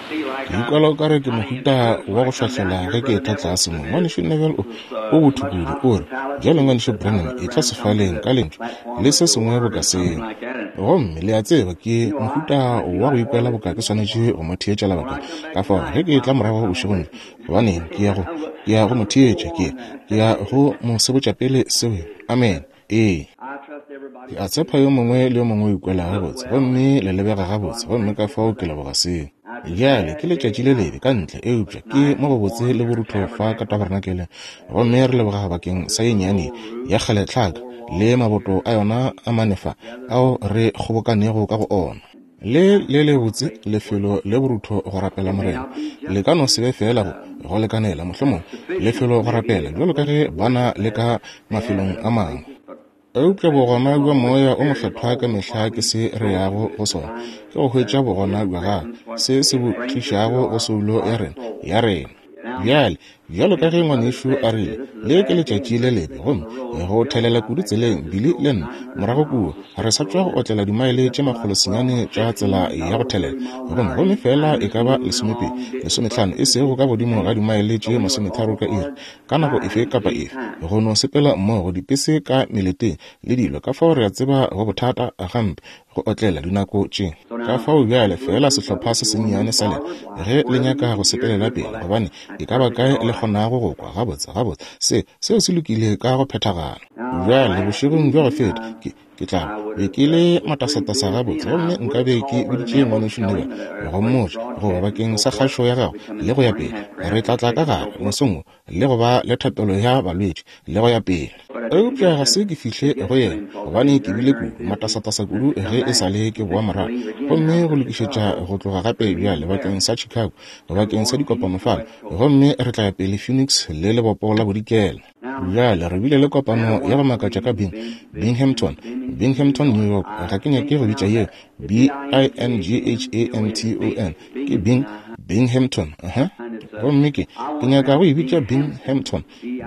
Ke ikwela o ka re ke mohuta wa go šwahlela ge ke etla tlase mo. Ngwanešu Neville o, o botho kudu, o re, Bjale, Ngwanešu Branham, etla sefaleng ka lentšu, le se sengwe boka seo. Gomme, le a tseba, ke mohuta wa go ikwela boka ke swanetše go mo theetša lebaka. Ka fao, ge ke etla morago bošegong bjo, gobaneng, ke ya go, ke ya go mo theetša, ke, ke ya go mo sebotša pele seo. Amene. Ee. Ke a tshepa yo mongwe le yo mongwe o ikwela gabotse, gomme le lebega gabotse, gomme ka fao ke leboga seo. Bjale, ke letšatši le lebe ka ntle, eupša ke mo gobotse le borutho fa ka tabernakeleng, gomme re leboga bakeng sa ye nnyane ya kgale tlhaka le maboto a yona a mane fa ao re kgobokanego ka go ona. Le le lebotse lefelo le borutho go rapela Morena. Le ka no se be feela go, go lekanela, mohlomongwe, lefelo go rapela, bjalo ka ge ba na le ka mafelong a mangwe. Eupša bogona bja Moya o Mokgethwa ka mehla ke se re yago go sona, ke go hwetša bogona bja Gagwe, se se bo tlišago go soulo ya rena, ya rena. Bjale, bjalo ka ge ngwanešu a rile, le ke letšatši le lebe, gomme go thelela kudu tseleng, Billy le nna, morago kua, re sa tšwa go otlela dimaele tše makgolosenyane tša tsela ya go thelela, gomme, gomme feela e ka ba lesomepedi, lesometlhano, e sego ka godimo ga dimaele tše masometharo ka iri, ka nako efe kapa efe, go no sepela mmogo, dipese ka meleteng le dilo, ka fao re a tseba go bothata gampe go otlela dinako tše. Ka fao bjale feela sehlopha se sennyane sa lena, ge le nyaka go sepelela pele, gobane e ka ba kae le kgonago go kwa gabotse, gabotse, se, seo se lokile ka go phethagala. Bjale, bošegong bja go feta, ke, ke tla be ke le matasatasa gabotse, gomme nka be ke biditše Ngwanešu Neville go mmotša, goba bakeng sa kgašo ya gagwe, le go ya pele. Re tla tla ka gare, mosong wo, le go ba le thapelo ya balwetši, le go ya pele. Eupša ga se ke fihle go yena, gobane ke bile kudu, matasatasa kudu ge e sa le ke boa morago, gomme go lokišetša go tloga gape bjale bakeng sa Chicago, bakeng sa dikopano fale, gomme re tla ya pele Phoenix le Lebopo la Bodikela. Bjale, re bile le kopano ya go makatša ka Bing, Binghamton, Binghamton, New York. Ga ke nyake go bitša yeo B-I-N-G-H-A-M-T-O-N. Ke Bing, Binghamton. Uh -huh. Gomme ke, ke nyaka go e bitša Binghamton,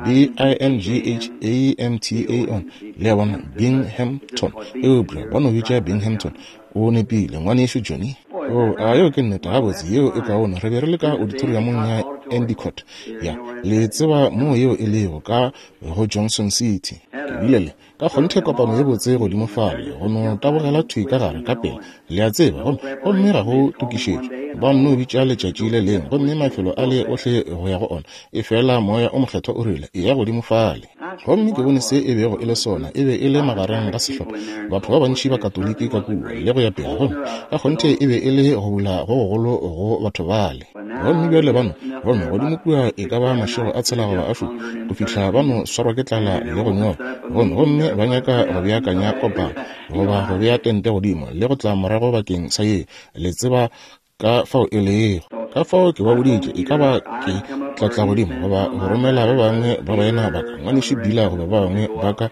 B-I-N-G-H-A-M-T-A-N. Le a bona, Binghamton. Eupša ba no bitša Binghamton. O nepile, ngwanešu Johnny. Oh, a yeo ke nnete. Gabotse, yeo e kaone. Re be re le ka auditoriumong ya Endicott. Ya, le tseba moo yeo e lego, ka go Johnson City. Ke bile le ka kgonthe kopano ye botse godimo fale, go no tabogela thwi ka gare ka pela, le a tseba, gomme, gomme ga go tokišetšo. Ba nno bitša letšatši le lengwe, gomme mafelo ale ohle go ya go ona, efela Moya o Mokgethwa o rile, Eya godimo fale. Gomme ke bone se e bego e le sona, e be e le magareng ga sehlopha, batho ba bantši ba Katoliki ka kua, le go ya pele, gomme ka kgonthe e be e le go bula go gogolo go batho bale. Gomme bjale ba no, gomme godimo kua e ka ba mašego a tshela goba a šupa, go fihla ba no swarwa ke tlala le go nyorwa, gomme, gomme ba nyaka go beakanya kopano, goba go bea tente godimo, le go tla morago bakeng sa ye, le tseba ka fao e lego. Ka fao ke ba boditše, e ka ba ke tla tla godimo goba go romela ba bangwe ba baena ba ka, Ngwanešu Beeler goba ba bangwe ba ka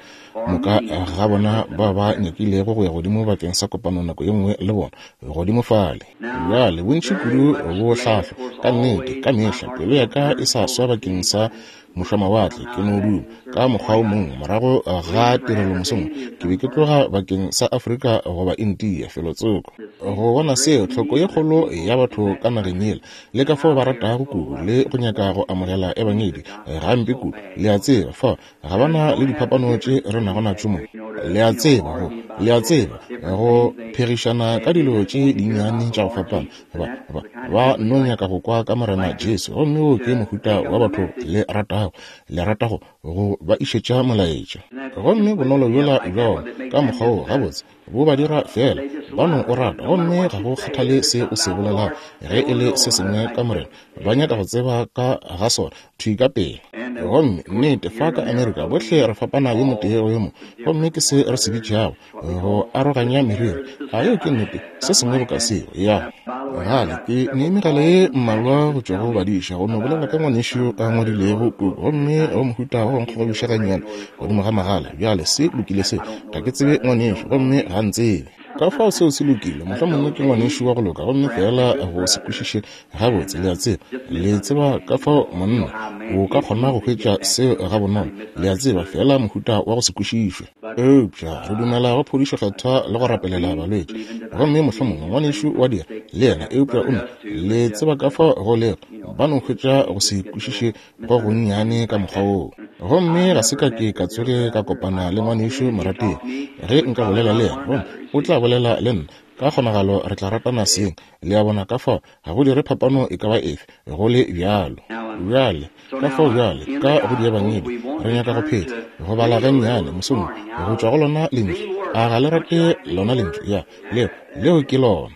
moka ga bona ba ba nyakilego go ya godimo bakeng sa kopano nako ye nngwe le bona, godimo fale. Bjale, bontši kudu bo hlahlwa, ka nnete, ka mehla pelo ya ka e sa swa bakeng sa mošwamawatle, ke no duma ka mokgwa o mongwe morago ga tirelo mosong ke be ke tloga bakeng sa Afrika goba India felotsoko go bona seo tlhoko ye kgolo ya batho ka nageng yela le ka fao ba ratago kudu le go nyaka go amogela ebangedi gampe kudu. Le a tseba, fa ga ba na le diphapano tše re nago natšo mo. Le a tseba, go, le a tseba, go phegišana ka dilo tše dinnyane tša go fapana. Ba, ba, ba no nyaka go kwa ka Morena Jesu. Gomme wo ke mohuta wa batho le ratago, le rata go, go ba išetša molaetša. Gomme bonolo bjola bja ona, ka mokgwa wo, gabotse, bo ba dira feela ba no o rata. Gomme ga go kgathale se o se bolelago, ge e le se sengwe ka Morena, ba nyaka go tseba ka ga sona, thwi ka pela. Gomme, nnete, fa ka Amerika, bohle re fapana yo motee go yo mongwe. Gomme ke se re se bitšago go aroganya meriri. A yeo ke nnete? Se sengwe boka seo. Ya. Gale, ke ne megala ye mmalwa go tšwa go badiša, go no bolela ka ngwanešu a ngwadilego puku, gomme go mohuta wa go nkgogobiša gannyane godimo ga magala. Bjale, se lokile se. Ga ke tsebe ngwanešu, gomme ga ntsebe. Ka fao seo se lokile, mohlomongwe ke ngwanešu wa go loka, gomme feela go se kwešiše gabotse, le a tseba. Le tseba ka fao monna o ka kgona go hwetša seo gabonolo, le a tseba, feela mohuta wa go se kwešišwe. Eupša re dumela go phodišo Kgethwa le go rapelela balwetši. Gomme mohlomongwe ngwanešu wa dira, le yena, eupša o no, le tseba ka fao go lego, ba no hwetša go se kwešiše go gonnyane ka mokgwa woo. Gomme ga se ka ke ka tsoge ka kopana le ngwanešu morategi. Ge nka bolela le yena, gomme o tla bolela le nna, ka kgonagalo re tla ratana seng. Le a bona? Ka fao ga go dire phapano e ka ba efe, go le bjalo. Bjale, ka fao bjale, ka go Diebangedi, re nyaka go phetla, go bala gannyane mosong wo, go tšwa go lona Lentšu. A ga le rate lona Lentšu? Ya, leo, leo ke lona.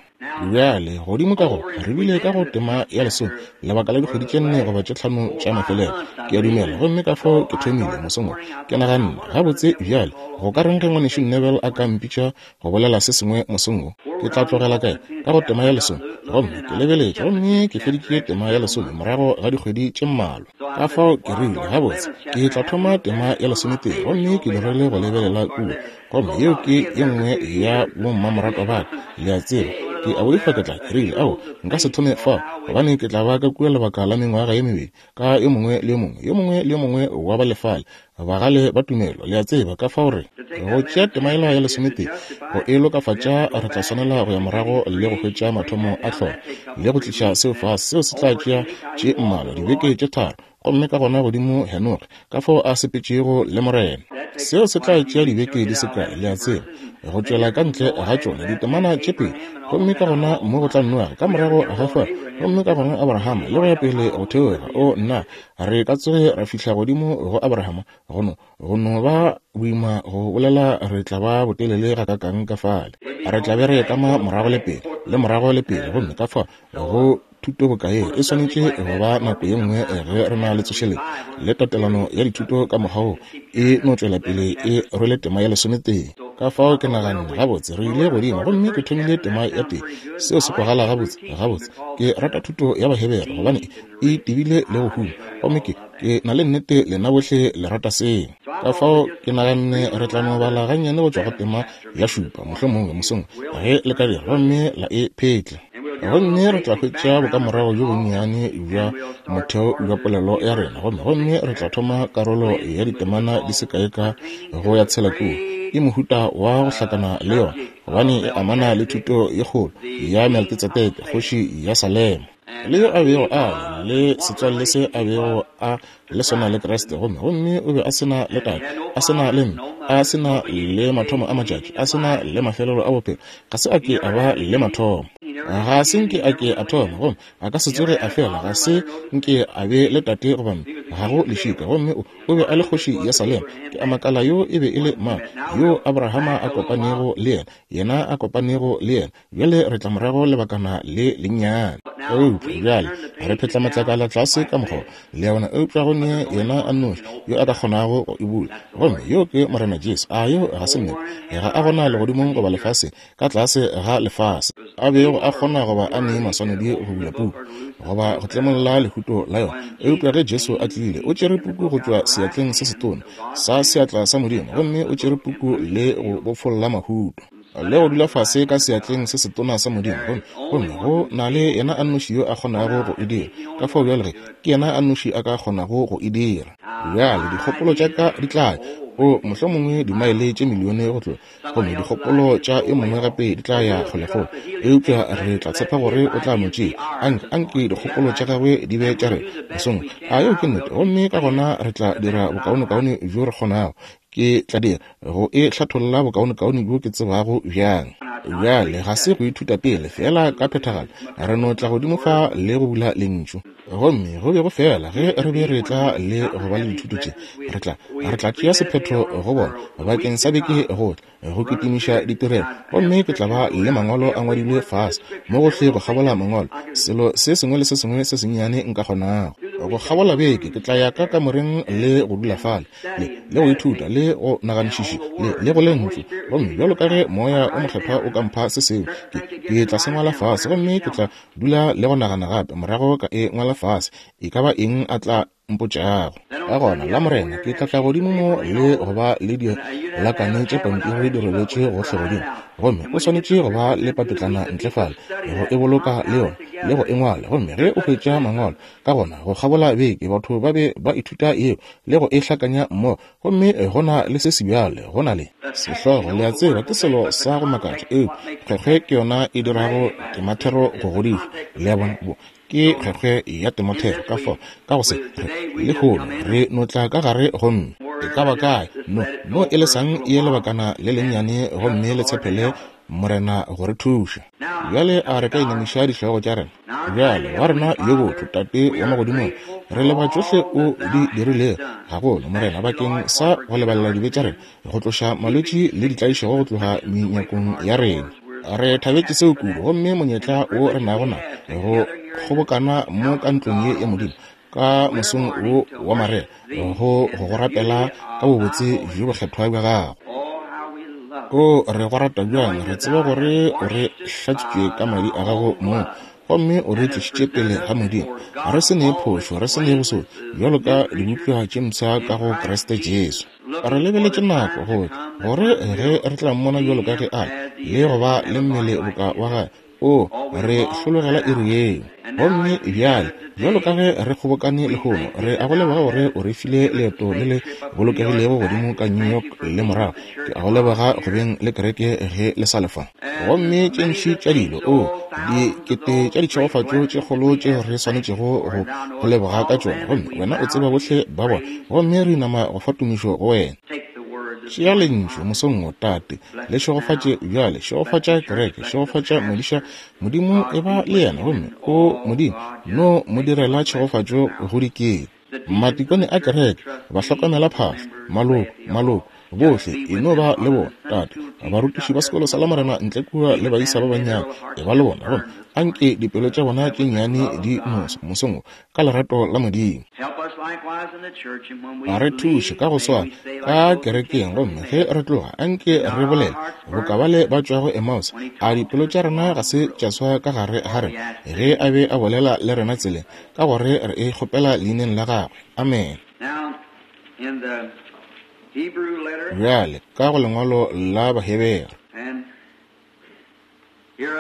Bjale, godimo ka go, re bile ka go tema ya lesome, lebaka la dikgwedi tše nne goba tše tlhano tša mafelelo, ke a dumela. Gomme ka fao ke thomile mosong wo, ke naganne, Gabotse, bjale, go ka reng ge Ngwanešu Neville a ka mpitša go bolela se sengwe mosong wo? Ke tla tlogela kae? Ka go tema ya lesome. Gomme ke lebeletše, gomme ke feditše tema ya lesome morago ga dikgwedi tše mmalwa. Ka fao ke rile, Gabotse, ke tla thoma tema ya lesometee, gomme ke dirile go lebelela kua. Gomme yeo ke ye nngwe ya bommamoratwa ba ka, le a tseba. Ke a boifa ke tla, ke rile, ao, nka se thome fa, gobane ke tla ba ka kua lebaka la mengwaga ye mebedi, ka yo mongwe le yo mongwe, yo mongwe le yo mongwe wa ba lefale, bagale ba tumelo, le a tseba, ka fao re, go tšea tema yela ya lesometee, go e lokafatša, re tla swanela go ya morago le go hwetša mathomo a hlogo, le go tliša seo fase, seo se tla tšea tše mmalwa, dibeke tše tharo, gomme ka gona godimo Henoge, ka fao a sepetšego le Morena. Seo se tla tšea dibeke di se kae, le a tseba, go tšwela ka ntle ga tšona ditemana tše pedi. Gomme ka gona mo go tla Noage, ka morago ga fao, gomme ka gona Abrahama, le go ya pele go theoga. O, nna, re ka tsoge ra fihla godimo go Abrahama, go no, go no ba boima go bolela re tla ba botelele gakakang ka fale. Re tla be re kama morago le pele, le morago le pele, gomme ka fao go thuto bokae e swanetše go ba nako ye nngwe ge re na le tsošeletšo le tatelano ya dithuto ka mokgwa wo e no tšwela pele e rwele tema ya lesometee. Ka fao ke naganne, gabotse, re ile godimo gomme ke thomile tema ya tee. Seo se kwagala gabotse. Gabotse, ke rata thuto ya Bahebere gobane e tebile le go huma, gomme ke, ke na le nnete lena bohle le rata seo. Ka fao ke naganne re tla no bala gannyane go tšwa go tema ya šupa, mohlomongwe mosong, ge le ka dira, gomme la e phetla. Gomme re tla hwetša bokamorago bjo bonnyane bja motheo bja polelo ya rena, gomme, gomme re tla thoma karolo ya ditemana di se kae ka go ya tshela kua. Ke mohuta wa go hlakana le yona, gobane e amana le thuto ye kgolo ya Melkitsedeke, kgoši ya Salema, le yo a bego a le setswalle se a bego a le sona le Kriste, gomme, gomme o be a se na le tate, a se na le mme, a se na le mathomo a matšatši, a se na le mafelelo a bophelo, ga se a ke a ba le mathomo, ga se nke a ke a thoma, gomme a ka se tsoge a fela, ga se nke a be le tate goba mme, ga go lešika, gomme o, o be a le kgoši ya Salema. Ke a makala yo e be e le mang, yo Abrahama a kopanego le yena, yena a kopanego le yena. Bjale re tla morago lebakana le lennyane. Eupša bjale re phetla matlakala tlase ka mokgwa, le a bona, eupša go ne yena a nnoši yo a ka kgonago go e bula, gomme yo ke Morena Jesu. A yo ga se nnete? Ga a gona legodimong goba lefaseng, ka tlase ga lefase, a bego a kgona goba a ne maswanedi go bula puku goba go tlemolla lehuto la yona. Eupša ge Jesu a tlile, o tšere puku go tšwa seatleng se setona sa seatla sa Modimo, gomme o tšere puku le go bofolla mahuto. le go dula fase ka seatleng se setona sa Modimo, gomme, gomme go na le yena a nnoši yo a kgonago go e dira. Ka fao bjale ge, ke yena a nnoši a ka kgonago go e dira. Bjale dikgopolo tša ka di tla ya, o, mohlomongwe dimaele tše milione go tloga, gomme dikgopolo tša yo mongwe gape di tla ya kgolekgole, eupša re tla tshepa gore o tla no tšea. Anke, anke dikgopolo tša gagwe di be tša rena mosong. A yeo ke nnete? Gomme ka gona re tla dira bokaonekaone bjo re kgonago. Ke tla dira go e hlatholla bokaonekaone bjo ke tsebago bjang. Bjale, ga se go ithuta pele, feela ka phethagalo re no tla godimo fa le go bula Lentšu. Gomme go be go fela ge re be re tla le go ba le dithuto tše, re tla, re tla tšea sephetho go bona bakeng sa beke go tla. go kitimiša ditirelo, gomme ke tla ba le mangwalo a ngwadilwe fase mo gohle go kgabola mangwalo, selo se sengwe le se sengwe se sennyane nka kgonago. Go kgabola beke ke tla ya ka kamoreng le go dula fale, le, le go ithuta, le go naganišiši, le, le go Lentšu. Gomme bjalo ka ge Moya o Mokgethwa o ka mpha se sengwe, ke, ke tla se ngwala fase, gomme ke tla dula le go nagana gape, morago ka e ngwala fase, e ka ba eng a tla mpotšago. Ka gona, Lamorena, ke tla tla godimo mo le go ba le dilakane tše pampiri di robetše gohle godimo. Gomme o swanetše go ba le papetlana ntle fale, go e boloka le yona, le go e ngwala. Gomme ge o hwetša mangwalo, ka gona go kgabola beke batho ba be ba ithuta yeo le go e hlakanya mmogo. Gomme go na le se sebjale, go na le sehlogo, le a tseba, ke selo sa go makatša, eupša kgwekgwe ke yona e dirago temathero go godišwa. Le a bona? Ke kgwekgwe ya temathero. Ka fao, ka go se, re, lehono, re no tla ka gare gomme e ka ba kae, no, no e lesang ye lebakana le lennyane gomme le tshepele Morena go re thuša. Bjale a re ka inamiša dihlogo tša rena? Bjale, wa rena yo botho, Tate wa Magodimong, re leboga tšohle O di dirilego, gagolo, Morena, bakeng sa go lebalela dibe tša rena, go tloša malwetši le ditlaišego go tloga menyakong ya rena. Re thabetše seo kudu, gomme monyetla wo re nago na go kgobokana mo ka ntlong ye ya Modimo, ka mosong wo wa marega, go go rapela ka bobotse bjo bokgethwa bja Gago. O, re go rata bjang! Re tseba gore o re hlatswitše ka madi a gago mong, gomme o re tlišitše pele ga Modimo, re se ne phošo, re se ne bosodi, bjalo ka dibopša tše mpsha ka go Kriste Jesu. Re lebeletše nako go tla, gore ge re tla mmona bjalo ka ge a le, le go ba le mmele boka wa gagwe. O, re hlologela iri yeo. Gomme bjale, bjalo ka ge re kgobokane lehono, re a go leboga gore o re file leeto le le bolokegilego godimo ka New York le morago. Ke a go leboga go beng le kereke ge le sa le fa. Gomme tše ntši tša dilo, o, dikete tša ditšhegofatšo tše kgolo tše re swanetšego go go leboga ka tšona. Gomme wena o tseba bohle ba bona. Gomme re inama go fa tumišo go wena. Tšea Lentšu mosong wo, Tate. Le šegofatše bjale, šegofatša kereke, šegofatša modiša. Modimo, eba le yena, gomme, o Modimo, no mo direla tšhegofatšo go dikete. Matikone a kereke, bahlokomela phahlo, maloko, maloko, bohle, e no ba le bona, Tate. Barutiši ba sekolo sa Lamorena ntle kua le baisa ba bannyane, eba le bona, gomme a nke dipelo tša bona tše nnyane di no mosong wo, ka lerato la Modimo. A re thuše ka go swana ka kerekeng, gomme ge re tloga, anke re bolele boka bale ba tšwago Emmaus. A dipelo tša rena ga se tša swa ka gare ga rena ge a be a bolela le rena tseleng? Ka gore re e kgopela leineng la gagwe. Amene. Bjale, ka go lengwalo la Bahebere.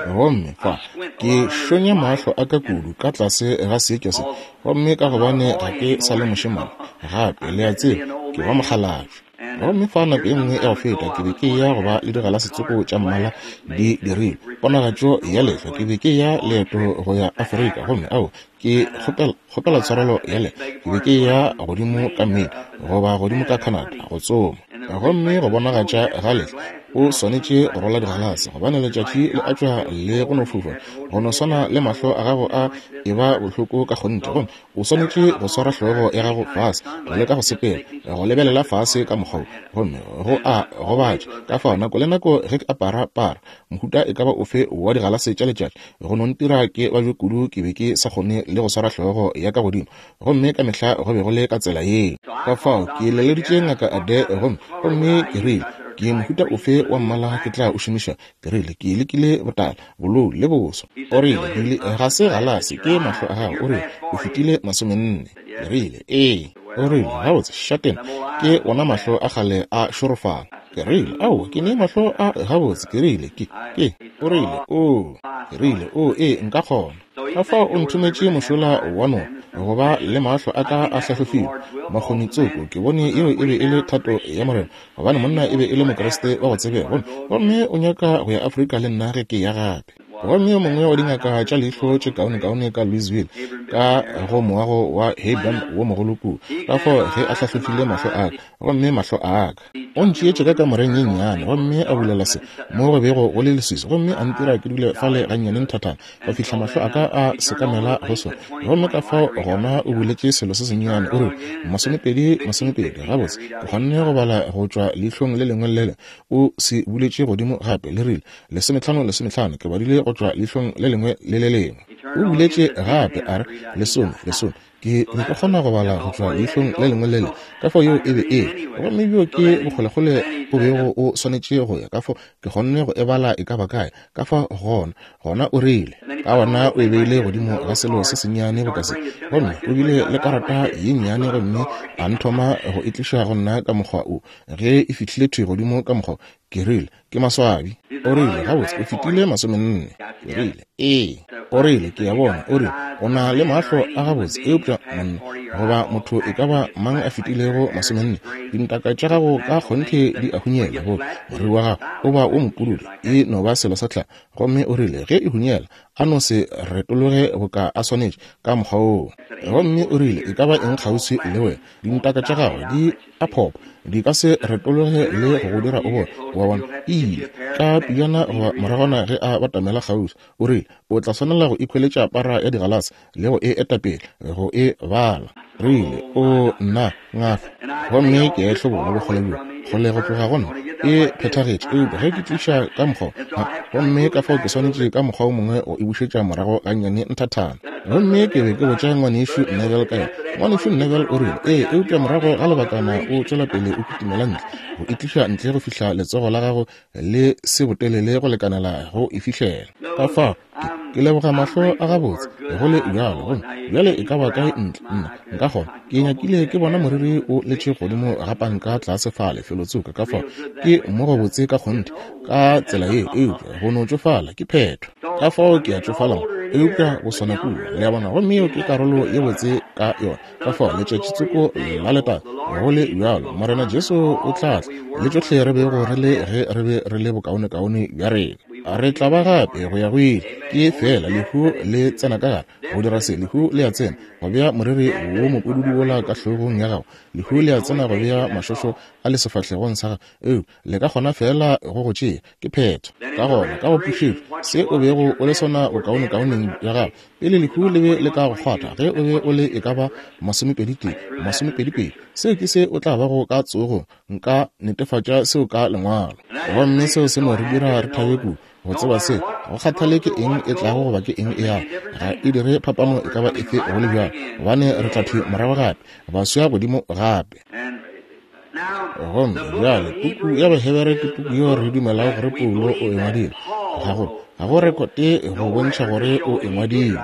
Gomme fa ke šonya mahlo a ka kudu ka tlase ga seetša se, gomme ka gobane ga ke sa le mošemane gape, le a tseba, ke ba mokgalabje. Gomme fa nako e nngwe ya go feta ke be ke eya go ba le digalase tsoko tša mmala di dirilwe, ponagatšo ya lehlwa, ke be ke eya leeto go ya Afrika, gomme ao, ke kgopela, kgopela tshwarelo ya le, ke be ke eya godimo ka Maine goba godimo ka Canada go tsoma. Gomme go bonagatša ga lehlwa, o swanetše go rwala digalase, gobane letšatši le a tšwa le go no fofa, go no swana le mahlo a gago a e ba bohloko ka kgonthe, gomme o swanetše go swara hlogo ya gago fase, go leka go sepela, go lebelela fase ka mokgwa wo, gomme go a gobatša. Ka fao nako le nako ge ke apara para, mohuta e ka ba ofe wa digalase tša letšatši, go no ntira ke babje kudu ke be ke sa kgone le go swara hlogo ya ka godimo, gomme ka mehla go be go le ka tsela yeo. Ka fao ke leleditše Ngaka Adair gomme, gomme ke rile, Ke mohuta ofe wa mmala ke tla o šomiša? Ke rile, Ke lekile botala, bolou le boso. O rile, Billy, ga se galase, ke mahlo a gago. O rile, O fetile masomenne. Ke rile, Ee. O rile, Gabotse, šatena, ke wona mahlo a kgale a šorofala. Ke rile, Aowa, ke ne mahlo a gabotse. Ke rile, Ke, ke. O rile, Oo. Ke rile, Oo, ee, nka kgona. Ka fao o nthometše mošola wa noka, go ba le mahlo a ka a hlahlofilwe, makgoni tsoko. Ke bone yeo e be e le thato ya Morena, gobane monna e be e le Mokriste wa go tsebega, gomme, gomme o nyaka go ya Afrika le nna ge ke ya gape. Gomme yo mongwe wa dingaka tša leihlo tše kaonekaone ka Louisville, ka go moago wa Heyburn wo mogolo kua. Ka fao ge a hlahlofile mahlo a ka, gomme mahlo a ka. O ntšeetše ka kamoreng ye nnyane, gomme a bulela se mo go bego go le leswiswi, gomme a ntira ke dule fale gannyane nthathana go fihla mahlo a ka a sekamela go sona. Gomme ka fao gona o buletše selo se sennyane, o rile, 20, 20. Gabotse, ke kgonne go bala go tšwa leihlong le lengwe le le lengwe. O se buletše godimo gape, le rile, 15, 15. Ke badile go tšwa leihlong le lengwe le le lengwe. O buletše gape, a re, 10, 10. Ke be ke kgona go bala go tšwa leihlong le lengwe le le, ka fao yeo e be e le. Gomme bjo ke bokgolekgole o bego o swanetše go ya, ka fao ke kgonne go e bala e ka ba kae. Ka fao gona, gona o rile. Ka gona o e beile godimo ga selo se sennyane boka se, gomme o bile le karata ye nnyane gomme a nthoma go e tliša go nna ka mokgwa wo. Ge e fihlile thwi godimo ka mokgwa wo, Ke rile, Ke maswabi. O rile, Gabotse, o fetile 40. Ke rile, Ee. O rile, Ke a bona. O rile, O na le mahlo a gabotse, eupša monna goba motho e ka ba mang a fetilego 40, dintaka tša gago ka kgonthe di a hunyela, goba moriri wa gago o ba wo mopududu, e no ba selo sa tlhago. Gomme o rile, Ge e hunyela, a no se retologe boka a swanetše, ka mokgwa woo. Gomme o rile, E ka ba eng kgauswi le wena, dintaka tša gago di a phopa, di ka se retologe le go go dira o bone. Wa bona, e ile ka pejana goba moragwana ge a batamela kgauswi. O rile, O tla swanela go ikhweletša para ya digalase le go e etapele go e bala. Rile, O nna, ngaka. Gomme ke a e hlobola bokgole bjo kgole go tloga go nna. E phethagetše, eupša ge ke tliša ka mokgwa wo, gomme ka fao ke swanetše ka mokgwa wo mongwe go e bušetša morago gannyane nthathana. Gomme ke be ke botša Ngwanešu Neville ka yona. Ngwanešu Neville o rile, Ee, eupša morago ga lebakana o tšwela pele o kitimela ntle, go e tliša ntle go fihla letsogo la gago le se botelele go lekanela go e fihlela. Ka fao, ke, ke leboga mahlo a gabotse, go le bjalo. Gomme bjale e ka ba kae ntle, nna nka kgona. Ke nyakile ke bona moriri o letše godimo ga panka tlase fale felotsoko, ka fao ke mo gobotse ka kgonthe ka tsela ye, eupša go no tšofala ke phetho. Ka fao ke a tšofala mo, eupša go swana kua, le a bona, gomme yeo ke karolo ye botse ka yona. Ka fao letšatši tsoko la letago, go le bjalo, Morena Jesu o tla tla, le tšohle re bego re le ge re be re le bokaonekaone bja rena. Re tla ba gape go ya go ile. Ke feela lehu le tsena ka gare go dira se. Lehu le a tsena go bea moriri wo mopududu wola ka hlogong ya gago. Lehu le a tsena go bea mašošo a le sefahlegong sa gago. Eupša le ka kgona feela go go tšea. Ke phetho. Ka gona, ka go pušetšwa, se o bego o le sona bokaonekaoneng bja gago, pele lehu le be le ka go kgwatha, ge o be o le e ka ba masomepeditee, masomepedipedi, seo ke se o tla bago ka tsogong. Nka netefatša seo ka Lengwalo. Gomme seo se no re dira re thabe kudu, go tseba se. Go kgathale ke eng e tlago goba ke eng e yago, ga e dire phapano e ka ba efe go le bjalo, gobane re tla thwi morago gape, baswa godimo gape. Gomme bjale puku ya Bahebere ke puku yeo re dumelago gore Paulo o e ngwadile. Ga go, ga go rekote go bontšha gore o e ngwadile.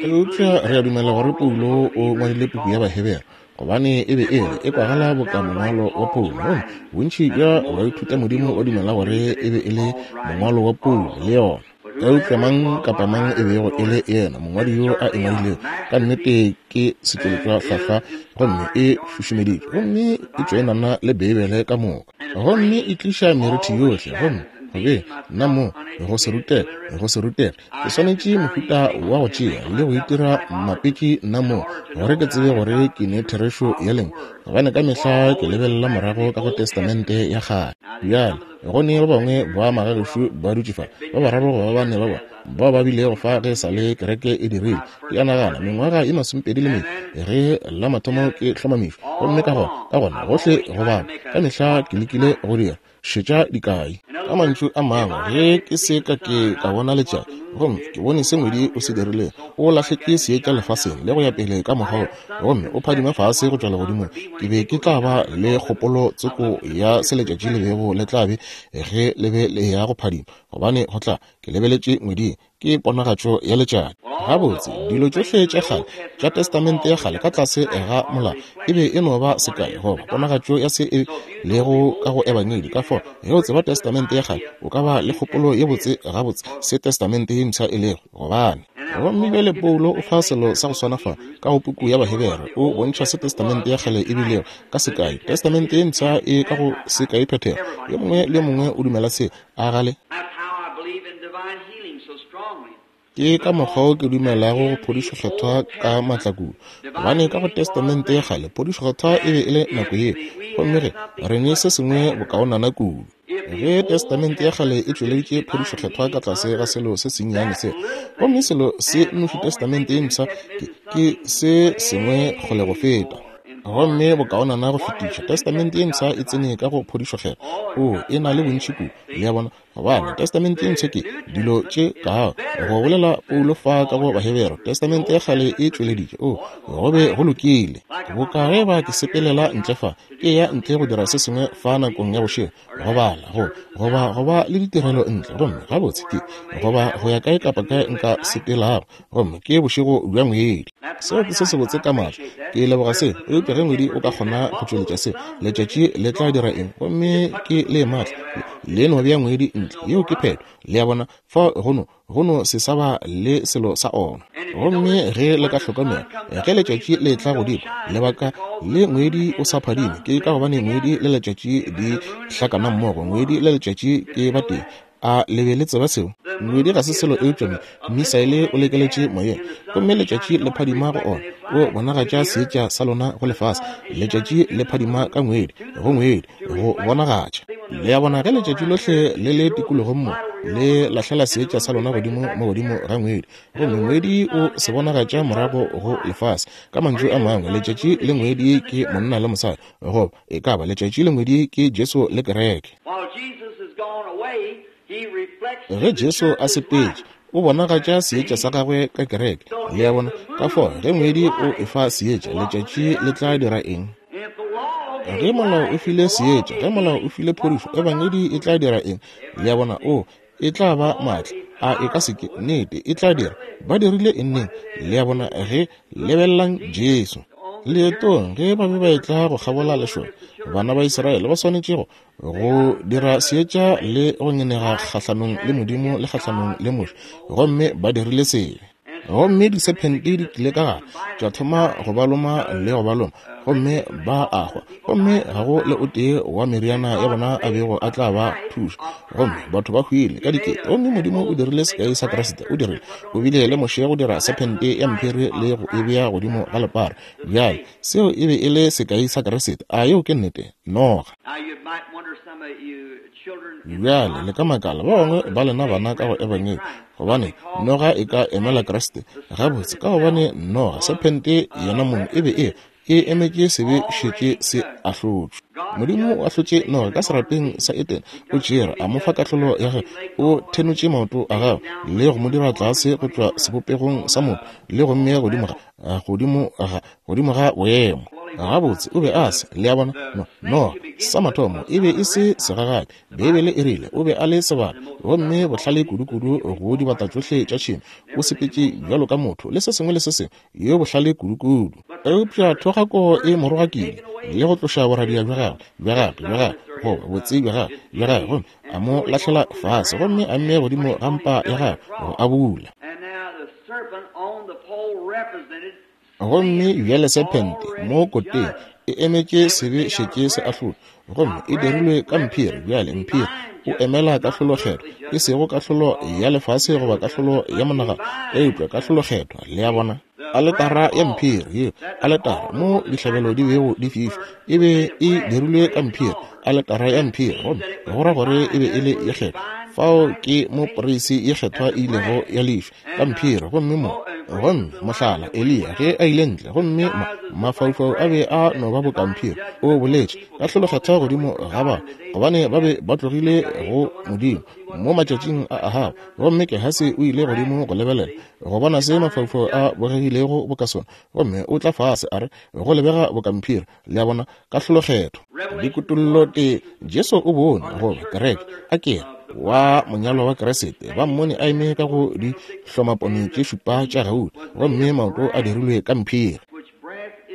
Eupša re a dumela gore Paulo o ngwadile puku ya Bahebere, gobane e be e le e kwagala boka mongwalo wa Paulo. Gomme bontši bja baithutamodimo ba dumela gore e be e le mongwalo wa Paulo le yona. Eupša mang kapa mang e bego e le yena mongwadi yo a e ngwadilego, ka nnete ke setšweletšwa hlwahlwa, gomme e šušumeditšwe, gomme e tšoenana le Beibele ka moka, gomme e tliša merithi yohle, gomme go be nna mo go se rutege, go se rutege, ke swanetše mohuta wa go tšea le go itira mmapetši nna mo, gore ke tsebe gore ke ne therešo ya lengwe, gobane ka mehla ke lebelela morago ka go Testamente ya Kgale. Bjale, Go ne ba bangwe ba magagešo ba dutše fa, ba bararo goba ba bane ba bona, bao ba bilego fa ge e sa le kereke e dirile, ke a nagana, mengwaga ye masomepedi le mene, ge la mathomo ke hlomamišwa. Gomme ka gona, ka gona, gohle go bapa, ka mehla ke lekile go dira, šetša dikai. Ka mantšu a mangwe, ge ke se ka ke ka bona letšatši, gomme ke bone se ngwedi o se dirilego, o lahletše seetša lefaseng le go ya pele ka mokgwa wo, gomme o phadima fase go tšwa legodimong, ke be ke tla ba le kgopolo tsoko ya se letšatši le bego le tla be ge le be le ya go phadima, gobane go tla, ke lebeletše ngweding, ke ponagatšo ya letšatši. Gabotse, dilo tšohle tša kgale tša Testamente ya Kgale ka tlase ga molao e be e no ba sekai goba ponagatšo ya se e lego ka go Ebangedi. Ka fao, ge o tseba Testamente ya Kgale, o ka ba le kgopolo ye botse gabotse se Testamente ye Mpsha e lego, gobane Gomme bjale Paulo o fa selo sa go swana fa ka go puku ya Bahebere, o bontšha se Testamente ya Kgale e bilego. Ka sekai, Testamente ye Mpsha e ka go sekai phethego. Yo mongwe le yo mongwe o dumela se, a ga le? Ke ka mokgwa wo ke dumelago go phodišo kgethwa ka maatla kudu, gobane ka go Testamente ya Kgale phodišo kgethwa e be e le nako yeo, gomme ge re ne se sengwe bokaonana kudu. Ge Testamente ya Kgale e tšweleditše phodišo kgethwa ka tlase ga selo se sennyane se, gomme selo se nnoši Testamente ye Mpsha ke, ke se sengwe kgole go feta, gomme bokaonana go fetiša. Testamente ye Mpsha e tsene ka go phodišo kgethwa. Oo, e na le bontši kudu, le a bona. Gobane Testamente ye Mpsha ke dilo tše ka go bolela Paulo fa ka go Bahebere, Testamente ya Kgale e tšweleditše. Oo, go be go lokile. Boka ge ba ke sepelela ntle fa, ke ya ntle go dira se sengwe fa nakong ya bošego, go bala, go, goba go ba le ditirelo ntle, gomme gabotse ke, goba go ya kae kapa kae nka sepelago, gomme ke bošego bja ngwedi. Seo ke se sebotse ka maatla. Ke leboga seo. Eupša ge ngwedi o ka kgona go tšweletša seo, letšatši le tla dira eng? Gomme ke le maatla. Le no bea ngwedi ntle. Yeo ke phetho. Le a bona? Fao go no, go no se sa ba le selo sa ona. Gomme ge le ka hlokomela, ge letšatši le etla godimo, lebaka le ngwedi o sa phadime, ke ka gobane ngwedi le letšatši di hlakana mmogo. Ngwedi le letšatši ke batee. A le be le tseba seo? Ngwedi ga se selo eupša mi, misaele o lekeletše moyeng. Gomme letšatši le phadima go ona, o bonagatša seetša sa lona go lefase. Letšatši le phadima ka ngwedi, go ngwedi, go bonagatša. Le a bona, ge letšatši lohle le le tikologong mo, le lahlela seetša sa lona godimo mo godimo ga ngwedi, gomme ngwedi o se bonagatša morago go lefase. Ka mantšu a mangwe, letšatši le ngwedi ke monna le mosadi, goba e ka ba letšatši le ngwedi ke Jesu le kereke. Ge Jesu a sepetše, o bonagatša seetša sa gagwe ka kereke. Le a bona? Ka fao, ge ngwedi o efa seetša, letšatši le tla dira eng? Ge molao o file seetša, ge molao o file phodišo, ebangedi e tla dira eng? Le a bona? O, e tla ba maatla. A e ka se ke? Nnete, e tla dira. Ba dirile eng neng? Le a bona? Ge, lebelelang Jesu. Leetong, ge ba be ba etla go kgabola lešoka, bana ba Israele ba swanetše go, go dira seetša le go ngenega kgahlanong le Modimo le kgahlanong le Moshe, gomme ba dirile sebe. Gomme disephente di tlile ka gare, tša thoma go ba loma le go ba loma, gomme ba a hwa. Gomme ga go le o tee wa meriana ya bona a bego a tla ba thuša. Gomme batho ba hwile ka dikete. Gomme Modimo o dirile sekai sa Kriste. O dirile, o bile le Moshe go dira sephente ya mphiri le go e bea godimo ga lepara. Bjale, seo e be e le sekai sa Kriste. A yeo ke nnete? Noga. Bjale, le ka makala, ba bangwe ba lena bana ka go Ebangedi, gobane noga e ka emela Kriste. Gabotse, ka gobane noga, sephente yona mong, e be e e emetše sebe šetše se ahlotšwe. Modimo o ahlotše noga ka serapeng sa Edene, o tšere a mo fa kahlolo ya gagwe, o thenotše maoto a gagwe le go mo dira tlase go tšwa sebopegong sa motho le go mmea godimo ga, godimo ga, godimo ga boemo. Gabotse, o be a se, le a bona, no, noga, sa mathomo, e be e se segagabi. Beibele e rile o be a le sebata, gomme bohlale kudukudu go dibata tšohle tša tšhemo. O sepetše bjalo ka motho le se sengwe le se sengwe, yo bohlale kudukudu. Eupša thogako e mo rogakile le go tloša boradia bja gagwe, bja gagwe, bja gagwe, goba botse bja gagwe, bja gagwe, gomme a mo lahlela fase, gomme a mmea godimo ga mpa ya gagwe go abula. Gomme bjale sephente mo koteng e emetše sebe šetše se ahlotšwe, gomme e dirilwe ka mphiri. Bjale mphiri o emela kahlolokgethwa, e sego kahlolo ya lefase goba kahlolo ya monagano, eupša kahlolokgethwa. Le a bona? Aletara ya mphiri yeo, aletara mo dihlabelo di bego di fišwa, e be e dirilwe ka mphiri, aletara ya mphiri, gomme go ra gore e be e le ye kgethwa. Fao ke mo poreisi ye kgethwa e ilego ya lefa. ka mphiri. Gomme mo, gomme mohlala, Eliya, ge a ile ntle, gomme ma, mafaufau a be a no ba boka mphiri, o boletše kahlolokgethwa godimo ga ba, gobane ba be ba tlogile go Modimo mo matšatšing a Ahaba. Gomme Gehasi o ile godimo go lebelela, go bona se mafaufau a bogegilego boka sona, gomme o tla fase, a re, Go lebega boka mphiri. Le a bona, kahlolokgethwa. Dikutollo tee, Jesu o bone, goba kereke, a ke re, wa monyalwa wa Kriste, ba mmone a eme ka go di hlomapone tše šupa tša gauta, gomme maoto a dirilwe ka mphiri.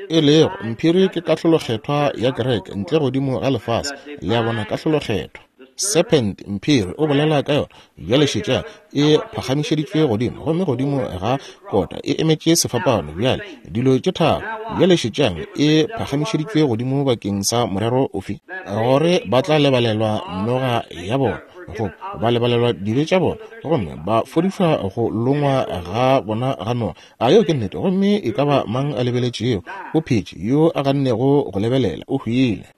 E lego, mphiri ke kahlolokgethwa ya kereke ntle godimo ga lefase. Le a bona, kahlolokgethwa. Serpent, mphiri, o bolela ka yona. Bjale šetša, e phagamišeditšwe godimo, gomme godimo ga kota e emetše sefapano. Bjale, dilo tše tharo. Bjale šetšang, e phagamišeditšwe godimo bakeng sa morero ofe? Gore ba tla lebalelwa noga ya bona, goba ba lebalelwa dibe tša bona, gomme ba fodišwa go longwa ga bona ga noga. A yeo ke nnete? Gomme e ka ba mang a lebeletšego o phetše, yo a gannego go lebelela o hwile.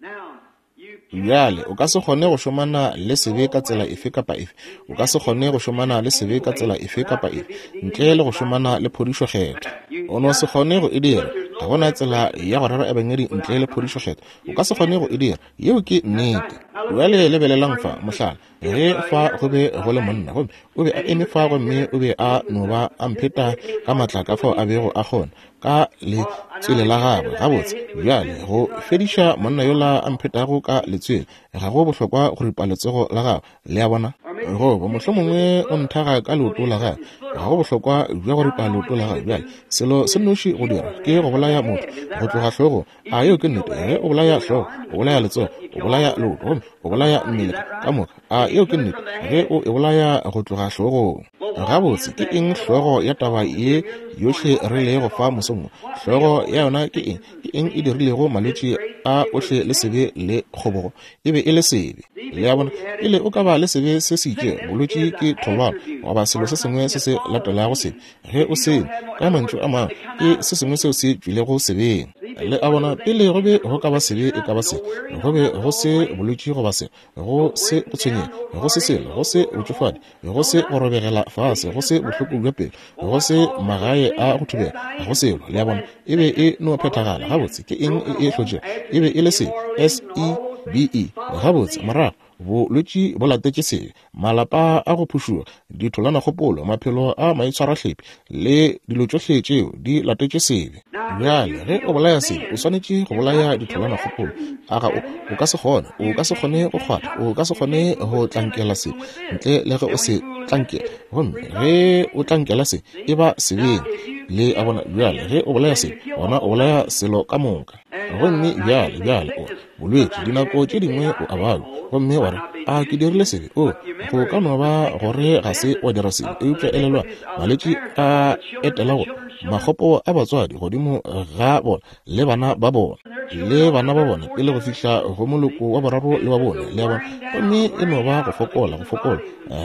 Bjale, o ka se kgone go šomana le sebe ka tsela efe kapa efe. O ka se kgone go šomana le sebe ka tsela efe kapa efe ntle le go šomana le phodišo kgethwa. O no se kgone go e dira. Ga go na tsela ya go rera ebangedi ntle le phodišo kgethwa. O ka se kgone go e dira. Yeo ke nnete. Bjale lebelelang fa, mohlala, ge fa go be go le monna, gomme o be a eme fa gomme o be a no ba a mpheta ka matla ka fao a bego a kgona, ka letswele la gagwe. Gabotse, bjale, go fediša monna yola a mphetago ka letswele, ga go bohlokwa go ripa letsogo la gagwe. Le a bona? Goba mohlomongwe o nthaga ka leoto la gagwe, ga go bohlokwa bja go ripa leoto la gagwe. Bjale, selo se nnoši go dira ke go bolaya motho go tloga hlogong. A yeo ke nnete? Ge o bolaya hlogo, o bolaya letsogo, o bolaya leoto, gomme Gomme o bolaya mmele ka moka. A yeo ke nnete? Ge o e bolaya go tloga hlogong. Gabotse, ke eng hlogo ya taba ye yohle re lego fa mosong wo? Hlogo ya yona ke eng? Ke eng e dirilego malwetši a ohle le sebe le kgobogo? E be e le sebe. Le a bona? Pele o ka ba le sebe se se itšego, bolwetši ke tholwana goba selo se sengwe se se latelago sebe. Ge o se, ka mantšu a mangwe, ke se sengwe seo se tšwilego sebeng. Le a bona? Pele go be go ka ba sebe e ka ba se, go be go se bolwetši goba se, go se go tshwenyega, go se selo, go se botšofadi, go se go robegela fase, go se bohloko bja pelo, go se magae a go thubega, go selo. Le a bona? E be e no phethagala. Gabotse, ke eng e e hlotšego? E be e le sebe, S-E-B-E. Gabotse, morago, bolwetši bo latetše sebe, malapa a go phušuga, ditholanakgopolo, maphelo a maitshwarahlepi, le dilo tšohle tšeo di latetše sebe. Bjale, ge o bolaya sebe, o swanetše go bolaya ditholanakgopolo. A ga o? O ka se kgone. O ka se kgone go kgwatha. O ka se kgone go tlankela sebe ntle le ge o se tlankela. Gomme ge o tlankela sebe, e ba sebeng. Le a bona? Bjale, ge o bolaya sebe, gona o bolaya selo ka moka. Gomme bjale, bjale o re, Bolwetši, dinako tše dingwe o a babja, gomme wa re, A ke dirile sebe? O, go ka no ba gore ga se wa dira sebe, eupša elelwa, malwetši a etela go makgopo a batswadi godimo ga bona le bana ba bona le bana ba bona pele go fihla go moloko wa boraro le wa bone, le a bona. Gomme e no ba go fokola, go fokola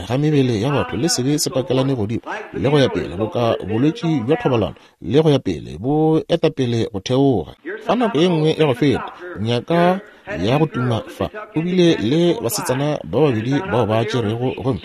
ga mebele ya batho le sebe se pakelane godimo le go ya pele, boka bolwetši bja thobalano le go ya pele, bo eta pele go theoga. Fa nako ye nngwe ya go feta, nyaka ya go tuma fa, o bile le basetsana ba babedi bao ba tšerego gomme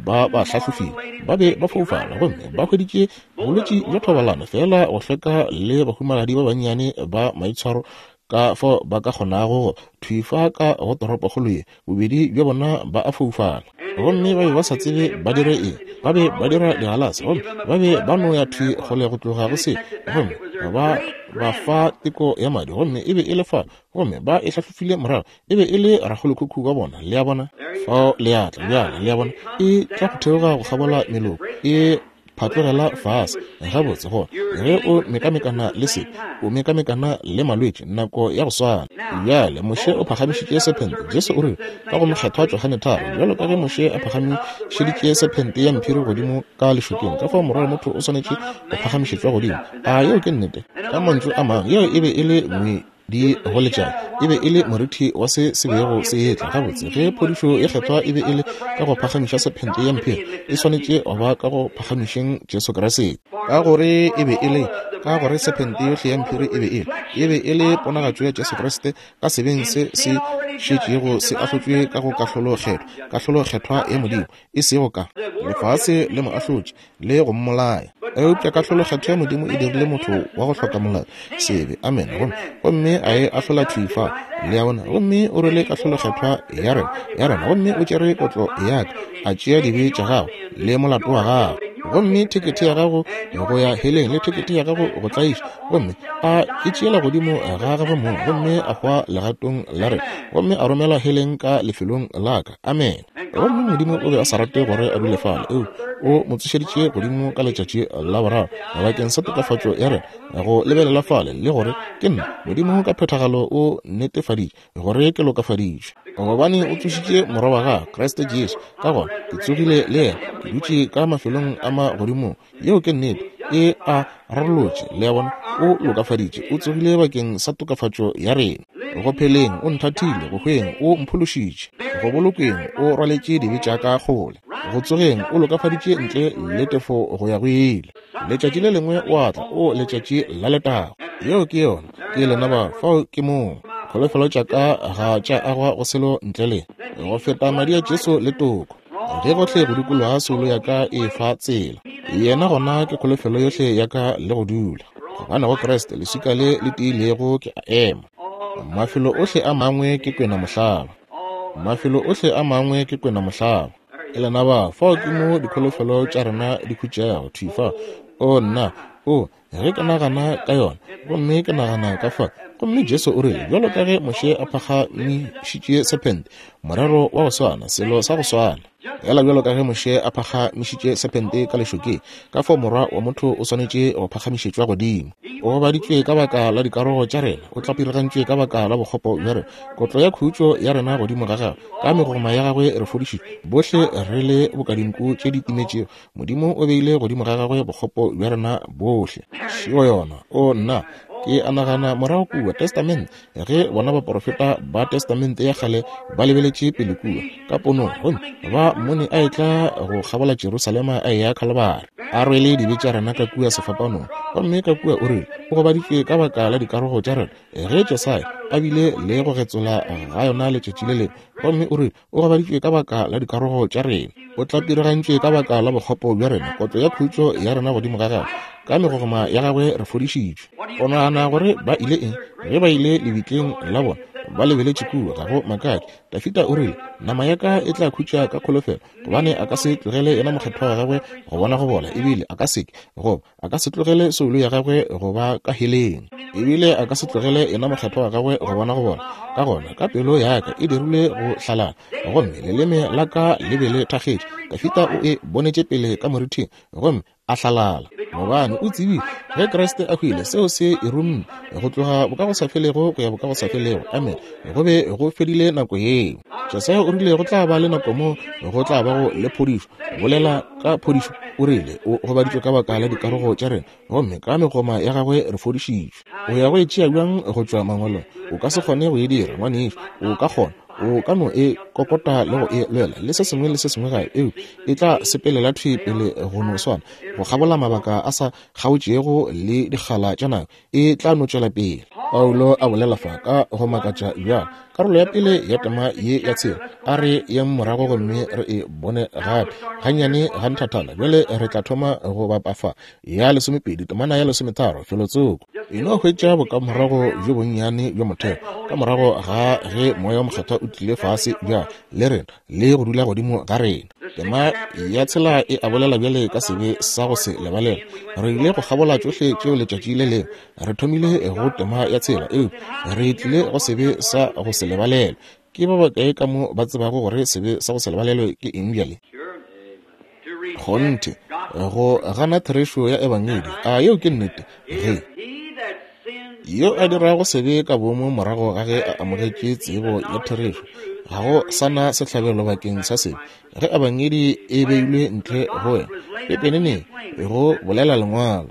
ba ba hlahlofile, ba be ba foufala gomme ba hweditše bolwetši bja thobalano, feela go hlweka le bahumagadi ba bannyane ba maitshwaro ka fao ba ka kgonago go thwi fa ka go toropokgolo ye, bobedi bja bona ba a foufala. Gomme ba be ba sa tsebe ba dire eng. Ba be ba dira digalase, gomme ba be ba no ya thwi kgole go tloga go se. Gomme ba ba fa teko ya madi, gomme e be e le fa, gomme ba e hlahlofile morago, e be e le rakgolokhukhu wa bona. Le a bona? Fao le a tla bjale, le a bona, e tla go theoga go kgabola meloko, e phatlogela fase. Gabotse, gona, ge o mekamekana le se, o mekamekana le malwetši nako ya go swana. Bjale, Moshe o phagamišitše sephente. Jesu o rile, ka go Mokgethwa Johane 3, Bjalo ka ge Moshe a phagamišeditše sephente ya mphiri godimo ka lešokeng, ka fao Morwa wa motho o swanetše go phagamišetšwa godimo. A yeo ke nnete? Ka mantšu a mangwe, yeo e be e le di goletšana e be e le morithi wa se se bego se etla. Gabotse, ge phodišo ye Kgethwa e be e le ka go phagamiša sephente ya mphiri, e swanetše go ba ka go phagamišeng Jesu Kriste. Ka gore e be e le, ka gore sephente yohle ya mphiri e be e le, e be e le ponagatšo ya Jesu Kriste ka sebeng se se šetšego se ahlotšwe ka go kahlolo kgethwa, kahlolo kgethwa ya Modimo, e sego ka lefase le mo ahlotše le go mmolaya. Eupša kahlolo kgethwa ya Modimo e dirile motho wa go hloka molato sebe, amene, gomme, gomme a e ahlola thwi fa, le a bona, gomme o rwele kahlolo kgethwa ya rena, ya rena, gomme o tšere kotlo ya ka, a tšea dibe tša gago le molato wa gago, gomme thekethe ya gago go ya heleng le thekethe ya gago go tlaiša, gomme a e tšeela godimo ga gagwe mong, gomme a hwa legatong la rena, gomme a romela heleng ka lefelong la ka. Amene. Gomme Modimo o be a sa rate gore a dule fale, eupša o mo tsošeditše godimo ka letšatši la boraro bakeng sa tokafatšo ya rena, go lebelela fale le gore ke nna Modimo ka phethagalo o netefaditše gore ke lokafaditšwe, gobane o tsošitše Morwa wa gagwe, Kriste Jesu. Ka gona ke tsogile le yena, ke dutše ka mafelong a magodimong. Yeo ke nnete. E a rarolotše, le a bona, o lokafaditše, o tsogile bakeng sa tokafatšo ya rena. Go pheleng, o nthathile, go hweng, o mphološitše, go bolokweng, o rwaletše dibe tša ka kgole, go tsogeng, o lokafaditše ntle le tefo go ya go ile. Letšatši le lengwe o a tla, o letšatši la letago. Yeo ke yona, ke lena ba, fao ke moo. Kholofelo tša ka ga tša agwa go selo ntle le go feta madi a Jesu le toko. Ge gohle go dikologa soulo ya ka e fa tsela, yena gona ke kholofelo yohle ya ka le go dula. Gobane go Kriste leswika le le tiilego ke a ema. Mafelo ohle a mangwe ke kwena mohlaba. Mafelo ohle a mangwe ke kwena mohlaba. E lena ba, fao ke mo dikholofelo tša rena di khutšego, thwi fa. O nna! O, ge ke nagana ka yona, gomme ke nagana ka fa, gomme Jesu o rile, bjalo ka ge Moshe a phagamišitše sephente, morero wa go swana, selo sa go swana. Fela bjalo ka ge Moshe a phagamišitše sephente ka lešokeng, ka fao Morwa wa motho o swanetše go phagamišetšwa godimo. O gobaditšwe ka baka la dikarogo tša rena, o tlapirigantšwe ka baka la bokgopo bja rena. Kotlo ya khutšo ya rena godimo ga gagwe, ka megogoma ya gagwe re fodišitšwe. Bohle re le boka dinku tše di timetšego, Modimo o beile godimo ga gagwe bokgopo bja rena bohle. Šeo yona. O nna, ke a nagana morago kua Testamente, ge bona baporofeta ba Testamente ya kgale ba lebeletše pele kua ka ponong, gomme ba mmone a etla go kgabola Jerusalema a eya Khalibari, a rwele dibe tša rena ka kua sefapanong, gomme ka kua o rile o gobaditšwe ka baka la dikarogo tša rena, ge Jesaya a bile le go getsola ga yona letšatši le lengwe, gomme o rile O gobaditšwe ka baka la dikarogo tša rena, o tlapirigantšwe ka baka la bokgopo bja rena, kotlo ya khutšo ya rena godimo ga gagwe, ka megogoma ya gagwe re fodišitšwe. O nagana gore ba ile eng ge ba ile lebitleng la bona? Ba lebeletše kua, ga go makatše. Dafida o rile, Nama ya ka e tla khutša ka kholofelo, gobane a ka se tlogele yena mokgethwa wa gagwe go bona go bola, ebile a ka se ke, goba a ka se tlogele soulo ya gagwe go ba ka heleng, ebile a ka se tlogele yena mokgethwa wa gagwe go bona go bona. Ka gona ka pelo ya ka e dirilwe go hlalala, gomme leleme la ka le be le thakgetše. Dafida o e bonetše pele ka morithing, gomme a hlalala, gobane o tsebile ge Kriste a hwile, seo se e rumme go tloga bokagosafelego go ya bokagosafelego. Amen. Go be go fedile nako yeo. Jesaya o rile go tla ba le nako mo go tla bago le phodišo. Bolela ka phodišo, o rile o gobaditšwe ka baka la dikarogo tša rena, gomme ka megoma ya gagwe re fodišitšwe. O ya go e tšea bjang go tšwa mangwalong? O ka se kgone go e dira, ngwanešu. O ka kgona, o ka no e kokota le go e lwela le se sengwe le se sengwe gape, eupša e tla sepelela thwi pele go no swana, go kgabola mabaka a sa kgaotšego le dikgala tša nako. E tla no tšwela pele. Paulo a bolela fa ka go makatša bjalo. Karolo ya pele ya tema ye ya tshela, a re yeng morago gomme re e bone gape gannyane ga nthathana. Bjale re tla thoma go bapa fa ya lesomepedi, temana ya lesometharo, felotsoko. E no hwetša bokamorago bjo bonnyane bja motheo ka morago ga ge Moya wo Mokgethwa o tlile fase bjale le rena le go dula godimo ga rena. Tema ya tshela e a bolela bjale ka sebe sa go se lebalelwe. Re ile go kgabola tšohle tšeo letšatši le lengwe. Re thomile go tema ya tshela, eupša re tlile go sebe sa go se lebalelwe. Ke ba bakae ka mo ba tsebago gore sebe sa go se lebalelwe ke eng bjale? Kgonthe, go gana therešo ya Ebangedi. A yeo ke nnete? Ge yo a dirago sebe ka boomo morago ga ge a amogetše tsebo ya therešo, ga go sa na sehlabelo bakeng sa sebe. Ge Ebangedi e beilwe ntle go wena, pepeneneng go bolela Lengwalo,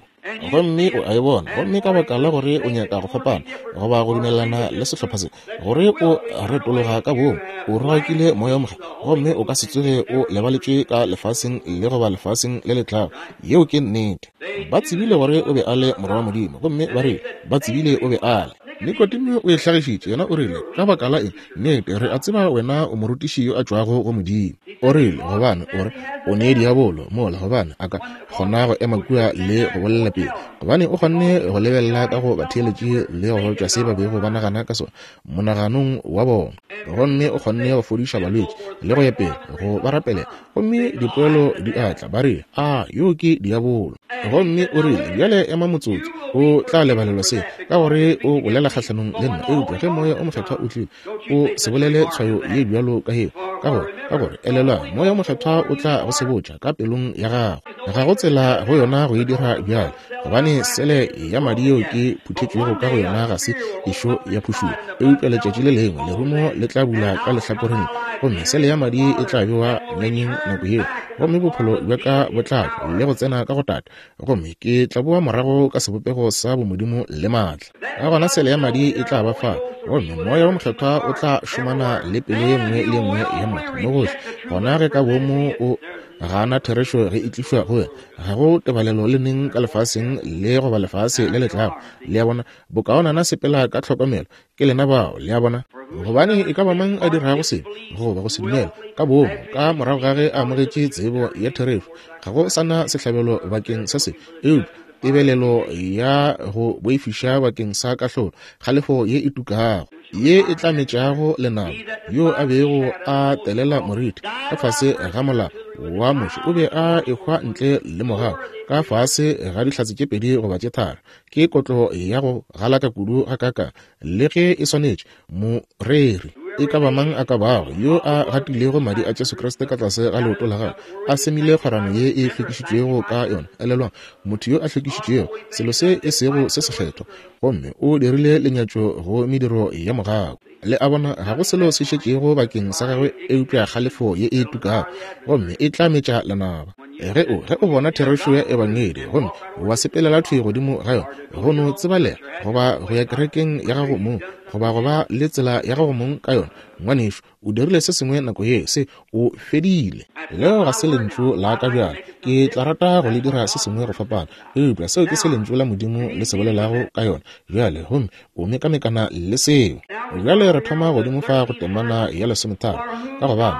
gomme o a e bona, gomme ka baka la gore o nyaka go fapana goba go dumelelana le sehlopha se, gore o retologa ka boomo, o rogakile Moya wo Mokgethwa, gomme o ka se tsoge o lebaletšwe ka lefaseng le goba lefaseng le le tlago. Yeo ke nnete. Ba tsebile gore o be a le Morwa wa Modimo, gomme ba rile ba tsebile o be a le. Nikodimo o e hlagišitše, yena o rile, Ka baka la eng, nnete, re a tseba wena o morutiši yo a tšwago go Modimo. O rile, Gobane, o re, o ne diabolo mola, gobane a ka kgona go ema kua le go bolela pele, gobane o kgonne go lebelela ka go batheeletši le go tšwa se ba bego ba nagana ka sona monaganong wa bona, gomme o kgonne go fodiša balwetši le go ya pele, go ba rapelela, gomme dipoelo di a tla. Ba rile, A yo ke diabolo. Gomme o rile, Bjale ema motsotso, o tla lebalelwa se, ka gore o bolela kgahlanong le nna. Eupša ge Moya o Mokgethwa o tlile, o se bolele tshwayo ye bjalo ka yeo, ka gore, ka gore, elelwang, Moya wo Mokgethwa o tla go sebotša ka pelong ya gago. Ga go tsela go yona go e dira bjale, gobane sele ya madi yeo ke phuthetšwego ka go yona ga se ešo ya phušuwa. Eupša letšatši le lengwe lerumo le tla bula ka lehlakoreng, gomme sele ya madi e tla bewa nyanyeng nako yeo, gomme bophelo bja ka bo tla tšwa le go tsena ka go Tate, gomme ke tla boa morago ka sebopego sa bomodimo le maatla. Ka gona sele ya madi e tla ba fa, gomme Moya wo Mokgethwa o tla šomana le pelo ye nngwe le ye nngwe ya motho mo gohle. Gona ge ka boomo o gana therešo ge e tlišwa go wena, ga go tebalelo le neng ka lefaseng le goba lefase le le tlago. Le a bona? Bokaonana sepela ka tlhokomelo. Ke lena bao, le a bona? Gobane e ka ba mang a dirago sebe goba go se dumela ka boomo ka morago ga ge a amogetše tsebo ya therešo, ga go sa na sehlabelo bakeng sa sebe, eupša tebelelo ya go boifiša bakeng sa kahlolo, kgalefo ye e tukago. Ye e tla metšago lenaba, yo a bego a telela moriti ka fase ga molao wa Moshe, o be a ehwa ntle le mogau ka fase ga dihlatse tše pedi goba tše tharo. Ke kotlo ya go galaka kudu gakaakang, le ge e swanetše moreri e ka ba mang a ka bago yo a gatilego madi a Jesu Kriste ka tlase ga leoto la gagwe, a semile kgwerano ye e hlwekišitšwego ka yona. Elelwang, motho yo a hlwekišitšwego, selo se e sego se sekgethwa, gomme o dirile lenyatšo go mediro ya mogau. Le a bona, ga go selo se šetšego bakeng sa gagwe eupša kgalefo ye e tukago, gomme e tla metša lenaba. Ge o, ge o bona therešo ya Ebangedi gomme wa sepelela thwi godimo ga yona, go no tsebalega, goba go ya kerekeng ya gago mong, goba go ba le tsela ya gago mong ka yona, ngwanešu, o dirile se sengwe nako ye, se, o fedile. Leo ga se lentšu la ka bjale. Ke tla rata go le dira se sengwe go fapana, eupša seo ke se Lentšu la Modimo le se bolelago ka yona bjale, gomme o mekamekana le seo. Bjale re thoma godimo fa go temana ya lesometharo, ka gobane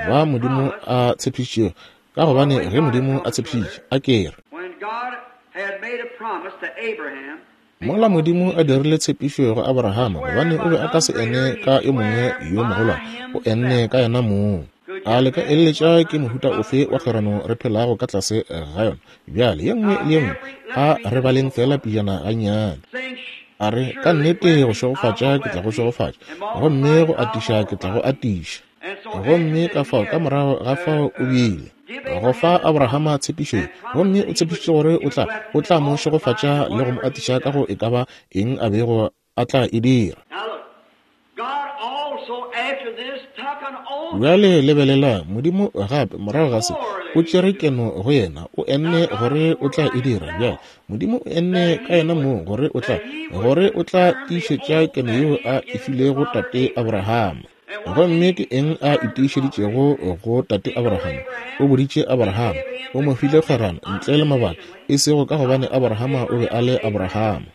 ba Modimo a tshepišitšego, ka gobane ge Modimo a tshepišitše, a ke re. Mola Modimo a dirile tshepišo go Aborahama, gobane o be a ka se ene ka yo mongwe yo mogolwane, o enne ka yena mong. A le ka eleletša ke mohuta ofe wa kgwerano re phelago ka tlase ga yona bjale? Ye nngwe le ye nngwe, a re baleng feela pejana gannyane. A re, Ka nnete go šegofatša ke tla go šegofatša, gomme go atiša ke tla go atiša. Gomme ka fao ka morago ga fao o bile go fa Abrahama tshepišo ye, gomme o tshepišitše gore o tla, o tla mo šegofatša le go mo atiša ka go e ka ba eng a bego a tla e dira. Bjale lebelelang, Modimo gape morago ga se o tšere keno go yena, o enne gore o tla e dira. Bjale Modimo o enne ka yena mong gore o tla, gore o tla tiišetša keno yeo a e filego tate Abrahama. Gomme ke eng a itiišeditšego go tate Abrahama? O boditše Abrahama, o mo file kgwerano ntle le mabaka, e sego ka gobane Abrahama o be a le Abrahama.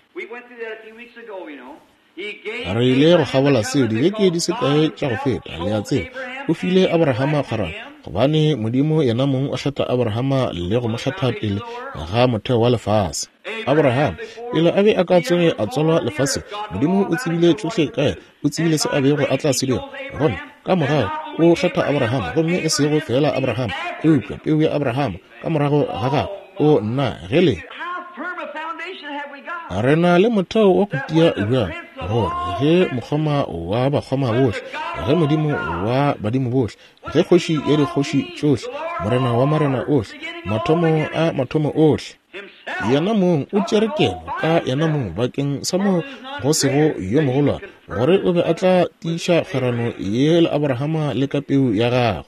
Re ile go kgabola seo dibeke di se kae tša go feta, le a tseba. O file Abrahama kgwerano, gobane Modimo yena mong o kgetha Abrahama le go mo kgetha pele ga motheo wa lefase. Abrahama, pele a be a ka tsoge a tswalwa lefaseng, Modimo o tsebile tšohle ka yena, o tsebile se a bego a tla se dira. Gomme ka morago o kgetha Abrahama, gomme e sego feela Abrahama, eupša peu ya Abrahama ka morago ga gagwe. O nna, ge le re na le motheo wa go tia bjang, gore ge mokgoma wa bakgoma bohle, ge modimo wa badimo bohle, ge kgoši ya dikgoši tšohle, morena wa marena ohle, mathomo a mathomo ohle, Yena mong o tšere keno ka yena mong bakeng sa mo go sego yo mogolwane, gore o be a tla tiiša kgwerano ye le Abrahama le ka peu ya gagwe.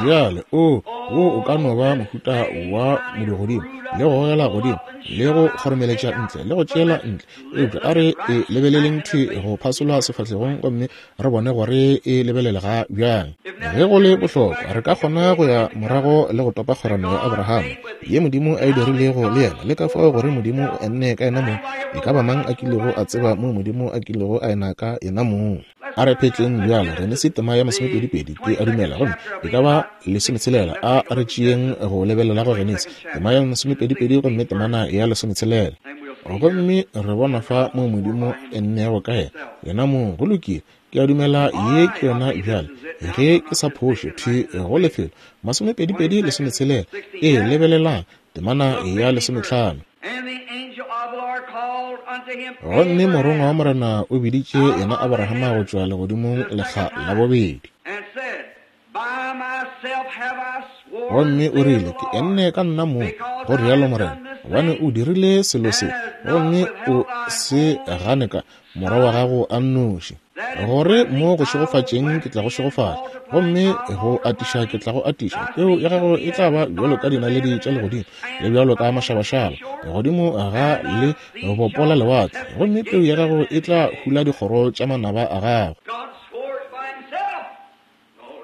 Bjale, o, wo o ka no ba mohuta wa modugodimo, le go gogela godimo, le go kgoromeletša ntle, le go tšeela ntle, eupša a re e lebeleleng thwi go phasola sefahlegong gomme re bone gore e lebelelega bjang. Ge go le bohlokwa, re ka kgona go ya morago le go topa kgwerano ya Abrahama ye Modimo a e dirilego le yena, le ka fao gore Modimo o enne ka yena mong. E ka ba mang a kilego a tseba moo Modimo a kilego a ena ka yena mong? A re phetleng bjale Genesi tema ya masomepedipedi, ke a dumela, gomme e ka ba lesometshelela. A re tšeeng go lebelela go Genesi tema ya masomepedipedi gomme temana ya lesometshelela. Gomme re bona fa moo Modimo ennego ka yena, yena mong. Go lokile, ke a dumela ye ke yona bjale, ge ke sa phošo, thwi go lefelo masomepedipedi lesometshelela. Ee, lebelelang temana ya lesometlhano. Gomme morongwa wa Morena o biditše yena Abrahama go tšwa legodimong lekga la bobedi. Gomme o rile, Ke enne ka nna mong, go rialo Morena, gobane o dirile selo se, gomme o se gane ka morwa wa gago a nnoši, gore mo go šegofatšeng ke tla go šegofatša, gomme go atiša ke tla go atiša. Peu ya gago e tla ba bjalo ka dinaledi tša legodimo, le bjalo ka mašabašaba godimo ga le bopo la lewatle, gomme peu ya gago e tla hula dikgoro tša manaba a gago.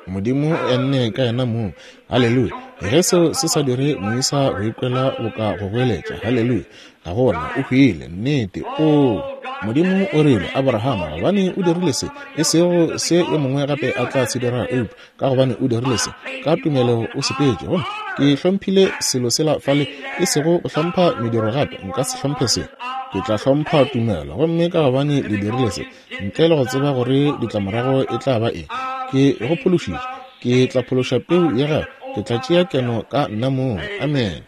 Modimo o enne ka yena mong. Haleluya! Ge seo se sa dire moisa go ikwela boka go goeletša, haleluya, ga gona, o hwile. Nnete. Oo, Modimo o rile, Abrahama, gobane o dirile se, e sego se yo mongwe gape a tla se dira, eupša ka gobane o dirile se, ka tumelo o sepetše. Gomme ke hlomphile selo sela fale, e sego go hlompha mediro gape, nka se hlomphe se. Ke tla hlompha tumelo. Gomme ka gobane le dirile se, ntle le go tseba gore ditlamorago e tla ba eng, ke go phološitše. Ke tla phološa peu ya gago. Ke tla tšea keno ka nna mong. Amene.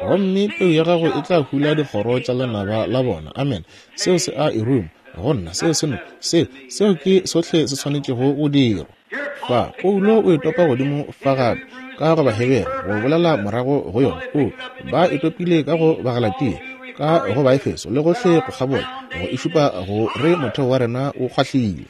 Gomme peu ya gago e tla hula dikgoro tša lenaba la bona. Amene. Seo se a e ruma go nna. Seo se no, seo, seo ke sohle se swanetšego go dirwa. Fa, Paulo o e topa godimo fa gape, ka go Bahebere, go bolela morago go yona. O, ba e topile ka go Bagalatia, ka go Baefeso, le gohle go kgabola, go e šupa go re motheo wa rena o kgwahlile.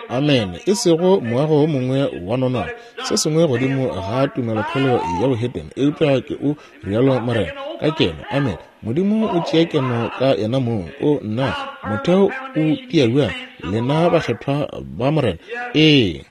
Amene. E sego moago wo mongwe wa nonwane, se sengwe godimo ga tumelokhwelo ya bohetene, eupša ke o rialo Morena, ka keno. Amene. Modimo o tšea keno ka yena mong. O, nna, motheo o tia bjang, lena bakgethwa ba Morena. Ee.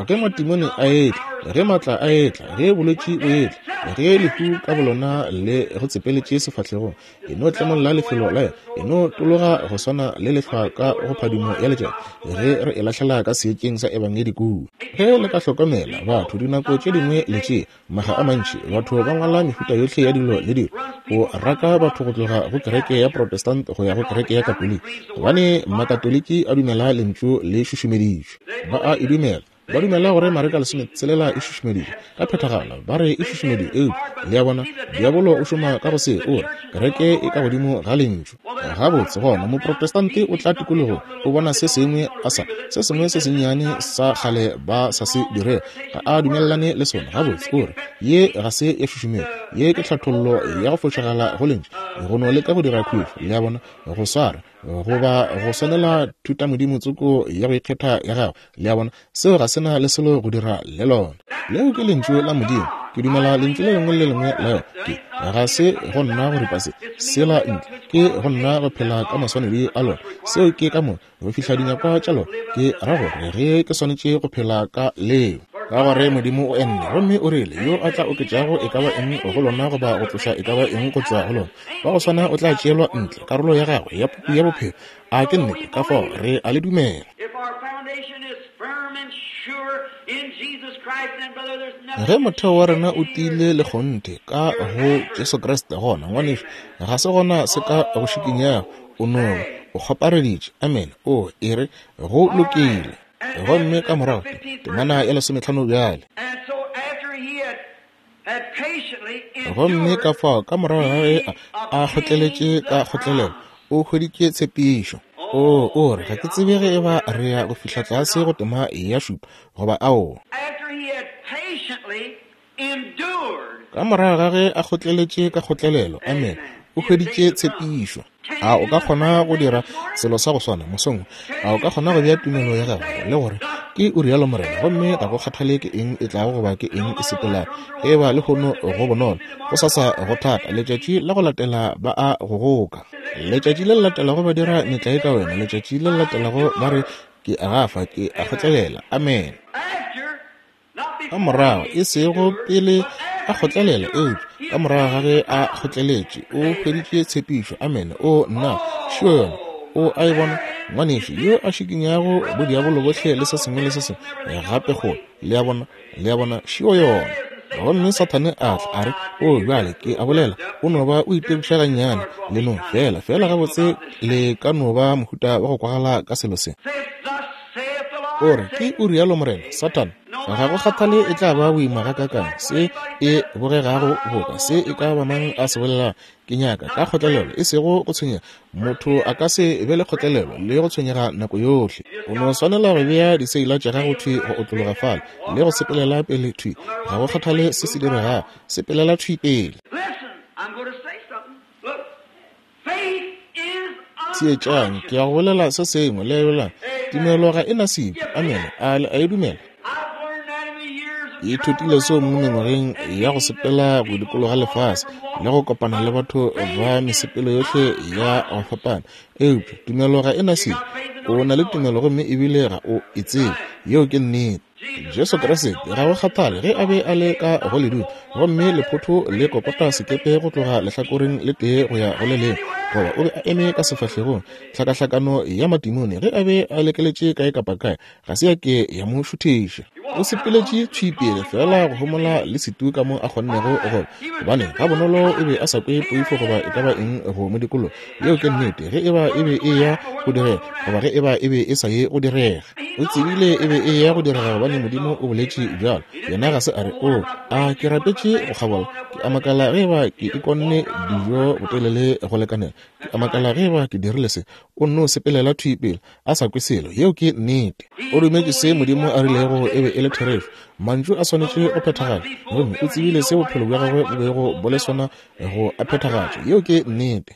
Ge matimone a etla, ge maatla a etla, ge bolwetši bo etla, ge lehu ka bolona le go tsepeletše sefahlegong, e no tlemolla lefelo la yona, e no tologa go swana le lehlwa ka go phadimo ya letšatši, ge re e lahlela ka seetšeng sa Ebangedi kua. Ge le ka hlokomela, batho dinako tše dingwe le tšea makga a mantši, batho ba ngwala mehuta yohle ya dilo le dilo, go raka batho go tloga go kereke ya Protestant go ya go kereke ya Katoliki, gobane Makatoliki a dumela Lentšu le šušumeditšwe. Ba a e dumela. Ba dumela gore Mareka 16 e šušumeditšwe ka phethagalo. Ba re e šušumeditšwe, eupša, le a bona, diabolo o šoma ka go se, o re, Kereke e ka godimo ga Lentšu. Gabotse, gona, Moprotestante o tla tikologong, o bona se sengwe a sa, se sengwe se sennyane sa kgale ba sa se dirego, ga a dumelelane le sona. Gabotse, o re, Ye ga se ya šušumetšwa. Ye ke tlhathollo ya go fošagala go Lentšu. Go no leka go dira khutšo, le a bona, go swara, goba go swanela thutamodimo tsoko ya go ikgetha ya gago. Le a bona, seo ga se na le selo go dira le lona. Leo ke Lentšu la Modimo. Ke dumela Lentšu le lengwe le le lengwe la yona. Ke, ga se go nna go ripa se, sela ntle. Ke go nna go phela ka maswanedi a lona. Seo ke ka moka, go fihla dinyakwa tša lona. Ke ra gore ge ke swanetše go phela ka leo. Ka gore Modimo o enne, gomme o rile, Yo a tla oketšago e ka ba eng go lona goba go tloša e ka ba eng go tšwa go lona, wa go swana o tla tšeelwa ntle, karolo ya gagwe ya puku ya bophelo. A ke nnete? Ka fao re a le dumela. Ge motheo wa rena o tiile le kgonthe ka go Jesu Kriste, gona, ngwanešu, ga se gona se ka go šikinyago. O no ba o kgopareditše. Amene. O e re, Go lokile. Gomme ka morago, temana ya lesometlhano bjale. Gomme ka fao ka morago ga ge a kgotleletše ka kgotlelelo, o hweditše tshepišo. O, o re, ga ke tsebe ge e ba re ya go fihla tlase go tema ya šupa, goba aowa. Ka morago ga ge a kgotleletše ka kgotlelelo, amene, o hweditše tshepišo. A o ka kgona go dira selo sa go swana mosong wo? A o ka kgona go bea tumelo ya gago le gore ke o rialo Morena, gomme ga go kgathale ke eng e tlago goba ke eng e sepelago, ge eba lehono go bonolo, gosasa go thata, letšatši la go latela ba a go goka, letšatši le le latelago ba dira metlae ka wena, letšatši le le latelago ba re ke a gafa, ke a kgotlelela. Amene. Ka morago, e sego pele a kgotlelela, eupša ka morago ga ge a kgotleletše, o hweditše tshepišo. Amene. O, nna, šio yona. O a e bona, ngwanešu, yo a šikinyago bodiabolo bohle le se sengwe le se sengwe gape kgole. Le a bona? Le a bona, šio yona. Gomme Sathane a tla, a re, O, bjale, ke a bolela, o no ba o itebiša gannyane. Le no, feela, feela gabotse le ka no ba mohuta wa go kwagala ka selo se. O re, Ke o rialo Morena, Sathane, ga go kgathale e tla ba boima gakaakang, se e bogegago boka, se e ka ba mang a se bolelago, ke nyaka ka kgotlelelo, e sego go tshwenyega. Motho a ka se be le kgotlelelo le go tshwenyega nako yohle. O no swanela go bea diseila tša gago thwi go otlologa fale, le go sepelela pele thwi. Ga go kgathale se se diregago, sepelela thwi pele. Theetšang, ke ya go bolela se sengwe. Lebelang, tumelo ga e na sebi. Amene. A le a e dumela? Ke ithutile seo mo mengwageng ya go sepela go dikologa lefase le go kopana le batho ba mesepelo yohle ya go fapana. Eupša tumelo ga e na sebi. O na le tumelo gomme ebile ga o e tsebe. Yeo ke nnete. Jesu Kriste, ga go kgathale ge a be a le ka go ledimo gomme lephotho le kokota sekepe go tloga lehlakoreng le tee go ya go le lengwe, goba o be a eme ka sefahlegong tlhakahlakano ya matimone ge a be a lekeletše kae kapa kae, ga se ya ke ya mo šuthiša. O sepeletše thwi pele, feela go homola le setu ka mo a kgonnego go ba, gobane gabonolo o be a sa kwe poifo goba e ka ba eng go mo dikologa. Yeo ke nnete, ge eba e be e eya go direga goba ge eba e be e sa ye go direga. O tsebile e be e eya go direga gobane Modimo o boletše bjalo. Yena ga se a re, Oo, a ke rapetše go kgabola? Ke a makala ge eba ke ikonne dijo botelele go lekanela. Ke a makala ge eba ke dirile se. O nno sepelela thwi pele, a sa kwe selo. Yeo ke nnete. O dumetše se Modimo a rilego e be e le therešo. Mantšu a swanetše go phethagala. Gomme o tsebile se bophelo bja gagwe bo bego bo le sona go a phethagatša. Yeo ke nnete.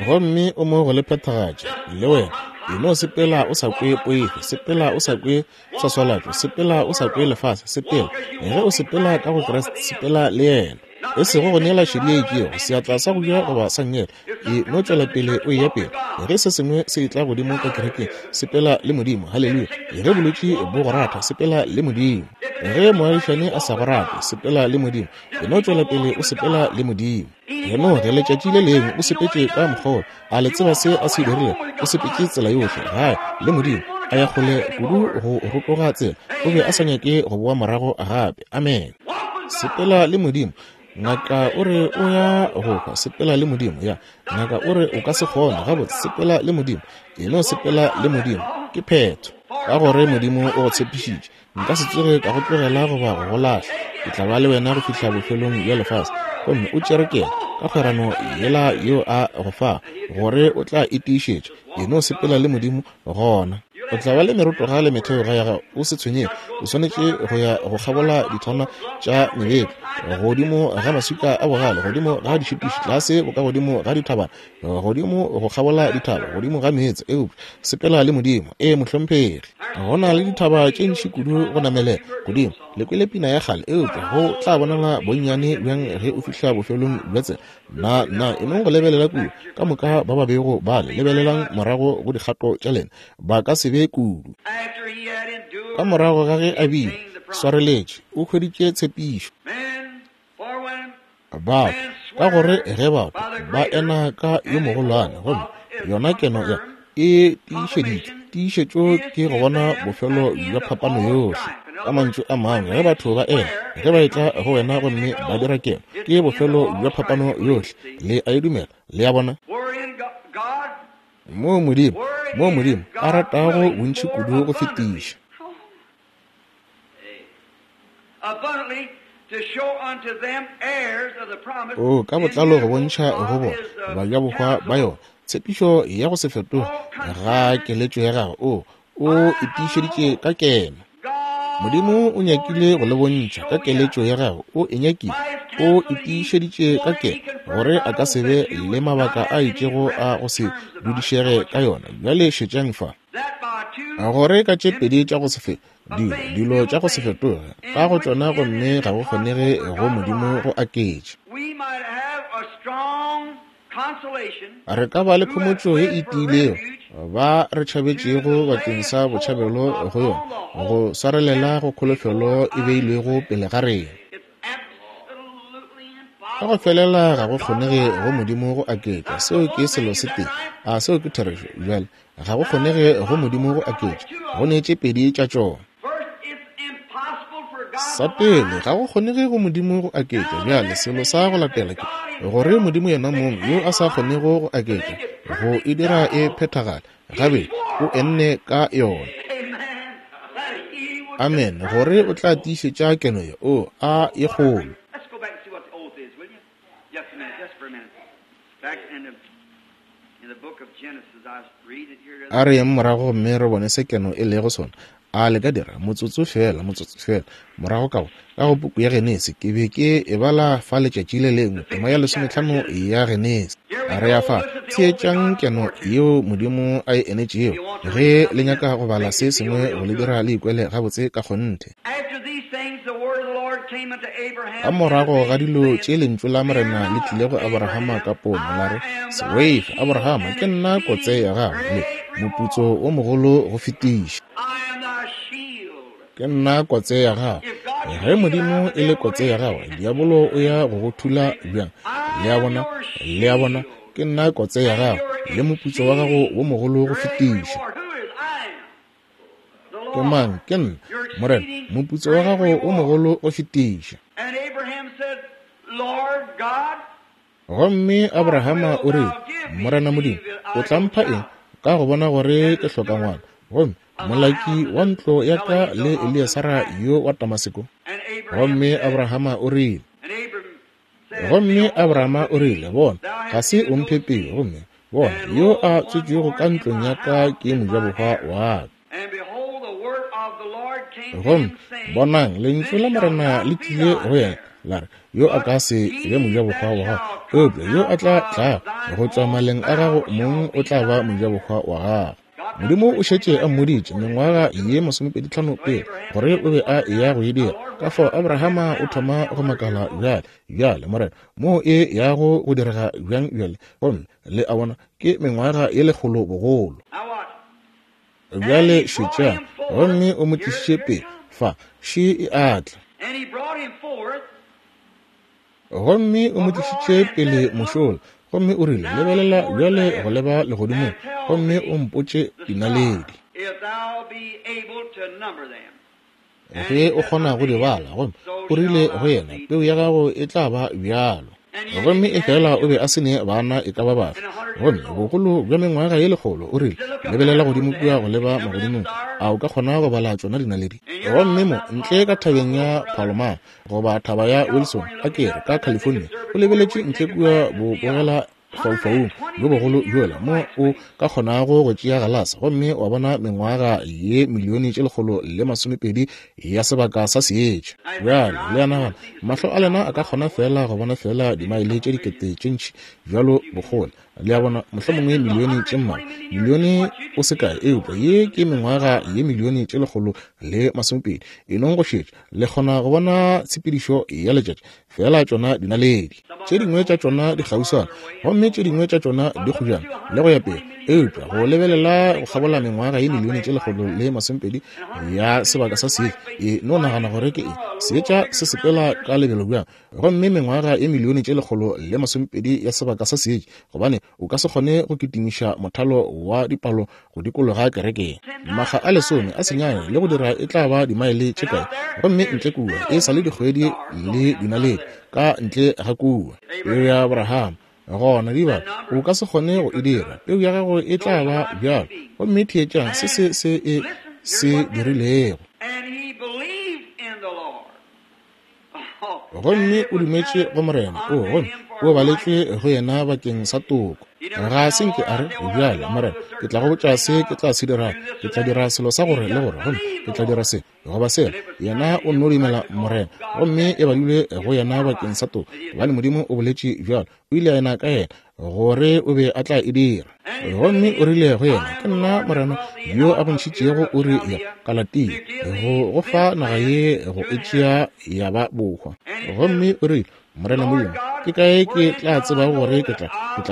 Gomme o mo go le phethagatša, le wena. E no sepela o sa kwe poifo, sepela o sa kwe swaswalatšo, sepela o sa kwe lefase, sepela. Ge o sepela ka go Kriste, sepela le yena. E sego go neela šedi ye itšego, seatla sa go ja goba sa nngele. E no tšwela pele o eya pele. Ge se sengwe se etla godimo ka kerekeng, sepela le Modimo. Haleluya. Ge bolwetši bo go ratha, sepela le Modimo. Ge moagišani a sa go rate, sepela le Modimo. E no tšwela pele o sepela le Modimo. Henoge letšatši le lengwe o sepetše ka mokgwa, a le tseba se a se dirile? O sepetše tsela yohle gae le Modimo, a ya kgole kudu go rotoga tsela, o be a sa nyake go boa morago gape. Amen. Sepela le Modimo. Ngaka o re o ya go hwa, sepela le Modimo. Ya, ngaka o re o ka se kgone, gabotse, sepela le Modimo. E no sepela le Modimo, ke phetho. Ka gore Modimo o go tshepišitše, Nka se tsoge ka go tlogela goba go go lahla. Ke tla ba le wena go fihla bofelong bja lefase. Gomme o tšere keno ka kgwerano yela yeo a go fa, gore o tla e tiišetša. E no sepela le Modimo gona. O tla ba le merotoga le metheoga ya gago. O se tshwenyege. O swanetše go ya go kgabola dithwana tša mebetlo, godimo ga maswika a bogale, godimo ga dišitiši, tlase bokagodimo ga dithabana, godimo go kgabola dithaba, godimo ga meetse, eupša sepela le Modimo. Ee, mohlomphegi. Go na le dithaba tše ntši kudu go namelela godimo. Le kwele pina ya kgale, eupša go tla bonala bonnyane bjang ge o fihla bofelong bja tsela. Na, na, e nong go lebelela kua, ka moka ba ba bego ba le, lebelelang morago go dikgato tša lena, ba ka se be kudu. Ka morago ga ge a bile swareletše, o hweditše tshepišo. Batho, ka gore ge batho ba ena ka yo mogolwane, gomme yona keno ya e tiišeditšwe, tiišetšo ke go bona bofelo bja phapano yohle. Ka mantšu a mangwe, ge batho ba ena, ge ba etla go wena gomme ba dira keno, ke bofelo bja phapano yohle. Le a e dumela? Le a bona? Moo Modimo, moo Modimo a ratago bontši kudu go fetiša. O ka botlalo go bontšha go bona bajabohwa ba yona tshepišo ya go se fetoge ga keletšo ya gagwe. O o e tiišeditše ka keno. Modimo o nyakile go le bontšha ka keletšo ya gagwe, o e nyakile, o e tiišeditše ka keno gore a ka se be le mabaka a itšego a go se dudišege ka yona. Bjale šetšang fa. Gore ka tše pedi tša go se fetoge, dilo, dilo tša go se fetoge, ka go tšona gomme ga go kgonege go Modimo go aketša. Re ka ba le khomotšo ye e tiilego ba re tšhabetšego bakeng sa botšhabelo go yona, go swarelela go kholofelo e beilwego pele ga rena. Ka go felela ga go kgonege go Modimo go aketša. Seo ke selo se tee. A seo ke therešo? Bjale, ga go kgonege go Modimo go aketša. Go ne tše pedi tša tšona. Sa pele, ga go kgonege go Modimo go aketša. Bjale, selo sa go latela ke gore Modimo yena mong yo a sa kgonego go aketša, go e dira e phethagale, gabedi, o enne ka yona. Amen. Gore o tla tiišetša keno ye, o a ye kgolo. A re yeng morago gomme re bone se keno e lego sona. A le ka dira? Motsotso feela, motsotso feela. Morago ka go, ka go puku ya Genesi, ke be ke e bala fa letšatši le lengwe, tema ya lesometlhano ya Genesi. A re ya fa, theetšang keno yeo Modimo a e enetšego. Ge le nyaka go bala se sengwe go le dira le ikwele gabotse ka kgonthe. Ka morago ga dilo tše lentšu la Morena le tlile go Aborahama ka pono, la re, Se boife, Aborahama, ke nna kotse ya gago le moputso wo mogolo go fetiša. Ke nna kotse ya gago. Ge Modimo e le kotse ya gago, diabolo o ya go go thula bjang? Le a bona? Le a bona? Ke nna kotse ya gago le moputso wa gago wo mogolo go fetiša. Ke mang? Ke nna. Morena, moputso wa gago o mogolo go fetiša. Gomme Abrahama o rile, Morena Modimo, o tla mpha eng, ka go bona gore ke hloka ngwana, gomme molaki wa ntlo ya ka le Eliasara yo wa Damaseko? Gomme Abrahama o rile, gomme Abrahama o rile, bona, ga se o mphe peo, gomme bona, yo a tswetšwego ka ntlong ya ka ke mojabohwa wa ka. Gomme bonang, lentšu la Morena le tlile go yena, la re, yo a ka se be mojabohwa wa gago, eupša yo a tla tlago go tšwa maleng a gago mong o tla ba mojabohwa wa gago. Modimo o šetše a mmoditše mengwaga ye 25 pele gore o be a eya go e dira. Ka fao Abrahama o thoma go makala bjale, bjale Morena, moo e yago go direga bjang bjale? Gomme le a bona, ke mengwaga ye 100 bogolo. Bjale šetšang, gomme o mo tlišitše pele fa, še e a tla. Gomme o mo tlišitše pele mošola, gomme o rile, lebelela bjale go leba legodimong, gomme o mpotše dinaledi, ge o kgona go di bala. Gomme o rile go yena, peu ya gago e tla ba bjalo. Gomme efela o be a se ne bana e ka ba bafe, gomme bogolo bja mengwaga ye 100, o rile, lebelela godimo kua go leba magodimong, a o ka kgona go bala tšona dinaledi? Gomme mo ntle ka thabeng ya Palomar, goba thaba ya Wilson, a ke re, ka California, o lebeletše ntle kua bobogela faufaung bjo bogolo bjola, mo o ka kgonago go tšea galase gomme wa bona mengwaga ye milione tše 120 ya sebaka sa seetša. Bjale le a nagana, mahlo a lena a ka kgona fela go bona fela dimaele tše dikete tše ntši bjalo bokgole, le a bona, mohlomongwe milione tše mmalwa, milione o se kae, eupša ye ke mengwaga ye milione tše 120. E nong go šetša, le kgona go bona tshepedišo ya letšatši, fela tšona dinaledi tše dingwe tša tšona di kgauswana gomme tše dingwe tša tšona di kgojana le go ya pele, eupša go lebelela go kgabola mengwaga ye milione tše 120 ya sebaka sa seetša, e no nagana gore ke eng seetša se sepela ka lebelo bjang, gomme mengwaga ye milione tše 120 ya sebaka sa seetša, gobane o ka se kgone go kitimiša mothalo wa dipalo go dikologa kerekeng. Makga a 10 a senyane le go dira e tla ba dimaele tše kae, gomme ntle kua e sa le dikgwedi le dinaledi ka ntle ga kua. Peu ya Abraham gona diba o ka se kgone go e dira, peu ya gago e tla ba bjalo. Gomme theetšang se se se e se dirilego. Gomme o dumetše go Morena, o gomme o baletšwe go yena bakeng sa toko. Ga se nke a re, bjale Morena, ke tla go botša se ke tla se dirago, ke tla dira selo sa gore le gore, gomme ke tla dira se goba sela. Yena o nno dumela Morena, gomme e badilwe go yena bakeng sa toko, gobane Modimo o boletše bjalo. O ile a ena ka yena gore o be a tla e dira. Gomme o rile go yena, ke nna Morena yo a go ntšhitšego Uri ya Kalatia, go go fa naga ye go e tšea ya ba bohwa. Gomme o rile, Morena Modimo, ke kae ke tla tsebago gore ke tla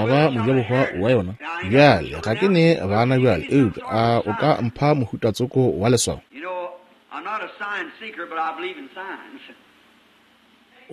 ba mojabohwa wa yona? Bjale ga ke ne bana bjale, eupša a o ka mpha mohuta tsoko wa leswao?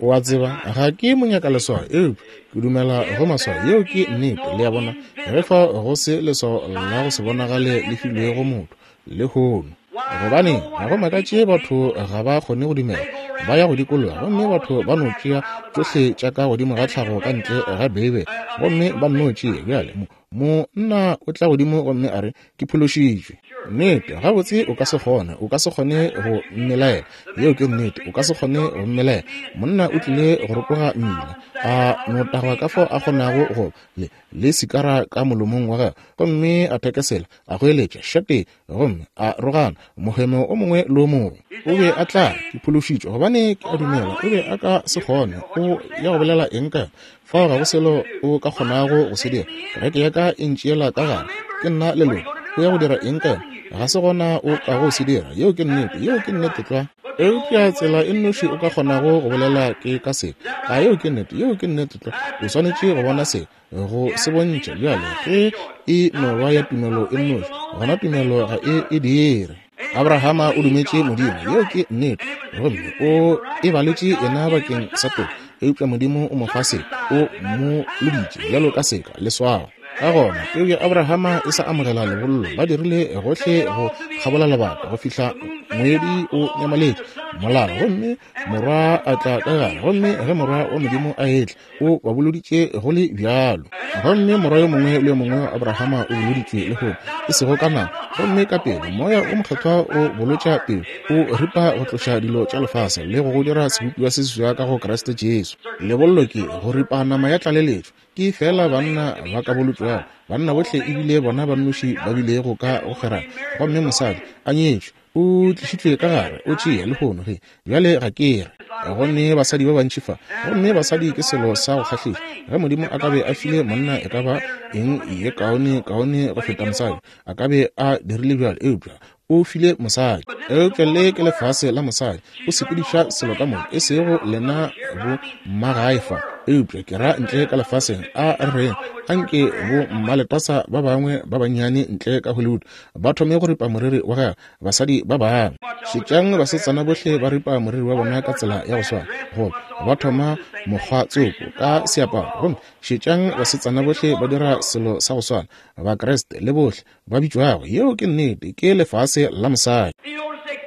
O a tseba, ga ke monyaka leswao, eupša ke dumela go maswao. Yeo ke nnete, le a bona, ge fa go se leswao la go se bonagale le filwego motho lehono. Gobane ga go makatše batho ga ba kgone go dumela, ba ya go dikologa, gomme batho ba no tšea tšohle tša ka godimo ga tlhago ka ntle ga Beibele, gomme ba nno tšea. Bjale monna o tla godimo gomme a re, ke phološitšwe. Nnete, gabotse o ka se kgone, o ka se kgone go mmelaela. Yeo ke nnete, o ka se kgone go mmelaela. Monna o tlile go rotoga mmila, a no tagwa ka fao a kgonago go le, le sikara ka molomong wa gagwe, gomme a thekesela, a goeletša, šate, gomme a rogana mohemo o mongwe le o mongwe. O be a tla, ke phološitšwe, gobane ke a dumela o be a ka se kgone. O ya go bolela eng ka yona? Fao ga go selo o ka kgonago go se dira. Kereke ya ka e ntšeela ka gare, ke nna leloko. O ya go dira eng ka yona? Ga se gona o ka go se dira. Yeo ke nnete, yeo ke nnete tlwa. Eupša tsela e nnoši o ka kgonago go bolela ke ka se. A yeo ke nnete, yeo ke nnete tlwa. O swanetše go bona se, go se bontšha. Bjale ge e no ba ya tumelo e nnoši, gona tumelo ga e e dire. Abrahama o dumetše Modimo, yeo ke nnete, gomme o e baletše yena bakeng sa toko. Eupša Modimo o mo fa seka, o mo loditše bjalo ka seka, leswao. Ka gona peu ya Abrahama e sa amogela lebollo, ba dirile gohle go kgabola lebaka go fihla moedi o nyamaletše molala, gomme morwa a tla ka gare. Gomme ge morwa wa Modimo a etla, o ba boloditše go le bjalo. Gomme morwa yo mongwe le yo mongwe wa Abrahama o boloditšwe lehono, e sego ka nama. Gomme ka pele Moya o Mokgethwa o bolotša peu, o ripa go tloša dilo tša lefase le go go dira sebopiwa se seswa ka go Kriste Jesu. Lebollo ke go ripa nama ya tlaleletšo. Ke feela banna ba ka bolotšwago, banna bohle e bile bona ba nnoši ba bilego ka go kgerana. Gomme mosadi a nyetšwe, o tlišitšwe ka gare, o tšea lehono ge. Bjale ga ke re go ne basadi ba bantši fa, gomme basadi ke selo sa go kgahliša. Ge Modimo a ka be a file monna e ka ba eng ye kaone kaone go feta mosadi, a ka be a dirile bjalo, eupša o file mosadi. Eupša le ke lefase la mosadi, o sepediša selo ka moka, e sego lena bo mmagae fa, eupša ke ra ntle ka lefaseng. A re reng, anke bo mmaletasa ba bangwe ba bannyane ntle ka Hollywood ba thome go ripa moriri wa gagwe, basadi ba bangwe. Šetšang basetsana bohle ba ripa moriri wa bona ka tsela ya go swana, goba ba thoma mokgwa tsoko ka seaparo, gomme šetšang basetsana bohle ba dira selo sa go swana, Bakriste le bohle ba bitšwago. Yeo ke nnete, ke lefase la mosadi.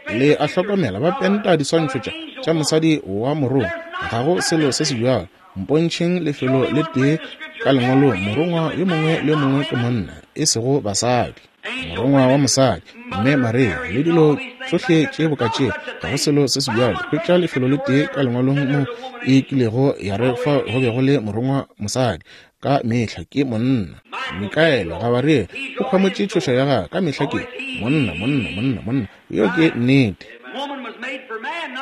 Le a hlokomela, ba penta diswantšho tša, tša mosadi wa morongwa. Ga go selo se se bjalo. Mpontšheng lefelo le tee ka Lengwalong morongwa yo mongwe le yo mongwe ke monna, e sego basadi. Morongwa wa mosadi, mme Maria, le dilo tšohle tše boka tše, ga go selo se se bjalo. Hwetša lefelo le tee ka Lengwalong mo e kilego ya re fa go be go le morongwa mosadi. Ka mehla ke monna. Mikaele, Gabariele, o khwamotše tšhoša ya gagwe. Ka mehla ke monna, monna, monna, monna. Yeo ke nnete.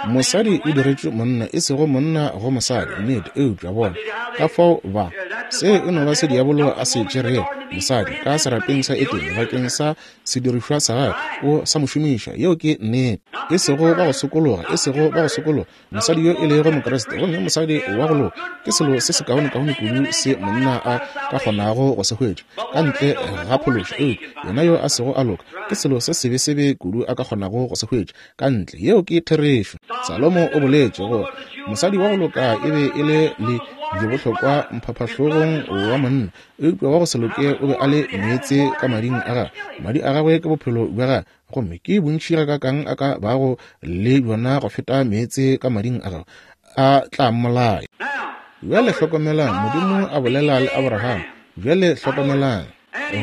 Mosadi o diretšwe monna, e sego monna go mosadi. Nnete. Eupša bona ka fao ba, se e no ba se diabolo a se tšerego mosadi ka serapeng sa Edene bakeng sa sedirišwa sa gagwe, o sa mo šomiša. Yeo ke nnete. E sego ba go sokologa, e sego ba go sokologa, mosadi yo e lego Mokriste, gomme mosadi wa go loka ke selo se sekaonekaone kudu se monna a ka kgonago go se hwetša ka ntle ga phološo, eupša yena yo a sego a loka ke selo se sebesebe kudu a ka kgonago go se hwetša ka ntle. Yeo ke therešo. Salomo o boletše gore mosadi wa go loka e be e le le bohlokwa mphaphahlogong wa monna, eupša wa go se loke o be a le meetse ka mading a gagwe. Madi a gagwe ke bophelo bja gagwe, gomme ke bontši gakaakang a ka bago le bjona go feta meetse ka mading a gagwe, a tla mmolaya. Bjale hlokomelang, Modimo a bolela le Abraham. Bjale hlokomelang.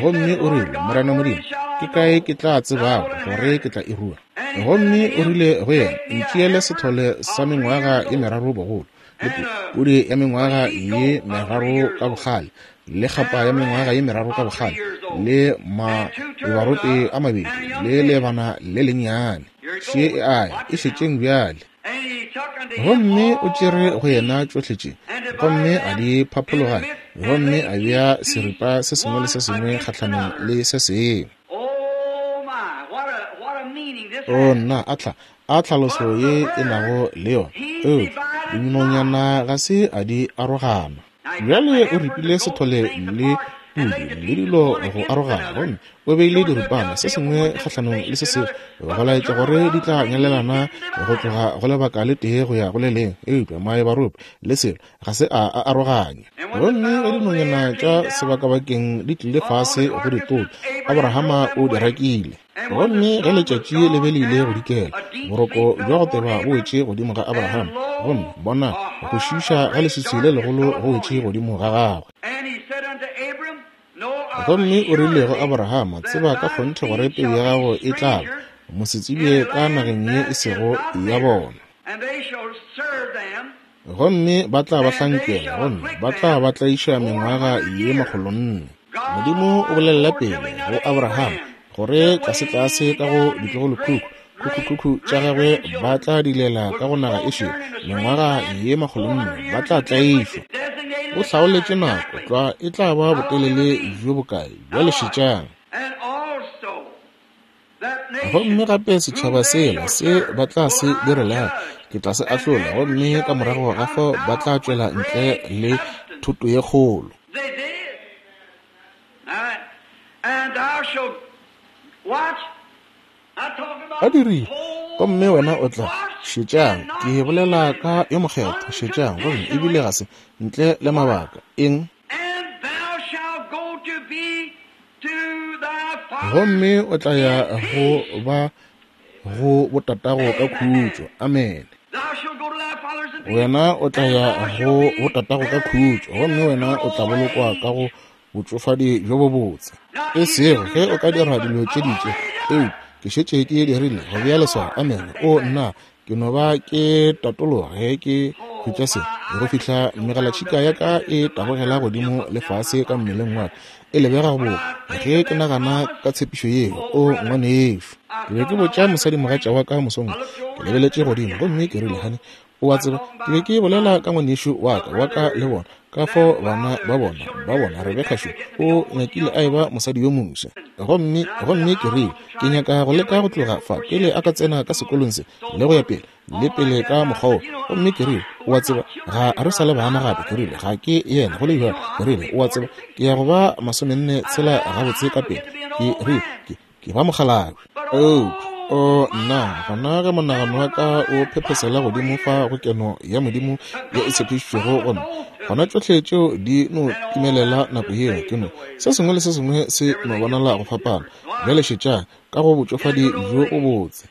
Gomme o rile, Morena Modimo, ke kae ke tla tsebago gore ke tla e rua? Gomme o rile go yena, Ntšeele sethole sa mengwaga ye meraro bogolo, le pudi ya mengwaga ye meraro ka bogale, le kgapa ya mengwaga ye meraro ka bogale, le maebarope a mabedi, le lebana le lennyane. Še e a ya, e šetšeng bjale. Gomme o tšere go yena tšohle tše, gomme a di phaphologanya, gomme a bea seripa se sengwe le se sengwe kgahlanong le se sengwe. O nna, a tla, a tlhaloso ye e nago le yona! Eupša dinonyana ga se a di arogana. Bjale o ripile sethole le pudi le dilo go arogana, gomme o beile diripana se sengwe kgahlanong le se sengwe go laetša gore di tla nyalelana go tloga go lebaka le tee go ya go le lengwe. Eupša maebarope le selo ga se a a aroganya. Gomme ge dinonyana tša sebakabakeng di tlile fase go di topa, Abrahama o di rakile. Gomme ge letšatši le be le ile go dikela, boroko bja go teba bo wetše godimo ga Abraham, gomme bona, go šiiša ga leswiswi le legolo go wetše godimo ga gagwe. Gomme o rile go Abrahama, Tseba ka kgonthe gore peu ya gago e tla ba mosetsebje ka nageng ye e sego ya bona. Gomme ba tla ba hlankela, gomme ba tla ba tlaiša mengwaga ye makgolonne. Modimo o bolelela pele go Abraham gore tlasetlase ka go ditlogolokhukhu, khukhukhukhu tša gagwe ba tla dilela ka go naga e šele mengwaga ye makgolonne, ba tla tlaišwa. O hlaoletše nako tlwa e tla ba botelele bjo bokae. Bjale šetšang. Gomme gape setšhaba sela se ba tla se direlago, ke tla se ahlola, gomme ka morago ga fao ba tla tšwela ntle le thoto ye kgolo. Ba dirile. Gomme wena o tla, šetšang, ke bolela ka yo mokgethwa, šetšang, gomme ebile ga se, ntle le mabaka. Eng? Gomme o tla ya go ba go botatago ka khutšo. Amene. Wena o tla ya go botatago ka khutšo, gomme wena o tla bolokwa ka go botšofadi bjo bobotse. E sego ge o ka dira dilo tše ditše, eupša ke šetše ke dirile go bea leswao. Amene. O nna, ke no ba ke tatologa ge ke hwetša se, go fihla megalatšhika ya ka e tabogela godimo le fase ka mmeleng wa ka, e lebega boka ge ke nagana ka tshepišo yeo. O ngwanešu, ke be ke botša mosadimogatša wa ka mosong, ke lebeletše godimo gomme ke rile, Honey, o a tseba, ke be ke bolela ka ngwanešu wa ka, wa ka le bona, ka fao bana ba bona, ba bona Rebeka šo, o nyakile a eba mosadi yo moswa. Gomme, gomme ke rile, ke nyaka go leka go tloga fa pele a ka tsena ka sekolong se, le go ya pele, le pele ka mokgwa wo. Gomme ke rile, o a tseba, ga re sa le bana gape. Ke rile, ga ke yena, go le bjalo. Ke rile, o a tseba, ke ya go ba 46 gabotse ka pele. Ke rile, ke, ke ba mokgalabje. Eupša, o nna, gona ge monagano wa ka o phephesela godimo fa go keno ya Modimo ye e tshepišitšwego go nna, gona tšohle tšeo di no timelela nako yeo. Ke no, se sengwe le se sengwe se no bonala go fapana. Bjale šetšang, ka go botšofadi bjo bobotse.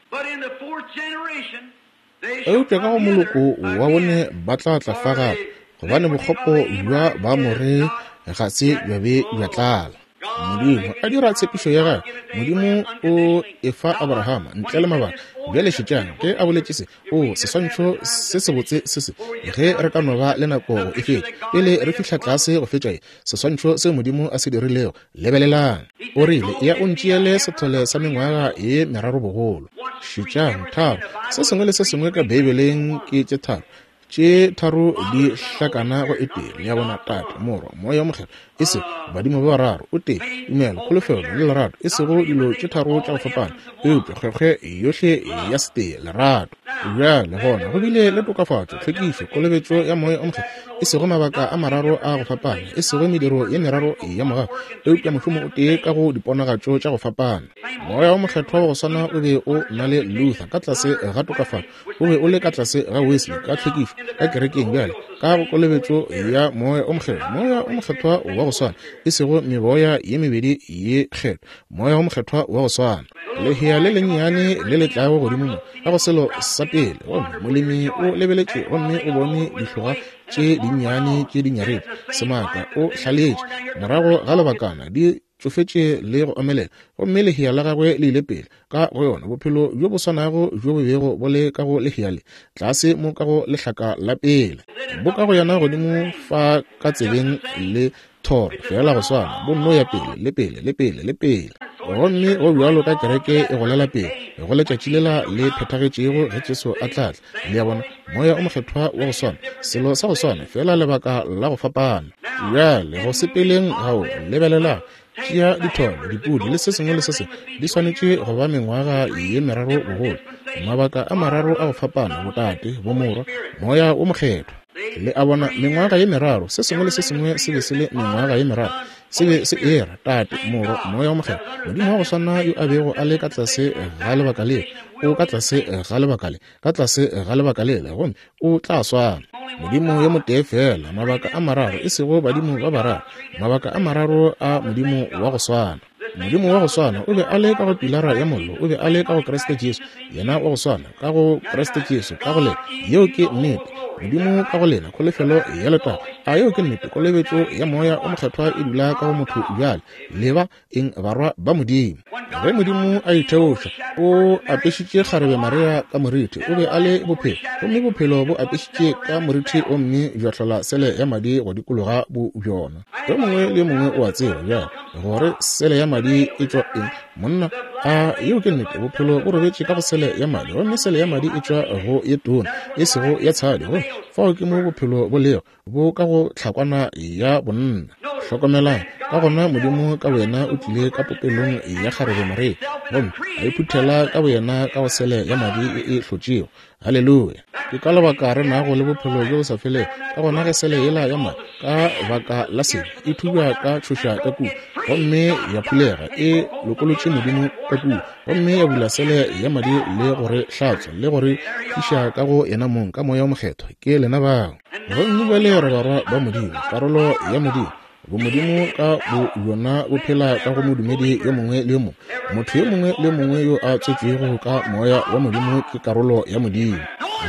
Eupša ka go moloko wa bone ba tla tla fa gape, gobane bokgopo bja Baamore ga se bja be bja tlala. Modimo a dira tshepišo ya gagwe. Modimo o e fa Abrahama ntle le mabaka. Bjale šetšang ge a boletše se. O seswantšho se sebotse se se, ge re ka no ba le nako go e fetša pele re fihla tlase go fetša ye, seswantšho se Modimo a se dirilego. Lebelelang. O rile, Ya o ntšeele sethole sa mengwaga ye meraro bogolo. Šetšang, tharo. Se sengwe le se sengwe ka Beibeleng ke tše tharo. Tše tharo di hlakana go e tee. Le a bona? Tate, Morwa, Moya wo Mokgethwa. E sego badimo ba bararo, o tee, tumelo, kholofelo, le lerato. E sego dilo tše tharo tša go fapana, eupša kgwekgwe yohle ya setee, lerato. Bjale gona go bile le tokafatšo, tlhwekišo, kolobetšo ya Moya o Mokgethwa, e sego mabaka a mararo a go fapana, e sego mediro ye meraro ya mogau, eupša mošomo o tee ka go diponagatšo tša go fapana. Moya wo Mokgethwa wa go swana o be o na le Luther ka tlase ga tokafatšo, o be o le ka tlase ga Wesley ka tlhwekišo, ka kerekeng bjale ka go kolobetšo ya Moya o Mokgethwa. Moya o Mokgethwa wa go swana, e sego meboya ye mebedi ye kgethwa, Moya wo Mokgethwa wa go swana. Lehea le lennyane le le tlago godimo mo ka go selo sa pele, gomme molemi o lebeletše gomme o bone dihloga tše dinnyane tše di nyaretše, semaka, o hlaletše. Morago ga lebakana di tšofetše le go omelela, gomme lehea la gagwe le ile pele ka go yona, bophelo bjo bo swanago bjo bo bego bo le ka go lehea le, tlase mo ka go lehlaka la pele, bo ka go yona godimo fa ka tsebeng le thoro, feela go swana, bo nno ya pele le pele le pele le pele. Gomme go bjalo ka kereke e golela pele go letšatši lela le phethagetšego ge Jesu a tla tla. Le a bona, Moya o Mokgethwa wa go swana, selo sa go swana, feela lebaka la go fapana. Bjale, go sepeleng gao, lebelelang, tšea ditholo, dipudi, le se sengwe le se sengwe, di swanetše go ba mengwaga ye meraro bogolo, mabaka a mararo a go fapana, Botate, Bomorwa, Moya wo Mokgethwa. Le a bona, mengwaga ye meraro, se sengwe le se sengwe se be se le mengwaga ye meraro. Se be se era Tate, Morwa, Moya wo Mokgethwa. Modimo wa go swana yo a bego a le ka tlase ga lebaka le, o ka tlase ga lebaka le, ka tlase ga lebaka lela, gomme o tla swana. Modimo yo motee feela, mabaka a mararo, e sego badimo ba bararo, mabaka a mararo a Modimo wa go swana. Modimo wa go swana o be a le ka go Pilara ya Mollo, o be a le ka go Kriste Jesu, yena wa go swana ka go Kriste Jesu, ka go lena. Yeo ke nnete. Modimo ka go lena, kholofelo ya letago. A yeo ke nnete? Kolobetšo ya Moya o Mokgethwa e dula ka go motho bjale. Leba eng? Barwa ba Modimo. Ge Modimo a itheoša, o apešitše kgarebe Maria ka morithi. O be a le bophelo, gomme bophelo bo apešitše ka morithi gomme bja hlola sele ya madi go dikologa bo bjona. Yo mongwe le yo mongwe o a tseba bjale gore sele ya madi e tšwa eng. Monna, a yeo ke nnete? Bophelo bo robetše ka go sele ya madi, gomme sele ya madi e tšwa go ye tona, e sego ya tshadi. Gomme fao ke mo bophelo bo lego, bo ka go tlhakwana ya bonna. Hlokomelang, ka gona Modimo ka boyena o tlile ka popelong ya kgarebe Maria, gomme a iphuthela ka boyena ka go sele ya madi e e hlotšego. Haleluya! Ke ka lebaka re nago le bophelo bjo bo sa felego. Ka gona ge sele yela ya madi, ka baka la sebe, e thubja ka tšhoša ka kua, gomme ya phulega, e lokolotše Modimo ka kua, gomme ya bula sele ya madi le go re hlatswa, le go re tliša ka go Yenamong ka Moya wo Mokgethwa. Ke lena bao. Gomme bjale re barwa ba Modimo, karolo ya Modimo. Bomodimo ka bo bjona bo phela ka go modumedi yo mongwe le yo mongwe. Motho yo mongwe le yo mongwe yo a tswetšwego ka Moya wa Modimo ke karolo ya Modimo.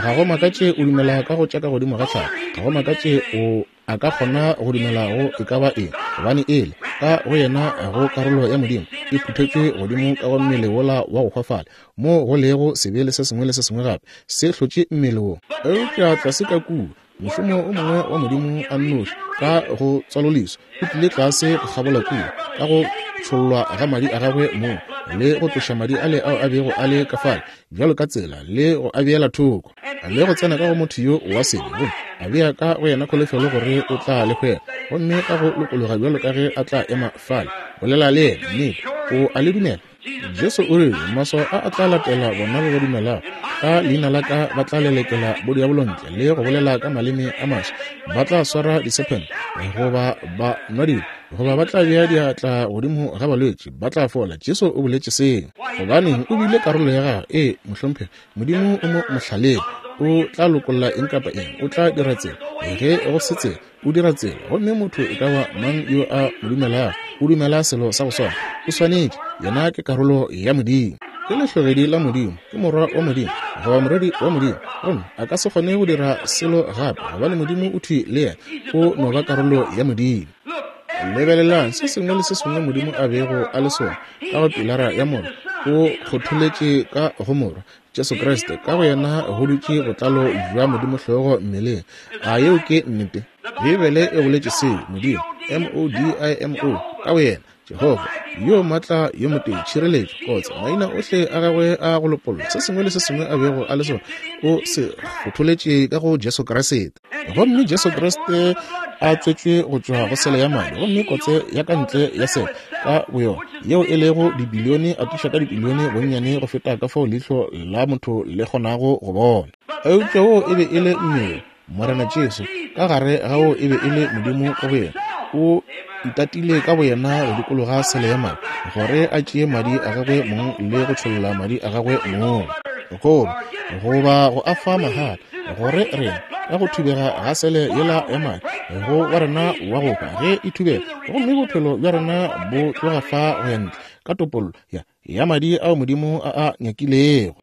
Ga go makatše o dumela ka go tša ka godimo ga tlhago. Ga go makatše o a ka kgona go dumela go e ka ba eng, gobane ele ka go yena go karolo ya Modimo e phuthetšwe godimo ka go mmele wola wa go hwafala, moo go lego sebe le se sengwe le se sengwe gape se hlotše mmele wo. Eupša tlase ka kua, mošomo o mongwe wa Modimo a nnoši ka go tswaloleswa o tlile tlase go kgabola kua ka go tšhollwa ga madi a gagwe mong le go tloša madi ale ao a bego a le ka fale bjalo ka tsela le go a beela thoko le go tsena ka go motho yo wa sebe gomme a bea ka go yena kholofelo gore o tla le hwela gomme ka go lokologa bjalo ka ge a tla ema fale bolela le yena nnete o a le dumela. Jesu o rile, Maswao a a tla latela bona ba ba dumelago. Ka leina la ka ba tla lelekela bodiabolo ntle le go bolela ka maleme a maswa. Ba tla swara disephente goba ba nwa dilo goba ba tla bea diatla godimo ga balwetši ba tla fola. Jesu o boletše seo. Gobaneng o bile karolo ya gagwe? Ee, mohlomphegi. Modimo o mo mohlaleng. O tla lokolla eng kapa eng. O tla dira tsela. Ge go se tsela, o dira tsela. Gomme motho e ka ba mang yo a mo dumelago, o dumela selo sa go swana. O swanetše. Yena ke karolo ya Modimo. Ke lehlogedi la Modimo. Ke morwa wa Modimo, goba morwedi wa Modimo. Gomme a ka se kgone go dira selo gape, gobane Modimo o thwi le yena. O no ba karolo ya Modimo. Lebelelang se sengwe le se sengwe Modimo a bego a le sona ka go pilara ya mollo, o kgotholetše ka go Morwa, Jesu Kriste. Ka go yena go dutše botlalo bja Modimo hlogo mmeleng. A yeo ke nnete? Beibele e boletše seo. Modimo, M-O-D-I-M-O, ka go yena, Jehofa, yo maatla yo motee, tšhireletšo, kotse, maina ohle a gagwe a go lopolla, se sengwe le se sengwe a bego a le sona, o se kgotholetše ka go Jesu Kriste. Gomme Jesu Kriste a tswetšwe go tšwa go sele ya madi, gomme kotse ya ka ntle ya sele ka boyona, yeo e lego dibilione atiša ka dibilione bonnyane go feta ka fao leihlo la motho le kgonago go bona. Eupša wo e be e le mmele, Morena Jesu, ka gare ga wo e be e le Modimo ka boyena, o itatile ka boyena go dikologa sele ya madi, gore a tšee madi a gagwe mong le go tšholla madi a gagwe mong, goba, goba go a fa mahala, gore rena, ka go thubega ga sele yela ya madi, go wa rena wa go hwa ge e thubega, gomme bophelo bja rena bo tloga fa go ya ntle, ka topollo ya, ya madi ao Modimo a a nyakilego.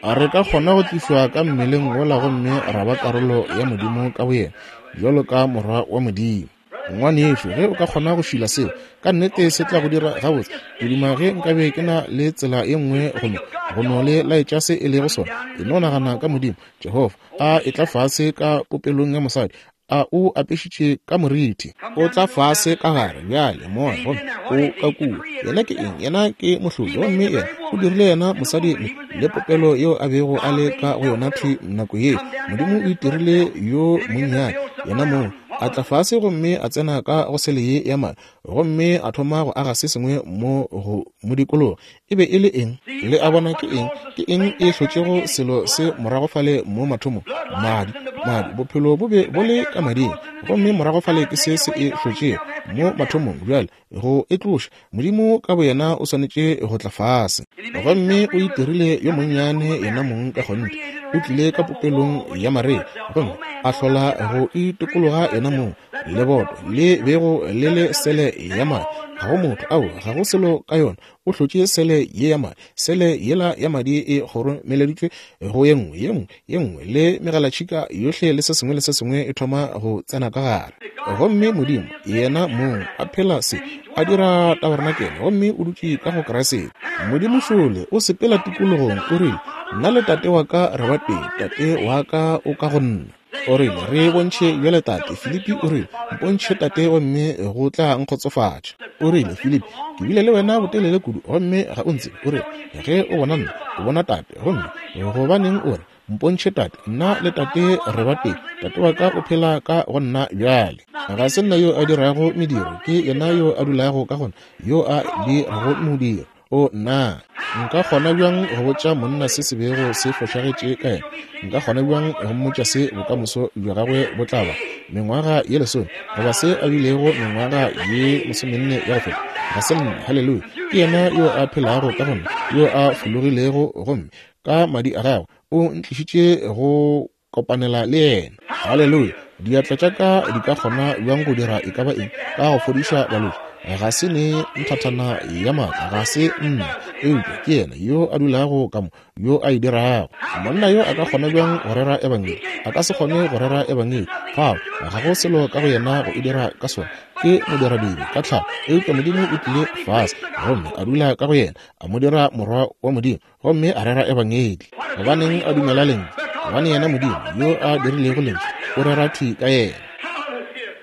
A re ka kgona go tlišwa ka mmeleng wola gomme ra ba karolo ya Modimo ka boyena, bjalo ka morwa wa Modimo. Ngwanešu, ge o ka kgona go šila seo, ka nnete se tla go dira gabotse. Ke duma ge nkabe ke na le tsela ye nngwe go no, go no le laetša se e lego sona. E no nagana ka Modimo, Jehofa, a etla fase ka popelong ya mosadi, A o apešitše ka morithi? O tla fase ka gare bjale, moya, gomme o ka kua. Yena ke eng? Yena ke mohlodi. Gomme yena o dirile yena mosadi le, le popelo yeo a bego a le ka go yona thwi nako yeo. Modimo o itirile yo monnyane, yena mong, a tla fase gomme a tsena ka go sele ye ya madi, gomme a thoma go aga se sengwe mo go mo dikologa. E be e le eng? Le a bona ke eng? Ke eng e hlotšego selo se morago fale mo mathomong? Madi. Madi, bophelo bo be bo le ka mading. Gomme morago fale ke se se e hlotšego mo mathomong. Bjale, go e tloša, Modimo ka boyena o swanetše go tla fase. Gomme o itirile yo monnyane yena mong ka kgonthe. O tlile ka popelong ya Maria, gomme a hlola go itokologa yena mong. Leboto le bego le le sele ya madi. Ga go motho, ao, ga go selo ka yona. O hlotše sele ye ya madi. Sele yela ya madi e kgoromeleditšwe go ye nngwe, ye nngwe, ye nngwe, le megalatšhika yohle le se sengwe le se sengwe e thoma go tsena ka gare. Gomme Modimo, Yena mong, a phela se, a dira tabarenakele, gomme o dutše ka go Kriste. Modimo šole, o sepela tikologong, o rile, Nna le Tate wa ka re batee, Tate wa ka o ka go nna. O rile, Re bontšhe bjale, Tate. Filipi o rile, Mpontšhe Tate gomme go tla nkgotsofatša. O rile, Filipi, ke bile le wena botelele kudu gomme ga o ntsebe. O rile, Ge o bona nna, o bona Tate. Gomme gobaneng o re, Mpontšhe Tate? Nna le Tate re ba tee. Tate wa ka o phela ka go nna bjale. Ga se nna yo a dirago mediro, ke yena yo a dulago ka go nna, yo a dirago modiro. O nna, nka kgona bjang go botša monna se se bego se fošagetše ka yena? Nka kgona bjang go mmotša se bokamoso bja gagwe bo tla ba? Mengwaga ye lesome, goba se a bilego mengwaga ye masomenne ya go feta. Ga se nna, haleluya, ke yena yo a phelago ka go nna, yo a fologilego gomme ka madi a gagwe o ntlišitše go kopanela le yena. Haleluya! Diatla tša ka di ka kgona bjang go dira e ka ba eng ka go fodiša balwetši? Ga se ne nthathana ya maatla, ga se nna, eupša ke Yena yo a dulago ka mo, yo a e dirago. Monna yo a ka kgona bjang go rera Ebangedi? A ka se kgone go rera Ebangedi. Fao ga go selo ka go yena go e dira ka sona. Ke modiradibe ka tlhago, eupša Modimo o tlile fase gomme a dula ka go yena, a mo dira morwa wa Modimo, gomme a rera Ebangedi. Gobaneng a dumela Lentšu? Gobane yena Modimo yo a dirilego Lentšu o rera thwi ka yena.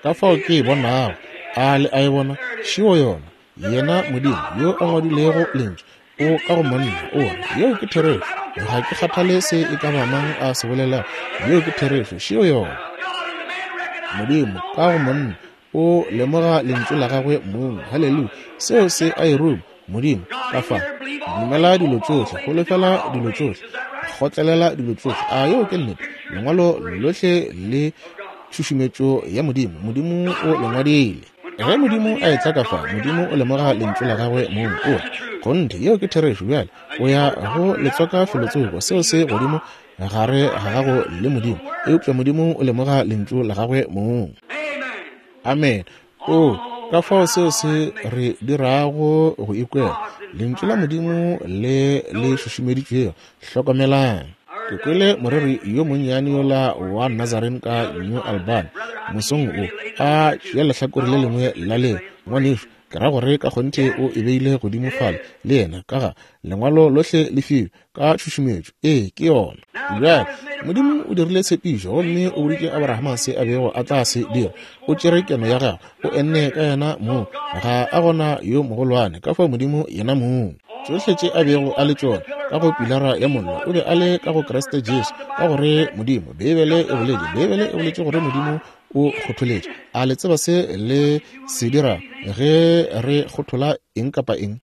Ka fao ke e bonago, a le a e bona? Šeo yona. Yena Modimo yo a ngwadilego Lentšu o ka go monna. O re, Yeo ke therešo. Ga ke kgathale se e ka ba mang a se bolelago. Yeo ke therešo. Šeo yona. Modimo ka go monna o lemoga Lentšu la gagwe mong. Haleluya! Seo se a e ruma. Modimo ka fa. Dumela dilo tšohle, holofela dilo tšohle, kgotlelela dilo tšohle. A yeo ke nnete? Lengwalo lohle le tšhušumetšo ya Modimo. Modimo o le ngwadile. Ge Modimo a etla ka fa, Modimo o lemoga Lentšu la Gagwe mong. O re, Kgonthe, yeo ke therešo. Bjale o ya go le tswaka felotsoko, seo se godimo gare ga gago le Modimo. Eupša Modimo o lemoga Lentšu la Gagwe mong. Amen. Oo, ka fao seo se re dirago go ikwela, Lentšu la Modimo le le šušumeditšwego. Hlokomelang. Ke kwele moreri yo monnyane yola wa Nazarene ka New Albany mosong wo, a tšea lehlakore le lengwe la leo. Ngwanešu, ke ra gore ka kgonthe o e beile godimo fale le yena, ka ga Lengwalo lohle le fiwe ka tšhušumetšo. Ee, ke yona. Bjale, Modimo o dirile tshepišo gomme o boditše Abrahama se a bego a tla se dira. O tšere keno ya gagwe, o enne ka yena mong. Ga a gona yo mogolwane, ka fao Modimo yena mong. Tšohle tše a bego a le tšona ka go Pilara ya Mollo, o be a le ka go Kriste Jesu, ka gore Modimo, Beibele e boletše, Beibele e boletše gore Modimo o kgotholetše. A le tseba se le se dira ge re kgothola eng kapa eng?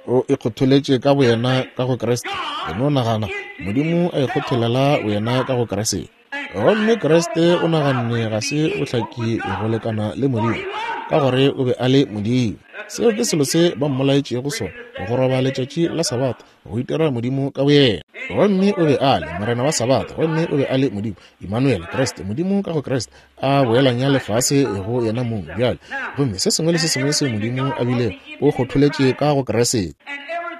O ikgotholetše ka boyena ka go Kriste. E no nagana, Modimo a ikgotholela boyena ka go Kriste. Gomme Kriste o naganne ga se bohlaki go lekana le Modimo, ka gore o be a le Modimo. Seo ke selo se ba mmolaetšego sona, go roba letšatši la Sabatha, go itira Modimo ka boyena. Gomme o be a le Morena wa Sabatha, gomme o be a le Modimo, Emmanuel, Kriste, Modimo ka go Kriste, a boelanya lefase go yena mong bjale. Gomme se sengwe le se sengwe seo Modimo a bilego, o kgotholetše ka go Kriste.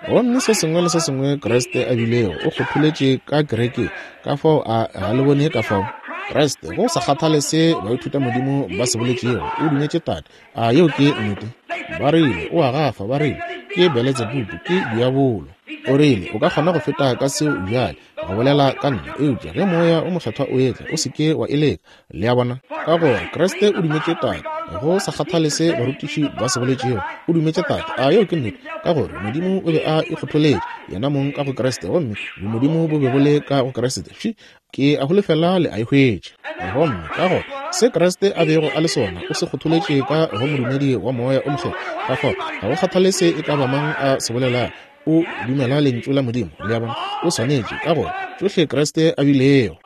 Gomme se sengwe le se sengwe Kriste a bilego, o kgotholetše ka kerekeng. Ka fao a ga le bone ka fao Kriste, go sa kgathale se baithutamodimo ba se boletšego, o dumetše Tate. A yeo ke nnete? Ba rile, O a gafa. Ba rile, Ke Beletsebubu, ke diabolo. O rile, O ka kgona go feta ka seo bjale, go bolela ka nna, eupša ge Moya o Mokgethwa o etla, o se ke wa e leka. Le a bona? Ka gore Kriste o dumetše Tate, go sa kgathale se barutiši ba se boletšego, o dumetše Tate. A yeo ke nnete? Ka gore Modimo o be a ikgotholetše Yenamong ka go Kriste, gomme Bomodimo bo be bo le ka go Kriste. Fše! Ke a holofela le a e hwetša. Gomme ka gore se Kriste a bego a le sona, o se kgotholetše ka go modumedi wa Moya o Mokgethwa. Ka fao, ga go kgathale se e ka ba mang a se bolelago, o dumela Lentšu la Modimo. Le a bona? O swanetše, ka gore tšohle Kriste a bilego,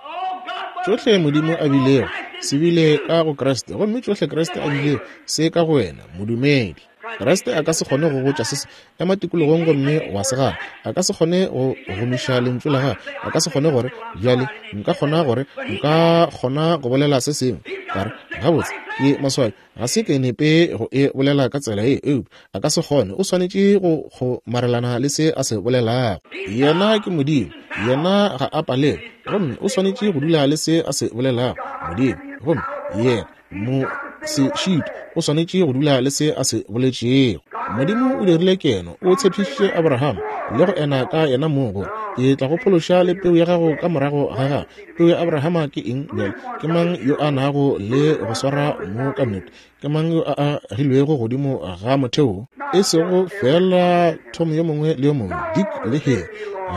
tšohle Modimo a bilego, se bile ka go Kriste, gomme tšohle Kriste a bilego, se ka go wena, modumedi. Kriste a ka se kgone go botša se se ema tikologong gomme wa se gana. A ka se kgone go gomiša lentšu la gagwe. A ka se kgone gore, Bjale, nka kgona gore, nka kgona go bolela se sengwe. Ka re, Gabotse, ke maswabi, ga se ke nepe go e bolela ka tsela ye, eupša a ka se kgone. O swanetše go kgomarelana le se a se bolelago. Yena ke Modimo. Yena ga a palelwe, gomme o swanetše go dula le se a se bolelago. Modimo, gomme Yena mo se šitwe, o swanetše go dula le se a se boletšego. Modimo o dirile keno, o tshepišitše Abraham le go ena ka yena mong gore, Ke tla go phološa le peu ya gago ka morago ga gago. Peu ya Abrahama ke eng bjale? Ke mang yo a nago le go swara mo ka nnete? Ke mang yo a agilwego godimo ga motheo? E sego feela Tom yo mongwe le yo mongwe, Dick le Harry,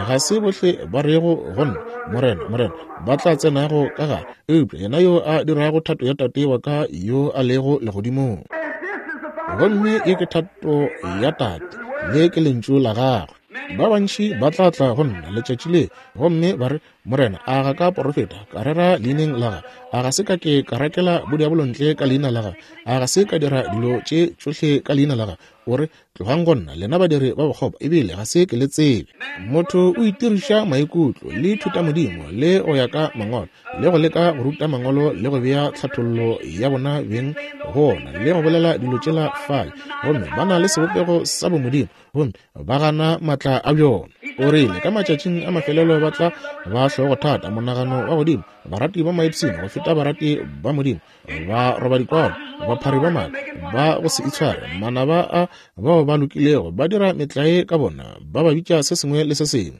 ga se bohle ba rego go nna, Morena, Morena, ba tla tsenago ka gare, eupša yena yo a dirago thato ya Tate wa ka yo a lego legodimong. Gomme ye ke thato ya Tate, le ke lentšu la gagwe. Ba bantši ba tla tla go nna letšatši le gomme ba re, Morena, a ga ka porofeta, ka rera leineng la gago? A ga se ka ke ka rakela bodiabolo ntle ka leina la gago? A ga se ka dira dilo tše tšohle ka leina la gago? O re, Tlogang go nna, lena badiri ba bokgopo, ebile ga se ke le tsebe. Motho o itiriša maikutlo le thutamodimo le go ya ka mangwalo, le go leka go ruta mangwalo le go bea tlhathollo ya bona beng go ona, le go bolela dilo tšela fale, gomme ba na le sebopego sa bomodimo, gomme ba gana maatla a bjona. O rile, ka matšatšing a mafelelo ba tla ba hlogothata, monagano wa godimo, barati ba maipshino go feta barati ba Modimo, ba roba dikwalo, baphari ba maaka, ba go se itshware, manaba a bao ba lokilego, ba dira metlae ka bona, ba ba bitša se sengwe le se sengwe.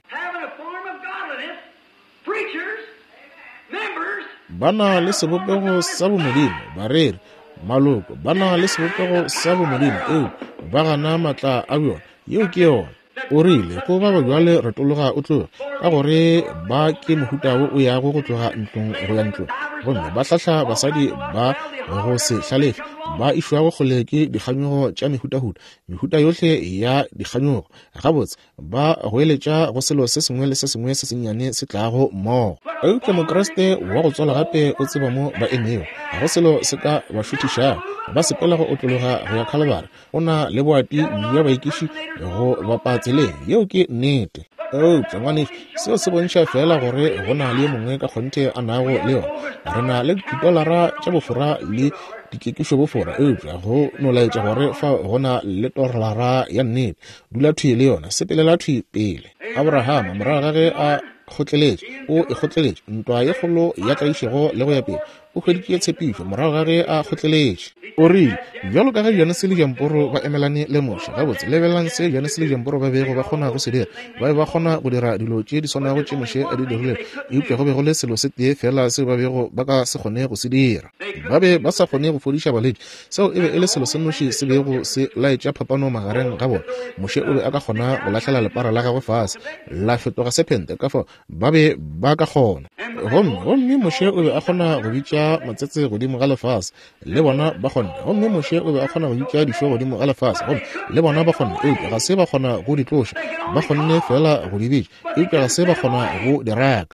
Ba na le sebopego sa bomodimo, bareri, maloko, ba na le sebopego sa bomodimo, eupša ba gana maatla a bjona. Yeo ke yona. O rile, Go ba bjale retologa o tloge, ka gore ba ke mohuta wo o yago go tloga ntlong go ya ntlong, gomme ba hlahla basadi ba go se hlalefe, ba išwago kgole ke dikganyogo tša mehutahuta, mehuta yohle ya dikganyogo. Gabotse, ba goeletša go selo se sengwe le se sengwe se sennyane se tlago mmogo. Eupša Mokriste wa go tswalwa gape o tseba mo ba emego. Ga go selo se ka ba šuthišago. Ba sepela go otlologa go ya Khalibari. O na le boati bja baekiši go bapa tseleng. Yeo ke nnete. Eupša, ngwanešu, seo se bontšha feela gore go na le yo mongwe ka kgonthe a nago le yona. Re na le ditolara tša bofora le dikekišo bofora, eupša go no laetša gore fao go na le tolara ya nnete. Dula thwi le yona, sepelela thwi pele. Abrahama, morago ga ge a kgotleletše, o e kgotleletše, ntwa ye kgolo ya tlaišego le go ya pele, o hweditše tshepišo morago ga ge a kgotleletše. O rile, Bjalo ka ge Janese le Jamporo ba emelane le Moshe. Gabotse, lebelelang se Janese le Jamporo ba bego ba kgona go se dira. Ba be ba kgona go dira dilo tše di swanago tše Moshe a di dirilego, eupša go be go le selo se tee feela seo ba bego ba ka se kgone go se dira. Ba be ba sa kgone go fodiša balwetši. Seo e be e le selo se nnoši se bego se laetša phapano magareng ga bona. Moshe o be a ka kgona go lahlela lepara la gagwe fase, la fetoga sephente, ka fao ba be ba ka kgona. Gomme, gomme Moshe o be a kgona go bitša matsetse godimo ga lefase, le bona ba kgonne. Gomme Moshe o be a kgona go bitša dišo godimo ga lefase, gomme le bona ba kgonne, eupša ga se ba kgona go di tloša. Ba kgonne feela go di bitša, eupša ga se ba kgona go di raka.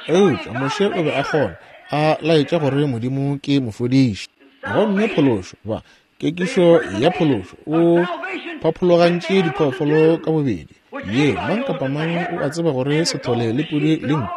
Eupša Moshe o be a kgona, a laetša gore Modimo ke mofodiši. Gomme phološo, ba, kekišo ya phološo, o phaphologantše diphoofolo ka bobedi. Ye, mang kapa mang o a tseba gore sethole le pudi le nku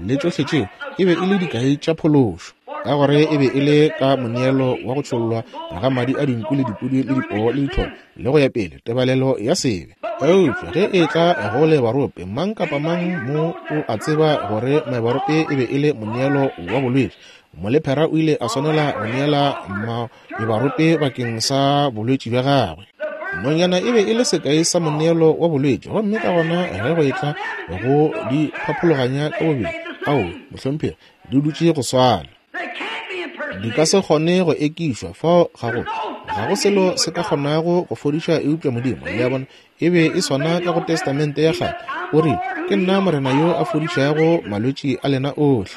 le tšohle tšeo e be e le dikai tša phološo, ka gore e be e le ka moneelo wa go tšhollwa ga madi a dinku le dipudi le dipoo le dithole le go ya pele, tebalelo ya sebe. Eupša ge e tla go lebarope, mang kapa mang mo o a tseba gore maebarope e be e le moneelo wa bolwetši. Molephera o ile a swanela go neela maebarope bakeng sa bolwetši bja gagwe. Nonyana e be e le sekai sa moneelo wa bolwetši, gomme ka gona ge go etla go di phaphologanya ka bobedi, ao, mohlomphegi, di dutše go swana. Di ka se kgone go ekišwa, fao ga go, ga go selo se ka kgonago go fodiša eupša Modimo. Le a bona? E be e swana ka go Testamente ya Kgale. O rile, Ke nna Morena yo a fodišago malwetši a lena ohle.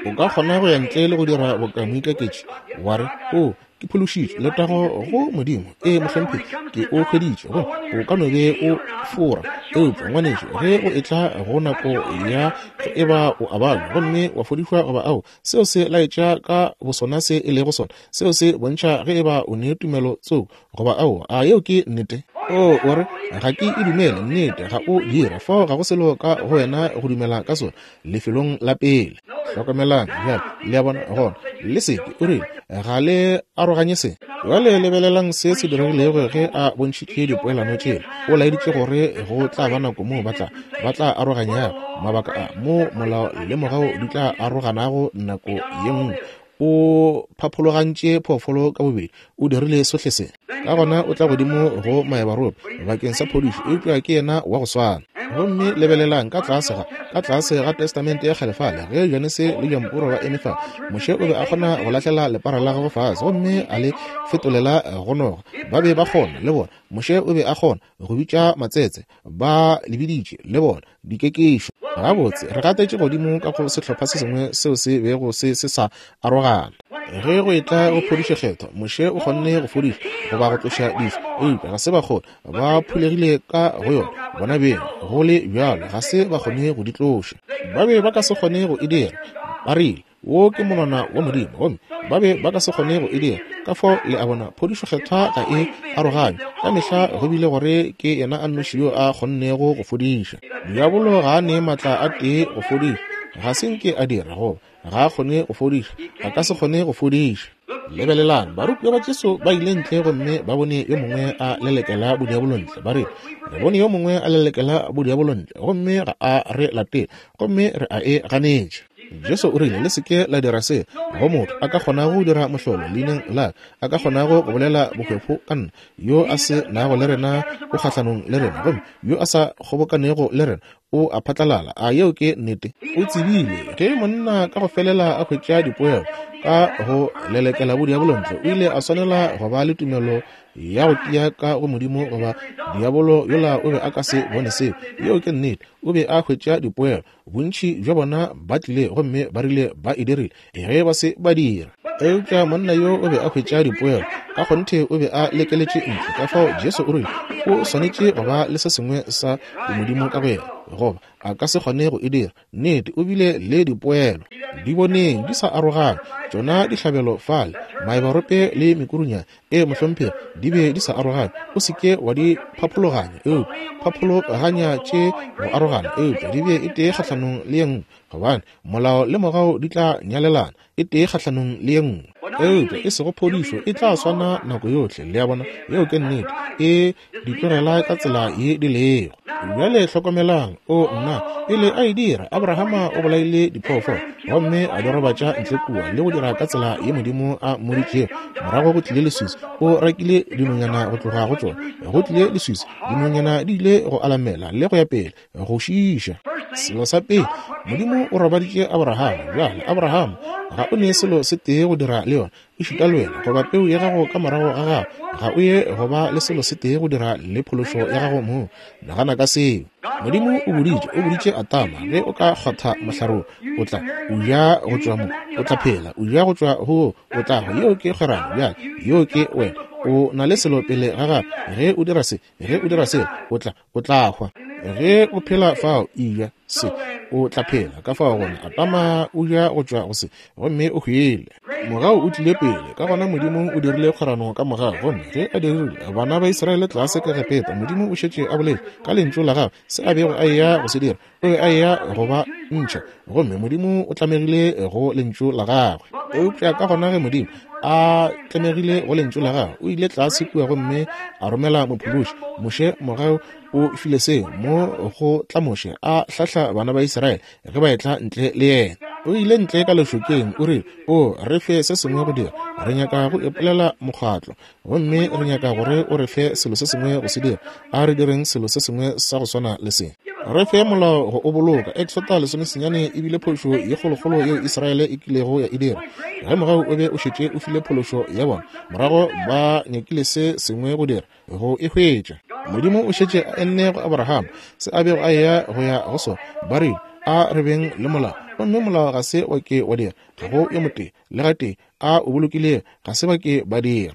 O ka kgona go ya ntle le go dira boka moikaketši, wa re, O, ke phološitšwe, letago go Modimo. Ee, mohlomphegi, ke o hweditše. Gomme o ka no be o fora. Eupša, ngwanešu, ge go etla go nako ya ge eba o a balwa gomme wa fodišwa goba ao, seo se laetša ka bosona se e lego sona. Seo se bontšha ge eba o ne tumelo tsoko goba aowa. A yeo ke nnete? O, o re, Ga ke e dumele. Nnete, ga o dira. Fao ga go selo ka go wena go dumela ka sona, lefelong la pele. Hlokomelang bjale, le a bona, gona, le se ke, o rile, ga le aroganye se. Bjale lebelelang se se diregilego ge a bontšhitše dipoelano tšela. O laeditše gore go tla ba nako moo ba tla, ba tla aroganyago, mabaka a, moo molao le mogau di tla aroganago nako ye nngwe. O phaphologantše phoofolo ka bobedi, o dirile sohle se. Ka gona o tla godimo go maebarope bakeng sa phodišo, eupša ke yena wa go swana. Gomme lebelelang ka tlase ga, ka tlase ga Testamente ya Kgale fale, ge Janese le Jamporo ba eme fa, Moshe o be a kgona go lahlela lepara la gagwe fase gomme a le fetolela go noga. Ba be ba kgona, le bona. Moshe o be a kgona go bitša matsetse, ba le biditše, le bona, dikekišo. Gabotse, re gatetše godimo ka go sehlopha se sengwe seo se bego se se sa arogana. Ge go etla go phodišo Kgethwa, Moshe o kgonne go fodiša goba go tloša dišo, eupša ga se ba kgone. Ba phulegile ka go yona bona beng, go le bjalo ga se ba kgone go di tloša. Ba be ba ka se kgone go e dira. Ba rile, Wo ke monwana wa Modimo, gomme ba be ba ka se kgone go e dira. Ka fao le a bona, phodišo Kgethwa ga e aroganywe. Ka mehla go bile gore ke Yena a nnoši yo a kgonnego go fodiša. Diabolo ga a ne maatla a tee go fodiša. Ga se nke a dira, goba ga a kgone go fodiša. A ka se kgone go fodiša. Lebelelang, barutiwa ba Jesu ba ile ntle gomme ba bone yo mongwe a lelekela bodiabolo ntle. Ba re, Re bone yo mongwe a lelekela bodiabolo ntle, gomme ga a re latele, gomme re a e ganetša. Jesu o rile, Le se ke la dira se. Go motho a ka kgonago go dira mohlolo leineng la ka, a ka kgonago go bolela bohwefo ka nna, yo a se nago le rena o kgahlanong le rena, gomme yo a sa kgobokanego le rena o a phatlalala. A yeo ke nnete? O tsebile ge monna ka go felela a hwetša dipoelo ka go lelekela bodiabolo ntle, o ile a swanela go ba le tumelo ya go tia ka go Modimo, goba diabolo yola o be a ka se bone seo. Yeo ke nnete. O be a hwetša dipoelo. Bontši bja bona ba tlile gomme ba rile ba e dirile, ge ba se ba dira. Eupša monna yo o be a hwetša dipoelo. Ka kgonthe o be a lekeletše ntle. Ka fao Jesu o rile o swanetše go ba le se sengwe sa bomodimo ka go yena, goba a ka se kgone go e dira. Nnete, o bile le dipoelo. Di boneng di sa arogana, tšona dihlabelo fale, maebarope le mekurunyana. Ee, mohlomphegi, di be di sa arogane. O se ke wa di phaphologanya, eupša phaphologanya tše go arogana, eupša di be e tee kgahlanong le ye nngwe, gobane molao le mogau di tla nyalelana, e tee kgahlanong le ye nngwe. Eupša e sego phodišo, e tla swana nako yohle. Le a bona? Yeo ke nnete. E di tlogela ka tsela ye di lego. Bjale hlokomelang, o nna, pele a e dira, Abrahama o bolaile diphoofolo gomme a di robatša ntle kua le go dira ka tsela ye Modimo a mmoditšego. Morago go tlile leswiswi, o rakile dinonyana go tloga go tšona. Go tlile leswiswi, dinonyana di ile go alamela le go ya pele, go šiiša. Selo sa pele, Modimo o robaditše Abrahama. Bjale, Abrahama, ga o ne selo se tee go dira le yona. Ešita le wena goba peu ya gago ka morago ga gago, ga o ye go ba le selo se tee go dira le phološo ya gago mong. Nagana ka seo. Modimo o boditše, o boditše Adama, ge o ka kgwatha mohlare wo, o tla o ja go tšwa mo, o tla phela, o ja go tšwa go wo, o tla hwa. Yeo ke kgwerano. Bjale, yoo ke wena. O na le selo pele ga gago. Ge o dira se, ge o dira sela, o tla, o tla hwa. Ge o phela fao, eja se, o tla phela. Ka fao gona, Adama o ja go tšwa go se, gomme o hwile. Mogau o tlile pele, ka gona Modimo o dirile kgwerano ka mogau. Gomme ge a dirile, bana ba Israele tlase ka Egepeta, Modimo o šetše a boletše ka Lentšu la Gagwe se a bego a eya go se dira. O be a eya go ba ntšha, gomme Modimo o tlamegile go Lentšu la Gagwe. Eupša ka gona ge Modimo a tlamegile go Lentšu la Gagwe, o ile tlase kua gomme a romela mophološi, Moshe. Mogau o file seo mo go tla Moshe a hlahla bana ba Israele ge ba etla ntle le yena. O ile ntle ka lešokeng, o rile, O re fe se sengwe go dira. Re nyaka go ipolela mokgatlo, gomme re nyaka gore o re fe selo se sengwe go se dira. A re direng selo se sengwe sa go swana le se. Re fe molao go o boloka. Exota lesomesenyane e bile phošo ye kgolokgolo yeo Israele e kilego ya e dira. Ge mogau o be o šetše o file phološo ya bona, morago ba nyakile se sengwe go dira go e hwetša. Modimo o šetše a enne go Abrahama se a bego a eya go ya go sona. Ba rile, A re beng le molao. Gomme molao ga se wa ke wa dira. Ga go yo motee le gatee a o bolokilego, ga se ba ke ba dira.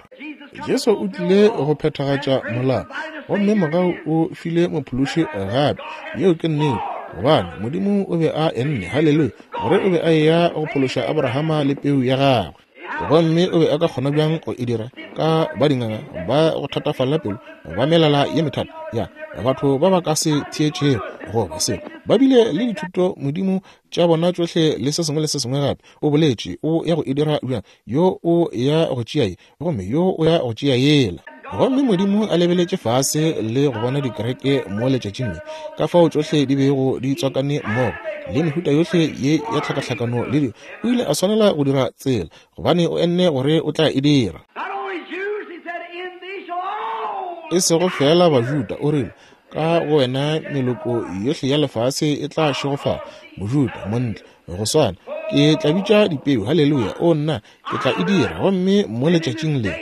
Jesu o tlile go phethagatša molao, gomme mogau o file mophološi gape. Yeo ke nnete, gobane Modimo o be a enne, haleluya, gore o be a eya go phološa Abrahama le peu ya gagwe. Gomme o be a ka kgona bjang go e dira ka ba dinganga ba go thatafalela pelo, ba melala ye methata ya batho ba ba ka se theetšego goba se ba bile le dithuto modimo tša bona tšohle le se sengwe le se sengwe gape. O boletše o ya go e dira bjang, yo o ya go tšea ye gomme yo o ya go tšea yela. Gomme Modimo a lebeletše fase le go bona dikereke mo letšatšing le, ka fao tšohle di bego di tswakane mmogo, le mehuta yohle ye ya tlhakahlakano le dilo, o ile a swanela go dira tsela, gobane o enne gore o tla e dira. E sego feela Bajuda, o rile, Ka go wena meloko yohle ya lefase e tla šegofala. Mojuda, Montle, go swana, ke tla bitša dipeu. Haleluya! O nna, ke tla e dira. Gomme mo letšatšing le,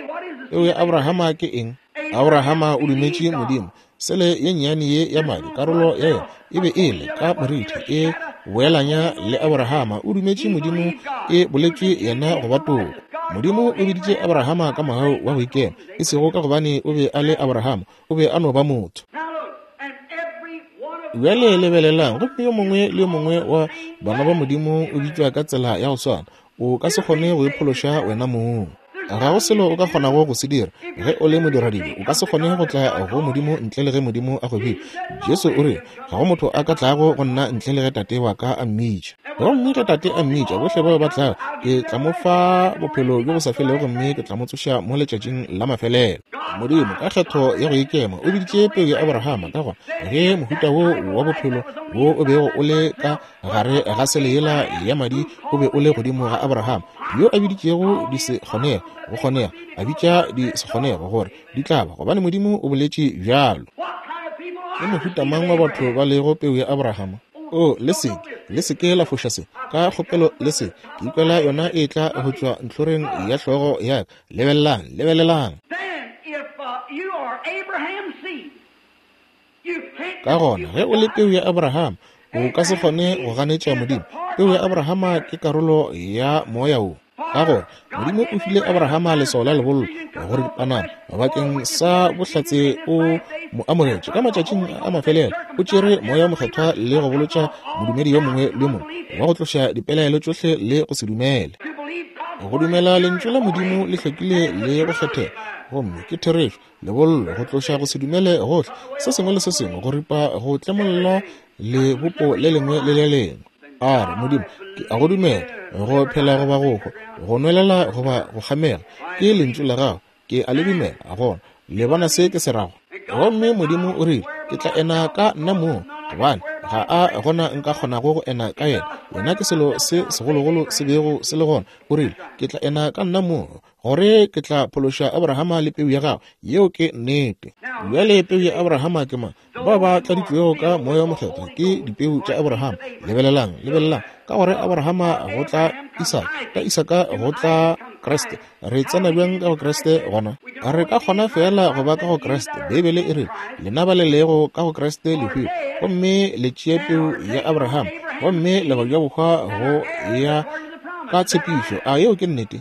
peu ya Abrahama ke eng? Abrahama o dumetše Modimo. Sele ye nnyane ye ya madi, karolo ya yona e be e le ka morithi, e boelanya le Abrahama. O dumetše Modimo, e boletšwe yena go ba toko. Modimo o biditše Abrahama ka mogau wa go ikema, e sego ka gobane o be a le Abrahama, o be a no ba motho. Bjale lebelelang, gomme yo mongwe le yo mongwe wa bana ba Modimo o bitšwa ka tsela ya go swana. O ka se kgone go iphološa wena mong. Ga go selo o ka kgonago go se dira. Ge o le modiradibe, o ka se kgone go tla go Modimo ntle le ge Modimo a go bitša. Jesu o rile, Ga go motho a ka tlago go nna ntle le ge Tate wa ka a mmitša. Gomme ge Tate a mmitša, bohle bao ba tlago, ke tla mo fa bophelo bjo bo sa felego gomme ke tla mo tsoša mo letšatšing la mafelelo. Modimo, ka kgetho ya go ikema, o biditše peu ya Abrahama. Ka gona, ge mohuta wo wa bophelo wo o bego o le ka gare ga sele yela ya madi o be o le godimo ga Abraham, yo a biditšego di se kgonege go kgonega, a bitša di se kgonego gore di tla ba, gobane Modimo o boletše bjalo. Ke mohuta mang wa batho ba lego peu ya Abraham? O, le se ke, le se ke la foša se, ka kgopelo le se. Ke ikwela yona e tla go tšwa ntlhoreng ya hlogo ya ka. Lebelelang, lebelelang. Ka gona, ge o le peu ya Abraham, o ka se kgone go ganetša Modimo. Peu ya Abrahama ke karolo ya moya wo. Ka gore Modimo o file Abrahama leswao la lebollo gore dipanana bakeng sa bohlatse o mo amogetše ka matšatšing a mafelelo. O tšere moya mokgethwa le go bolotša modumedi yo mongwe le yo mongwe wa go tloša dipelaelo tšohle le go se dumele. Go dumela lentšu la Modimo le hlwekile le go kgethega, gomme ke therešo. Lebollo, go tloša go se dumele gohle, se sengwe le se sengwe, go ripa, go tlemolla lebopo le lengwe le le lengwe. A re, Modimo, ke a go dumela, go phela goba go hwa, go nwelela goba go kgamega, ke lentšu la gago, ke a le dumela. Gona, le bona se ke se rago? Gomme Modimo o rile, Ke tla ena ka nna mong, gobane ga a gona nka kgonago go ena ka yena. Yena ke selo se segologolo se bego se le gona. O rile, Ke tla ena ka nna mong, gore ke tla phološa Abrahama le peu ya gagwe. Yeo ke nnete. Bjale peu ya Abrahama ke mang? Bao ba tladitšwego ka Moya wo Mokgethwa ke dipeu tša Abrahama. Lebelelang, lebelelang, ka gore Abrahama go tla Isaka, ka Isaka go tla Kriste. Re tsena bjang ka go Kriste gona? Re ka kgona feela go ba ka go Kriste. Beibele e rile, Lena ba le lego ka go Kriste le hwile, gomme le tšee peu ya Abrahama, gomme le go ja bohwa go ya ka tshepišo. A yeo ke nnete?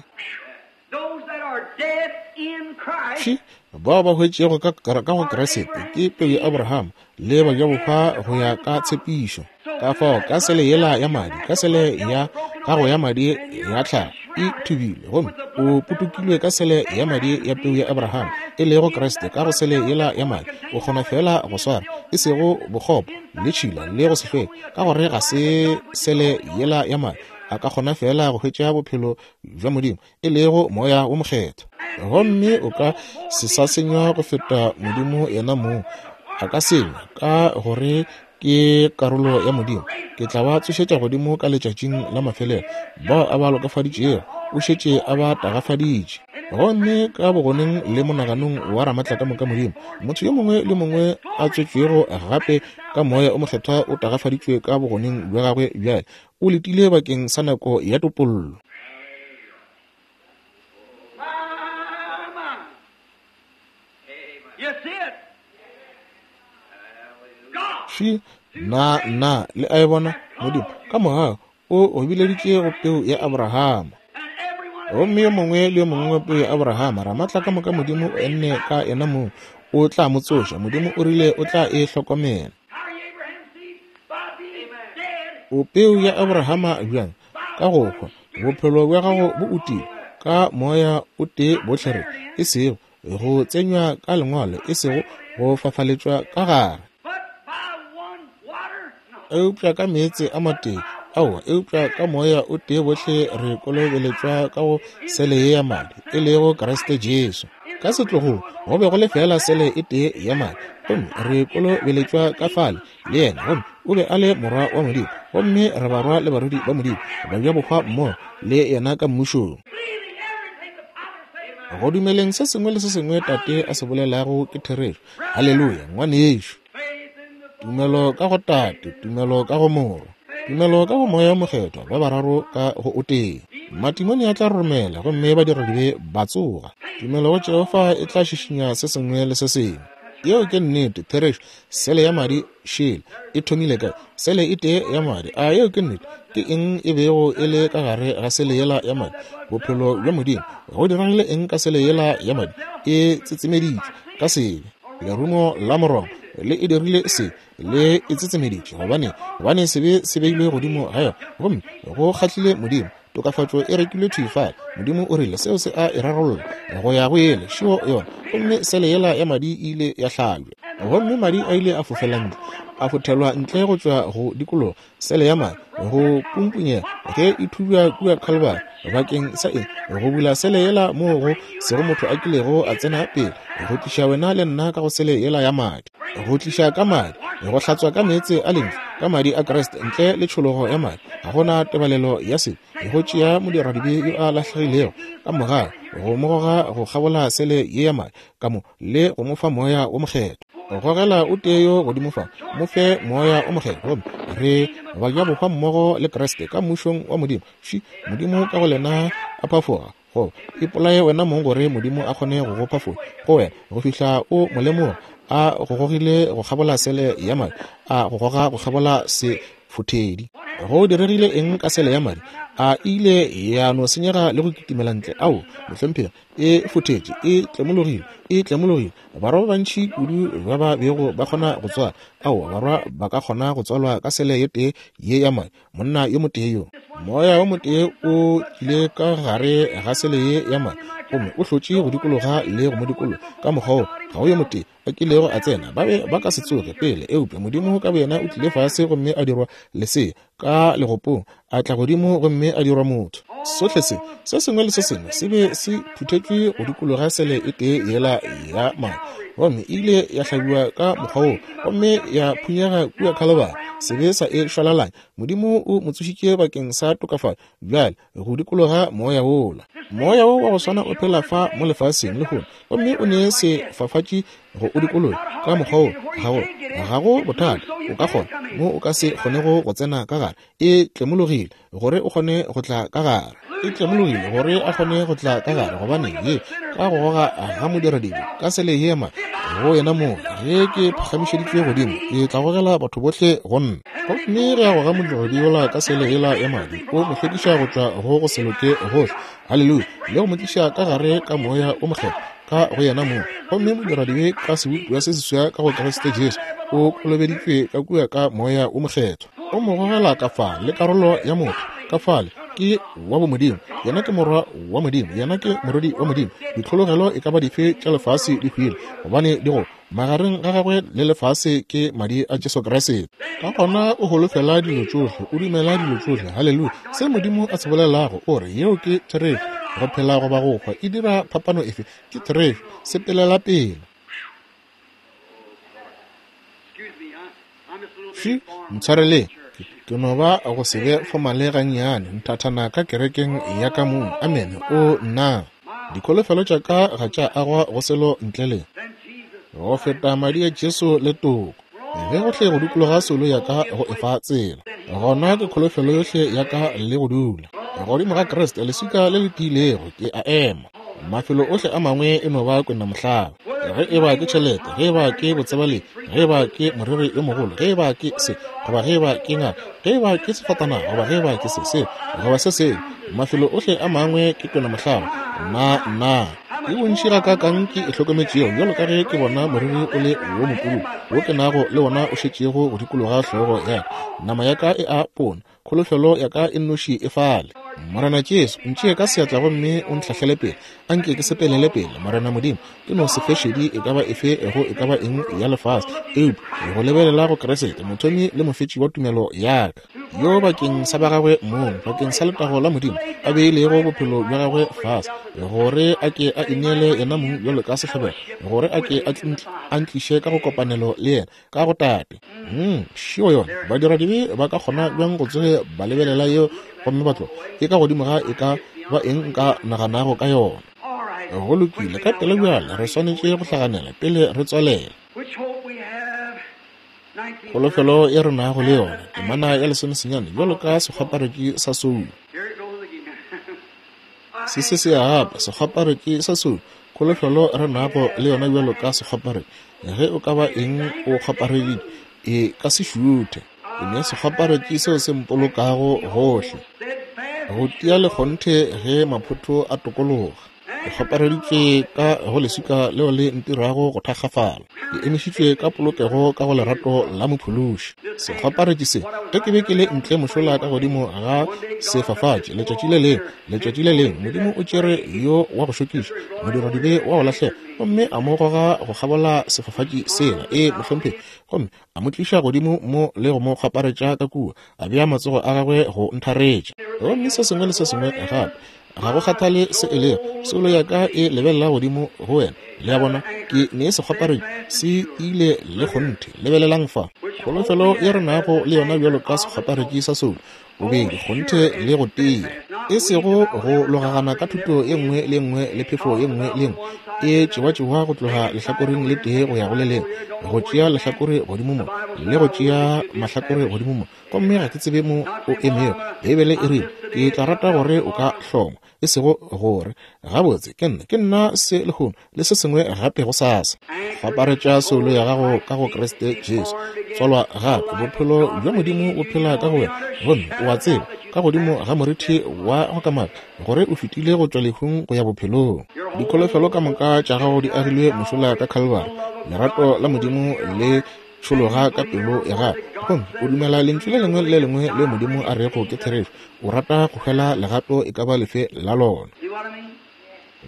Fše, bao ba hwetšego ka, ka go Kriste ke peu ya Abraham le bajabohwa go ya ka tshepišo. Ka fao ka sele yela ya madi, ka sele ya gago ya madi ya tlhago e thubilwe, gomme o potokilwe ka sele ya madi ya peu ya Abraham, e lego Kriste, ka go sele yela ya madi o kgona feela go swara, e sego bokgopo le tšhila le go se hlweke, ka gore ga se sele yela ya madi a ka kgona feela go hwetša bophelo bja Modimo, e lego Moya wo Mokgethwa. Gomme o ka se sa senywa go feta Modimo yena mong a ka senywa, ka gore ke karolo ya Modimo. Ke tla ba tsošetša godimo ka letšatšing la mafelelo. Bao a ba lokafaditšego, o šetše a ba tagafaditše. Gomme ka bogoneng le monaganong wa Ramatlakamoka Modimo, motho yo mongwe le mongwe a tswetšwego gape ka Moya o Mokgethwa o tagafaditšwe ka bogoneng bja gagwe bjale. O letile bakeng sa nako ya topollo. Fše, na, na, le a e bona? Modimo, ka mogau, o go bileditše go peu ya Abrahama. Gomme yo mongwe le yo mongwe wa peu ya Abrahama, Ramatlakamoka Modimo o enne ka yena mong, o tla mo tsoša. Modimo o rile o tla e hlokomela. O peu ya Abrahama bjang? Ka go hwa. Bophelo bja gago bo utile ka moya o tee bohle re, e sego go tsenywa ka lengwalo, e sego go fafaletšwa ka gare, eupša ka meetse a matee, aowa, eupša ka moya o tee bohle re kolobeletšwa ka go sele ye ya madi, e lego Kriste Jesu. Ka setlogong go be go le feela sele e tee ya madi, gomme re kolobeletšwa ka fale le yena, gomme o be a le Morwa wa Modimo, gomme re barwa le barwedi ba Modimo, bajabohwa mmogo le yena ka Mmušong. Go dumeleng se sengwe le se sengwe Tate a se bolelago ke therešo. Haleluya, ngwanešu. Tumelo ka go Tate, tumelo ka go Morwa, tumelo ka go Moya wo Mokgethwa, ba bararo ka go o tee. Matimone a tla roromela gomme badiradibe ba tsoga. Tumelo go Jehofa e tla šišinya se sengwe le se sengwe. Yeo ke nnete, therešo. Sele ya madi šele e thomile kae? Sele e tee ya madi. A yeo ke nnete? Ke eng e bego e le ka gare ga sele yela ya madi? Bophelo bja Modimo. Go diregile eng ka sele yela ya madi? E tsetsemeditšwe ka sebe. Lerumo la morongwa le e dirile sebe, le e tsetsemeditše. Gobane, gobane sebe se beilwe godimo ga yona, gomme go kgahlile Modimo. Tokafatšo e rekilwe thwi fale. Modimo o rile seo se a e rarolla go ya go yele šio yona, gomme sele yela ya madi e ile ya hlabja. Gomme madi a ile a fofela ntle, a fothelwa ntle go tšwa go dikologa sele ya madi, go pumpunyega ge e thubja kua Khalibari. Bakeng sa eng? Go bula sele yela moo go sego motho a kilego a tsena pele, go tliša wena le nna ka go sele yela ya madi, go tliša ka madi, go hlatswa ka meetse a lentšu, ka madi a Kriste, ntle le tšhologo ya madi ga go na tebalelo ya sebe. Go tšea modiradibe yo a lahlegilego ka mogau, go mo goga go kgabola sele ye ya madi ka mo, le go mo fa Moya wo Mokgethwa. Gogela o tee yo godimo fa, mo fe Moya o Mokgethwa, gomme re bajabohwa mmogo le Kriste ka Mmušong wa Modimo. Fši, Modimo ka go lena a phafoga, goba ipolaye wena mong gore Modimo a kgone go go phafoga go wena go fihla o mo lemoga a go gogile go kgabola sele ya madi, a go goga go kgabola sefothedi. Go diregile eng ka sele ya madi? A e ile ya no senyega le go kitimela ntle? Ao, mohlomphegi, e fothetše, e tlemologile, e tlemologile. Barwa ba bantši kudu ba ba bego ba kgona go tswala. Aowa, barwa ba ka kgona go tswalwa ka sele ye tee ye ya madi, monna yo motee yo. Moya wo motee o tlile ka gare ga sele ye ya madi, gomme o hlotše go dikologa le go mo dikologa ka mokgwa wo. Ga go yo motee a kilego a tsena, ba be ba ka se tsoge pele, eupša Modimo ka boyena o tlile fase gomme a dirwa lesea ka legopong, a tla godimo gomme a dirwa motho. Sohle se, se sengwe le se sengwe se be se phuthetšwe go dikologa sele e tee yela ya madi, gomme e ile ya hlabiwa ka mokgwa woo gomme ya phunyega kua Khalibari, sebe sa e šwalalanya. Modimo o mo tsošitše bakeng sa tokafatšo bjale go dikologa moya wola. Moya wo wa go swana o phela fa mo lefaseng lehono, gomme o ne sefafatši go o dikologa ka mokgwa wo. Ga go, ga go bothata, o ka kgona mo o ka se kgonego go tsena ka gare. E tlemologile gore o kgone go tla ka gare. E tlemologile gore a kgone go tla ka gare, gobane ye ka go goga ga modiradibe ka sele yema go yena mong, ge ke phagamišeditšwe godimo, ke tla gogela batho bohle go nna. Gomme ge a goga modiradibe yola ka sele yela ya madi, o mo hlwekiša go tšwa go go se loke gohle, haleluya, le go mo tliša ka gare ka Moya wo Mokgethwa ka go yena mong. Gomme modiradibe ka sebopiwa se seswa ka go Kriste Jesu, o kolobeditšwe ka kua ka Moya wo Mokgethwa. O mo gogela ka fa le karolo ya motho ka fale ke wa bomodimo. Yena ke morwa wa Modimo, yena ke morwedi wa Modimo. Ditlhologelo e ka ba dife tša lefase di hwile, gobane di go magareng ga gagwe le lefase ke madi a Jesu Kriste. Ka gona o holofela dilo tšohle, o dumela dilo tšohle. Haleluya! Se Modimo a se bolelago, o re yeo ke therešo. Go phela goba go hwa, e dira phapano efe? Ke therešo. Sepelela pele. Fše, ntshwareleng, ke, ke no ba go se be fomale gannyane nthathana ka kerekeng ya ka mong. Amene. O, nna! Dikholofelo tša ka ga tša agwa go selo ntle le go feta madi a Jesu le toko. Ge gohle go dikologa soulo ya ka go efa tsela, gona ke kholofelo yohle ya ka le go dula godimo ga Kriste, leswika le le tiilego, ke a ema. Mafelo ohle a mangwe e no ba kwenamohlaba. Ge e ba ke tšhelete, ge e ba ke botsebalegi, ge e ba ke moreri yo mogolo, ge e ba ke se, goba ge e ba ke ngaka, ge e ba ke sefatanaga, goba ge e ba ke se, se, goba se sengwe, mafelo ohle a mangwe ke kwenamohlaba. Nna, nna, ke bontši gakaakang ke e hlokometšego, bjalo ka ge ke bona moriri o le wo mopududu wo ke nago le wona o šetšego go dikologa hlogo ya ka. Nama ya ka e a pona, Kholofelo ya ka e nnoši e fale. Morena Jesu, ntšee ka seatla gomme o ntlhahlele pele. A nke ke sepelele pele, Morena Modimo. Ke no se fe šedi e ka ba efe go e ka ba eng ya lefase, eupša go lebelela go Kriste, Mothomi le Mofetši wa tumelo ya ka, yo bakeng sa ba gagwe mong, bakeng sa letago la Modimo, a beilego bophelo bja gagwe fase, gore a ke a ineele yena mong bjalo ka sehlabelo, gore a ke a ntliše ka go kopanelo le yena, ka go Tate. Mm, šio yona. Badiradibe ba ka kgona bjang go tsoge ba lebelela yeo gomme ba tloga? E ka godimo ga e ka ba eng nka naganago ka yona. Go lokile, ka pela bjale re swanetše go hlaganela pele re tswalela. Kholofelo e re nago le yona, temana ya lesomesenyane, bjalo ka sekgwaparetši sa soulo. Se se se ya gape, sekgwaparetši sa soulo, kholofelo re nago le yona bjalo ka sekgwaparetši. Ge o ka ba eng o kgwapareditše, e ka se šuthe. Ke ne sekgwaparetši seo se mpolokago gohle, go tia le kgonthe ge maphotho a tokologa. Ke kgwapareditšwe ka go leswika leo le ntirago go thakgafala. Ke emišitšwe ka polokego ka go lerato la Mophološi. Sekgwaparetši se, ge ke be ke le ntle mošola ka godimo ga sefafatši letšatši le lengwe, letšatši le lengwe, Modimo o tšere yo wa go šokiša, modiradibe wa go lahlega, gomme a mo goga go kgabola sefafatši sela, ee, mohlomphegi, gomme a mo tliša godimo mo le go mo kgwaparetša ka kua, a bea matsogo a gagwe go ntharetša. Gomme se sengwe le se sengwe gape, ga go kgathale se e lego, soulo ya ka e lebelela godimo go wena. Le a bona, ke ne sekgwaparetši se tiile le kgonthe. Lebelelang fa, kholofelo ye re nago le yona bjalo ka sekgwaparetši sa soulo, bobedi kgonthe le go tia, e sego go logagana ka thuto ye nngwe le nngwe le phefo ye nngwe le nngwe e tšewa-tšewa go tloga lehlakoreng le tee go ya go le lengwe, go tšea lehlakore godimo mo le go tšea mahlakore godimo mo, gomme ga ke tsebe mo o emego. Beibele e rile, Ke tla rata gore o ka hlongwa, e sego gore, Gabotse, ke nna, ke nna se lehono, le se sengwe gape gosasa. Kgwaparetša soulo ya gago ka go Kriste Jesu. Tswalwa gape, bophelo bja Modimo bo phela ka go wena, gomme o a tseba, ka godimo ga morithi wa go kamaka, gore o fetile go tšwa lehung go ya bophelong. Dikholofelo ka moka tša gago di agilwe mošola ka Khalvari. Lerato la Modimo le tšhologa ka pelo ya gago, gomme o dumela lentšu le lengwe le le lengwe le Modimo a rego ke therešo. O rata go hwela legato e ka ba lefe la lona.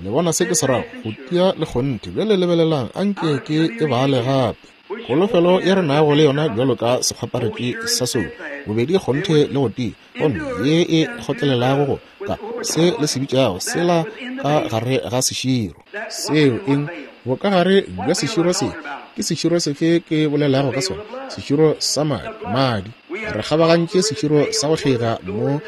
Le bona se ke se rago? Go tia le kgonthe. Bjale lebelelang, a nke ke e bale gape. Kholofelo ye re nago le yona bjalo ka sekgwaparetši sa soulo, bobedi kgonthe le go tia, gomme ye e kgotlelelago go ka se le se bitšago sela ka gare ga seširo. Seo eng? Bokagare bja seširo se. Ke seširo sefe ke bolelago ka sona? Seširo sa madi. Madi. Re kgabagantše seširo sa go kgeiga mo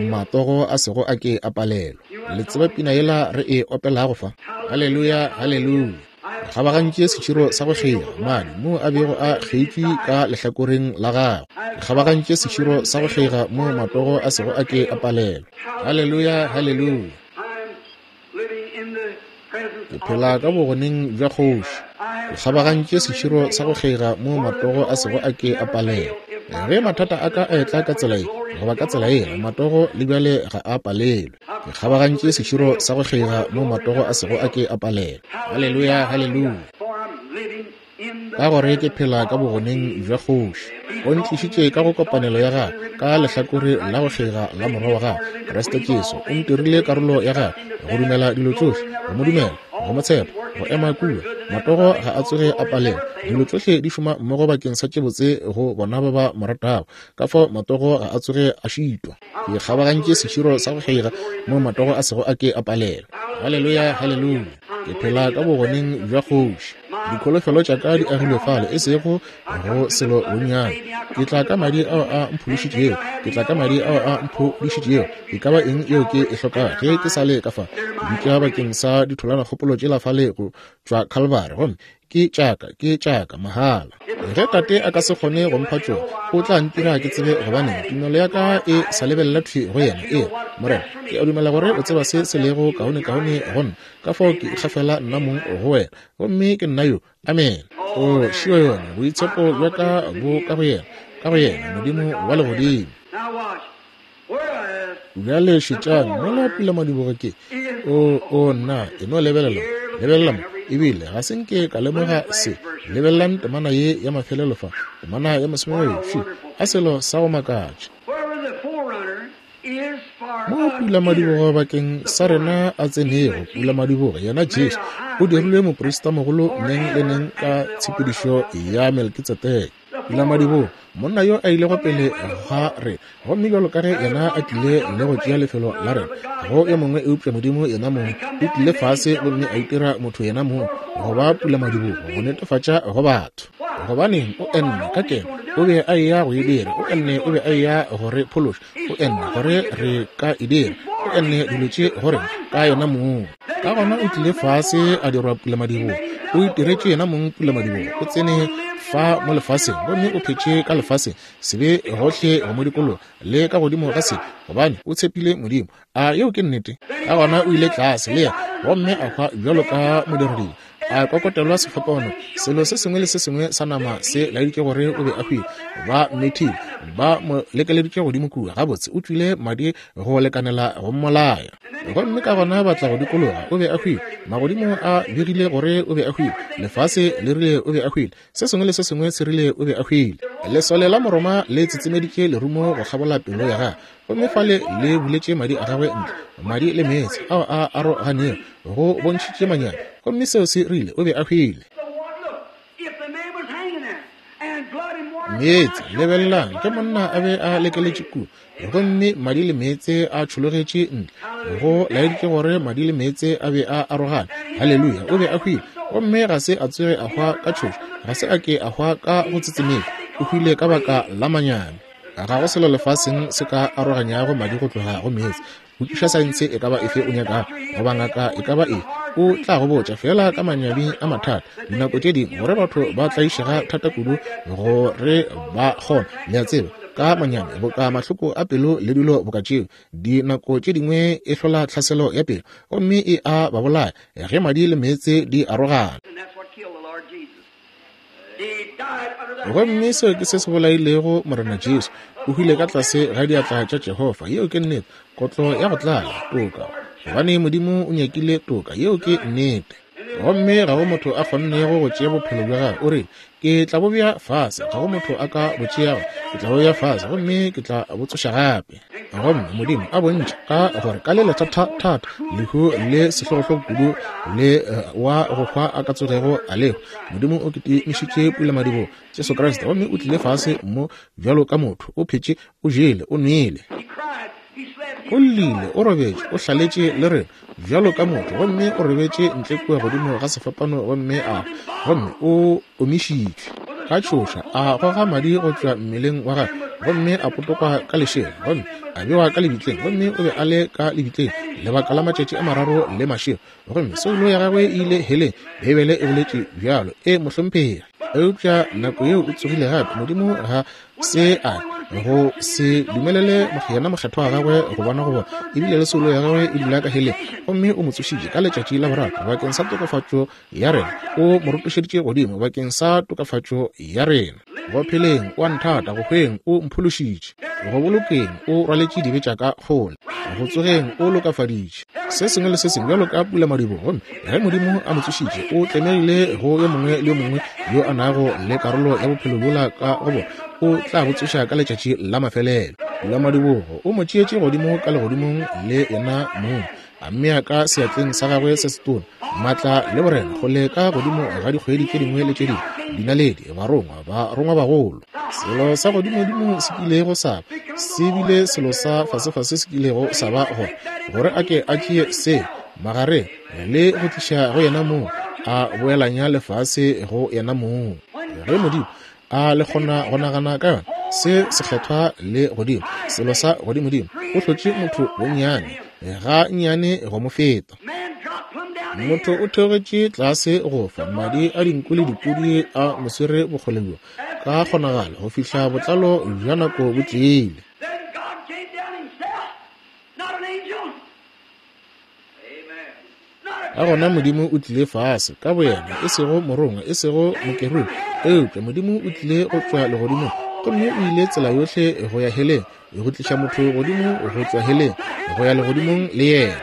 matogo a sego a ke a palelwa. Le tseba pina yela re e opelago fa? Haleluya, haleluya. Re kgabagantše seširo sa go kgeiga, madi, moo a bego a kgeitšwe ka lehlakoreng la gagwe. Re kgabagantše seširo sa go kgeiga mo matogo a sego a ke a palelwa. Haleluya, haleluya. Ke phela ka bogoneng bja kgoši. Ke kgabagantše seširo sa go kgeiga mo matogo a sego a ke a palelwa. Ge mathata a ka a etla ka tsela ye goba ka tsela yela, matogo le bjale ga a palelwe. Ke kgabagantše seširo sa go kgeiga mo matogo a sego a ke a palelwa. Haleluya, haleluya! Ka gore ke phela ka bogoneng bja kgoši. O ntlišitše ka go kopanelo ya gagwe, ka lehlakore la go kgega la Morwa wa gagwe, Kriste Jesu. O ntirile karolo ya gagwe, go dumela dilo tšohle, go mo dumela, go mo tshepa, go ema kua. Matogo ga a tsoge a palelwa. Dilo tšohle di šoma mmogo bakeng sa tše botse go bona ba ba mo ratago. Ka fao matogo ga a tsoge a šitwa. Ke kgabagantše seširo sa go kgeiga mo matogo a sego a ke a palelwa. Haleluya, haleluya! Ke phela ka bogoneng bja kgoši. Dikholofelo tša ka di agilwe fale, e sego go selo bonnyane. Ke tla ka madi ao a mphološitšego. Ke tla ka madi ao a mphološitšego. E ka ba eng yeo ke e hlokago ge ke sa le ka fa? Ke bitša bakeng sa ditholanakgopolo tšela fale go tšwa Khalvari, gomme ke tšaka, ke tšaka, mahala. Ge Tate a ka se kgone go mpha tšona, o tla ntira ke tsebe gobaneng tumelo ya ka e sa lebelela thwi go yena. Ee, Morena, ke a dumela gore o tseba se se lego kaonekaone go nna, ka fao ke ikgafela nna mong go wena, gomme ke nna yo. Amene. O šio yona, boitshepo bja ka bo ka go yena, ka go yena, Modimo wa legodimo. Bjale šetšang, mola pulamadibogo ke. O, o, nna, e no lebelela, lebelela mo. Ebile ga se nke ka lemoga se. Lebelelang temana ye ya mafelelo fa, temana ya masomebedi. Fi, a selo sa go makatša. Mo pulamadibogo bakeng sa rena a tsenego, pulamadibogo, yena Jesu, o dirilwe moprista mogolo neng le neng ka tshepedišo ya Melkitsedeke. Pulamadibogo, monna yo a ilego pele ga rena, gomme bjalo ka ge yena a tlile le go tšea lefelo la rena, go yo mongwe eupša Modimo yena mong o tlile fase gomme a itira motho yena mong go ba pulamadibogo, go netefatša go batho. Gobaneng, o enne ka keno o be a eya go e dira, o enne o be a eya go re phološa, o enne gore re ka e dira, o enne dilo tše go rena ka yena mong. Ka gona o tlile fase a dirwa pulamadibogo, o itiretše yena mong pulamadibogo, o tsene fa mo lefaseng, gomme o phetše ka lefaseng, sebe gohle go mo dikologa, le ka godimo ga sebe, gobane o tshepile Modimo. A yeo ke nnete? Ka gona o ile tlase le yena, gomme a hwa bjalo ka modiradibe, a kokotelwa sefapano. Selo se sengwe le se sengwe sa nama se laeditše gore o be a hwile. Ba mmethile, ba mo lekeleditše godimo kua. Gabotse, o tšwile madi go lekanela go mmolaya. Gomme ka gona ba tla go dikologa, o be a hwile. Magodimo a begile gore o be a hwile. Lefase le rile o be a hwile. Se sengwe le se sengwe se rile o be a hwile. Lesole la Moroma le tsetsemeditše lerumo go kgabola pelo ya gagwe, gomme fale le buletše madi a gagwe ntle, madi le meetse ao a aroganego, go bontšhitše manyami, gomme seo se rile o be a hwile. Meetse, lebelelang, ge monna a be a lekeletše kua, gomme madi le meetse a tšhologetše ntle, go laeditše gore madi le meetse a be a arogane. Haleluya! O be a hwile, gomme ga se a tsoge a hwa ka tšhošo, ga se a ke a hwa ka go tsetsemela, o hwile ka baka la manyami. Ga go selo lefaseng se ka aroganyago madi go tloga go meetse. Botšiša saense e ka ba efe o nyakago, goba ngaka e ka ba efe, o tla go botša feela ka manyami a mathata dinako tše dingwe gore batho ba tlaišega thata kudu gore ba kgona, le a tseba, ka manyami boka mahloko a pelo le dilo boka tšeo. Dinako tše dingwe e hlola tlhaselo ya pelo gomme e a ba bolaya ge madi le meetse di arogana. Gomme seo ke se se bolailego Morena Jesu. O hwile ka tlase ga diatla tša Jehofa. Yeo ke nnete. Kotlo ya go tlala, toka. Gobane Modimo o nyakile toka. Yeo ke nnete. Gomme ga go motho a kgonnego go tšea bophelo bja gagwe. O rile, Ke tla bo bea fase. Ga go motho a ka bo tšeago. Ke tla bo bea fase, gomme ke tla bo tsoša gape. Gomme Modimo a bontšha ka gore ka le lethathathata lehu le sehlogohlogo kudu le wa go hwa a ka tsogego a lehu. Modimo o kitimišitše pulamadibogo Jesu Kriste, gomme o tlile fase mo bjalo ka motho, o phetše, o jele, o nwele, o llile, o robetše, o hlaletše le rena bjalo ka motho, gomme o robetše ntle kua godimo ga sefapano gomme a gomme o omišitšwe ka tšhoša, a goga madi go tšwa mmeleng wa gagwe, gomme a potokwa ka lešela, gomme a bewa ka lebitleng, gomme o be a le ka lebitleng lebaka la matšatši a mararo le mašego, gomme soulo ya gagwe e ile heleng. Beibele e boletše bjalo. E, mohlomphegi. Eupša nako yeo o tsogile gape, Modimo ga se a go se dumelele yena mokgethwa wa gagwe go bona go bona, ebile le soulo ya gagwe e dula ka heleng, gomme o mo tsošitše ka letšatši la boraro bakeng sa tokafatšo ya rena, o mo rotošeditše godimo bakeng sa tokafatšo ya rena. Go pheleng o a nthata, go hweng o mphološitše, go bolokeng o rwaletše dibe tša ka kgole, go tsogeng o lokafaditše se sengwe le se sengwe bjalo ka pulamadibogo. Gomme ge Modimo a mo tsošitše, o tlemegile go yo mongwe le yo mongwe yo a nago le karolo ya bophelo bjola ka go bona, o tla bo tsoša ka letšatši la mafelelo. Pulamadibogo o mo tšeetše godimo ka legodimong le yena mong, a mmea ka seatleng sa gagwe se setona maatla le borena kgole ka godimo ga dikgwedi tše dingwe le tše dingwe, dinaledi, barongwa, barongwabagolo. Selo sa godimodimo se kilego sa ba, se bile selo sa fasefase se kilego sa ba gona, gore a ke a tšee se magareng le go tliša go yena mong, a boelanya lefase go yena mong. Ge Modimo a le kgona go nagana ka yona, se sekgethwa le godimo, selo sa godimodimo, o hlotše motho bonnyane ga nnyane go mo feta. Motho o theogetše tlase go fa madi a dinku le dipudi a mo swere bokgole bjo ka kgonagalo go fihla botlalo bja nako bo tlile. Ka gona Modimo o tlile fase ka boyena, e sego morongwa, e sego mokerubi, eupša Modimo o tlile go tšwa legodimong, gomme o ile tsela yohle go ya heleng, go tliša motho godimo go tšwa heleng go ya legodimong le yena.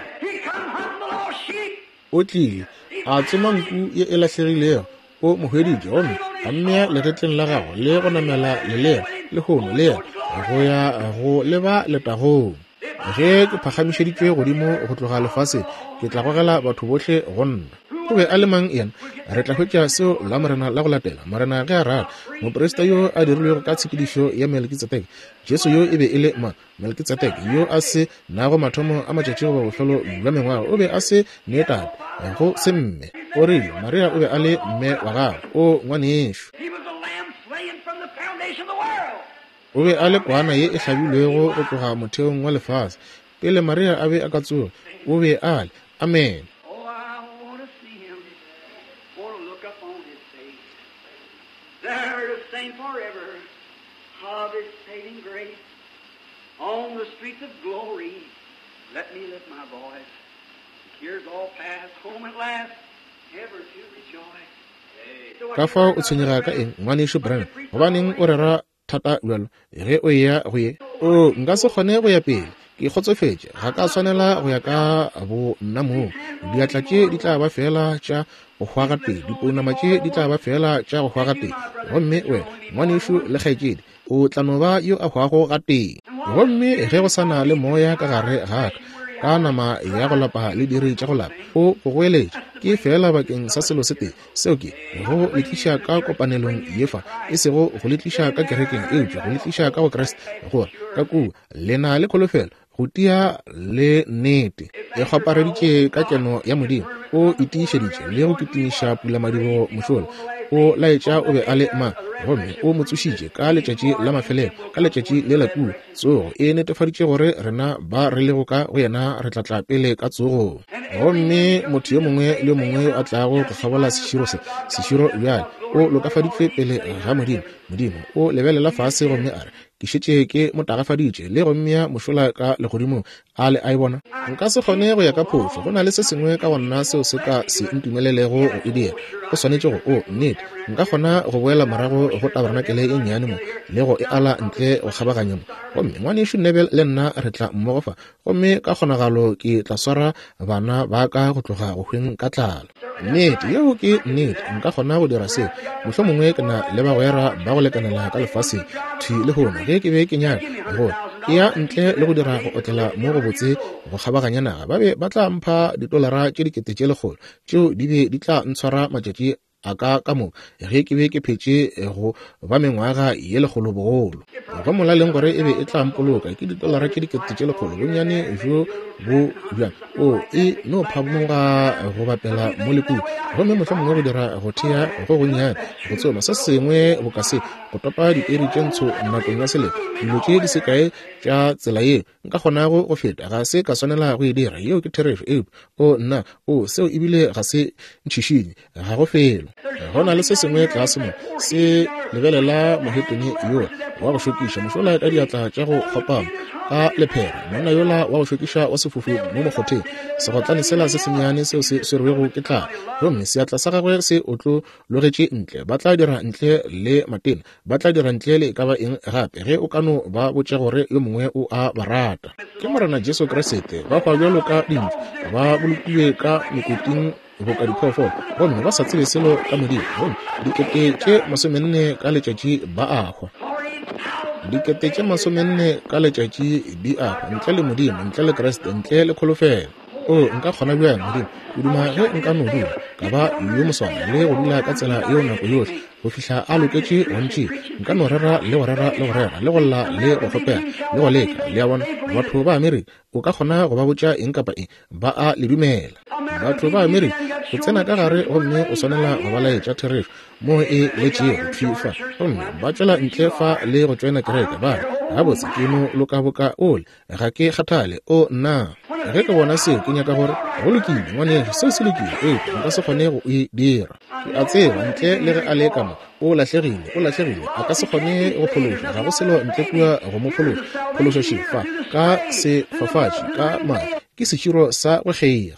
O tlile a tsoma nku ye e lahlegilego, o mo hweditše gomme a mmea legetleng la gagwe le go namela lelea lehono le yena go ya go leba letagong. Ge ke phagamišeditšwe godimo go tloga lefaseng, ke tla gogela batho bohle go nna. O be a le mang yena? Re tla hwetša seo Lamorena la go latela, Morena ge a rata. Moprista yo a dirilwego ka tshepedišo ya Melkitsedeke. Jesu yo e be e le mang? Melkitsedeke yo a se nago mathomo a matšatši goba bofelo bja mengwaga, o be a se ne tate, go se mme. O rile Maria o be a le mme wa gagwe. O ngwanešu. O be a le kwana ye e hlabilwego go tloga motheong wa lefase. Pele Maria a be a ka tsoga, o be a le. Amene. There to sing forever of His saving grace. On the streets of glory, let me lift my voice. The tears all pass, home at last, ever to rejoice. Ka fao o tshwenyega ka eng, Ngwanešu Branham? Gobaneng o rera thata bjalo ge o eya go ye? Oo, nka se kgone go ya pele. Ke kgotsofetše. Ga ka swanela go ya ka bo nna mong. Diatla tše di tla ba feela tša go hwa gatee. Dipounama tše di tla ba feela tša go hwa gatee. Gomme wena, ngwanešu le kgaetšedi, o tla no ba yo a hwago gatee. Gomme ge go sa na le moya ka gare ga ka, ka nama ya go lapa le diri tša go lapa, o go goeletša, ke feela bakeng sa selo se tee, seo ke, go le tliša ka kopanelong ye fa, e sego go le tliša ka kerekeng, eupša go le tliša ka go Kriste, gore ka kua le na le kholofelo, go tia le nnete. E kgwapareditše ka keno ya Modimo, o itiišeditše le go kitimiša pulamadibogo mošola, o laetša o be a le mang, gomme o mo tsošitše ka letšatši la mafelelo, ka letšatši le la kua. Tsogo e netefaditše gore rena ba re lego ka go yena re tla tla pele ka tsogong. Gomme motho yo mongwe le yo mongwe yo a tlago go kgabola seširo se, seširo bjale, o lokafaditšwe pele ga Modimo. Modimo o lebelela fase gomme a re, Ke šetše ke mo tagafaditše le go mmea mošola ka legodimong. A le a e bona? Nka se kgone go ya ka phošo. Go na le se sengwe ka go nna seo se ka se ntumelelego go e dira. Go swanetše go, o, nnete, nka kgona go boela morago go tabarenakele ye nnyane mo le go e ala ntle go kgabaganya mo. Gomme Ngwanešu Neville le nna re tla mmogo fa, gomme ka kgonagalo ke tla swara bana ba ka go tloga go hweng ka tlala. Nnete, yeo ke nnete, nka kgona go dira seo. Mohlomongwe ke na le bagwera ba go lekanela ka lefaseng thwi lehono ge ke be ke nyaka go ya ntle le go dira go otlela mo go botse go kgabaganya naga, ba be ba tla mpha ditolara tše 100,000, tšeo di be di tla ntshwara matšatši a ka ka moka ge ke be ke phetše go ba mengwaga ye lekgolo bogolo. Go molaleng gore e be e tla mpoloka ke ditolara tše 100,000, bonnyane bjo bo bjang, o e no phamoga go bapela mo le kua, gomme mohlomongwe go dira go thea go gonnyane, go tsoma se sengwe boka se, go topa dieri tše ntsho nakong ya selemo, dilo tše di se kae tša tsela yeo nka kgonago go feta, ga se ka swanela go e dira. Yeo ke therešo. Eupša, o nna, o, seo ebile ga se ntšhišinye, ga go felo. Go na le se sengwe tlase mo, se lebelela mohetene yola wa go šokiša, mošola ka diatla tša go kgopama, ka lephera, monna yola wa go šokiša wa sefofu mo mokgotheng, segotlane sela se sennyane seo se swerwego ke tlala, gomme seatla sa gagwe se otlologetše ntle. Ba tla dira ntle le matena, Ba tla dira ntle le e ka ba eng gape ge o ka no ba botša gore yo mongwe o a ba rata. Ke Morena Jesu Kriste. Ba hwa bjalo ka dintšu, ba bolokilwe ka mekoting boka diphoofolo, gomme ba sa tsebe selo ka Modimo. Gomme 40,000 ka letšatši ba a hwa. 40,000 ka letšatši di a hwa, ntle le Modimo, ntle le Kriste, ntle le kholofelo. O, nka kgona bjang, Modimo? Ke duma ge nka no dula, ka ba yo moswana le go dula ka tsela yeo nako yohle, go fihla a loketše go ntšea. Nka no rera le go rera le go rera, le go lla le go kgopela le go leka. Le a bona? Batho ba Amerika, o ka kgona go ba botša eng kapa eng, ba a le dumela. Batho ba Amerika, o tsena ka gare gomme o swanela go ba laetša therešo moo e letšego thwi fa, gomme ba tšwela ntle fa le go tšoena kereke, ba re, Gabotse, ke no loka boka ole. Ga ke kgathale. O, nna! Ge ke bona seo, ke nyaka gore, Go lokile, ngwanešu, seo se lokile, eupša nka se kgone go e dira. Ke a tseba, ntle le ge a le ka mo, o lahlegile, o lahlegile. A ka se kgone go phološwa. Ga go selo ntle kua go mo phološa. Phološo še fa, ka sefafatši, ka madi, ke seširo sa go kgeiga.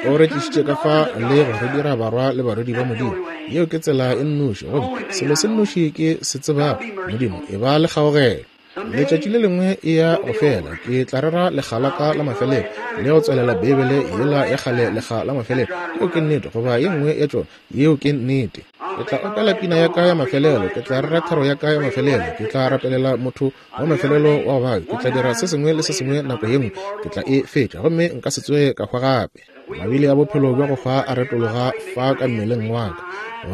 O re tlišitše ka fa le go re dira barwa le barwedi ba Modimo. Yeo ke tsela e nnoši, gomme selo se nnoši ke se tsebago, Modimo, e ba le kgaogelo. Letšatši le lengwe e ya go fela, ke tla rera lekga la ka la mafelelo le go tswalela Beibele yela ya kgale lekga la mafelelo. Yeo ke nnete, goba ye nngwe ya tšona. Yeo ke nnete. Ke tla opela pina ya ka ya mafelelo, ke tla rera thero ya ka ya mafelelo, ke tla rapelela motho wa mafelelo wa go babja, ke tla dira se sengwe le se sengwe nako ye nngwe, ke tla e fetša, gomme nka se tsoge ka hwa gape. Mabili a bophelo bja go hwa a retologa fa ka mmeleng wa ka,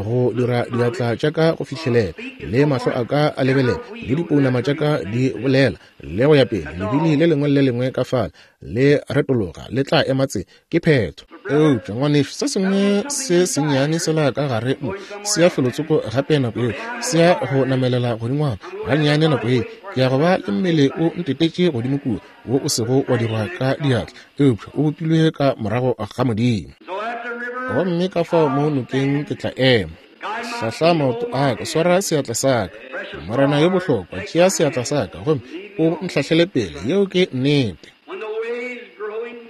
go dira diatla tša ka go fihlelela, le mahlo a ka a lebelela, le dipounama tša ka di bolela, le go ya pele. Lebili le lengwe le le lengwe ka fale le retologa, le tla ema tse. Ke phetho. Eupša, ngwanešu, se sengwe se sennyane sela ka gare mo se ya felotsoko gape nako yeo, se ya go namelela godingwana gannyane nako yeo. Ke ya go ba le mmele o ntetetše godimo kua, wo o sego wa dirwa ka diatla, eupša o bopilwe ka morago ga Modimo. Gomme ka fao mo nokeng ke tla ema. Hlahla maoto a ka, swara seatla sa ka. Morena yo bohlokwa, tšea seatla sa ka gomme o ntlhahlele pele. Yeo ke nnete.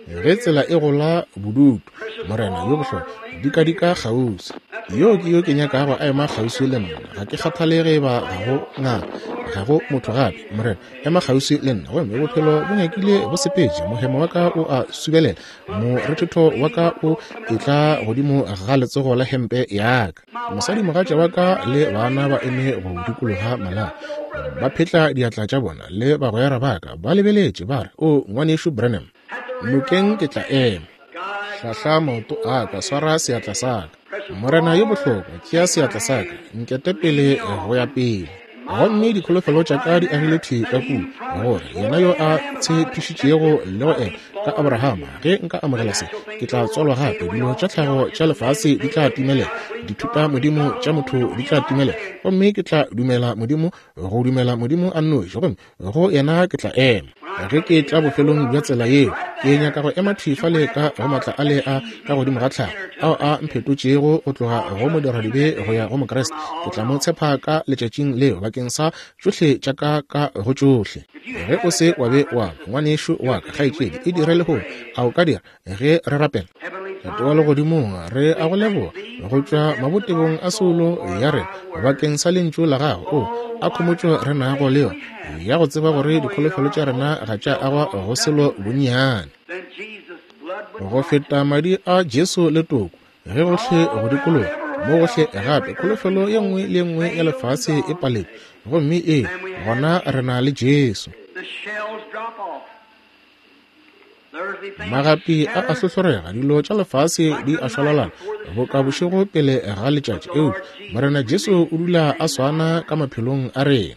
Ge tsela e gola bodutu, Morena yo bohlokwa, dikadika kgauswi. Yo ke yo ke nyakago a ema kgauswi le nna. Ga ke kgathale ge eba ga go ngaka, ga go motho gape. Morena, ema kgauswi le nna. Gomme bophelo bo nyakile bo sepetše, mohemo wa ka o a subelela, morethetho wa ka o etla godimo ga letsogo la hempe ya ka. Mosadimogatša wa ka le bana ba eme go dikologa malapa, ba phetla diatla tša bona, le bagwera ba ka ba lebeletše, ba re, O Ngwanešu Branham, nokeng ke tla ema. Hlahla maoto a ka, swara seatla sa ka. Morena yo bohlokwa, tšea seatla sa ka, nkete pele go ya pele. Gomme dikholofelo tša ka di agile thwi ka kua, gore yena yo a tshepišitšego le go ena ka Abrahama, ge nka amogela se, ke tla tswalwa gape. Dilo tša tlhago tša lefase di tla timelela, dithuta modimo tša motho di tla timelela, gomme ke tla dumela Modimo, go dumela Modimo a nnoši, gomme go yena ke tla ema. Ge ke tla bofelong bja tsela yeo, ke nyaka go ema thwi fale ka go matla a le a ka godimo ga tlhago ao a mphetotšego go tloga go modiradibe go ya go Mokriste. Ke tla mo tshepa ka letšatšing leo bakeng sa tšohle tša ka ka go tšohle. Ge o se wa be wa ba ngwanešu wa ka, kgaetšedi, e dire lehono. A o ka dira ge re rapela? Tate wa legodimong, re a go leboga go tšwa mabotebong a soulo ya rena bakeng sa lentšu la gago. O a khomotšo re nago le yona ya go tseba gore dikholofelo tša rena ga tša agwa go selo bonnyane go feta madi a Jesu le toko, ge gohle go dikologa mo gohle gape kholofelo ye nngwe le ye nngwe ya lefase e paletšwe, gomme ee, gona re na le Jesu. Magapi a a hlohlorega, dilo tša lefase di a šwalalana boka bošego pele ga letšatši, eupša Morena Jesu o dula a swana ka maphelong a rena.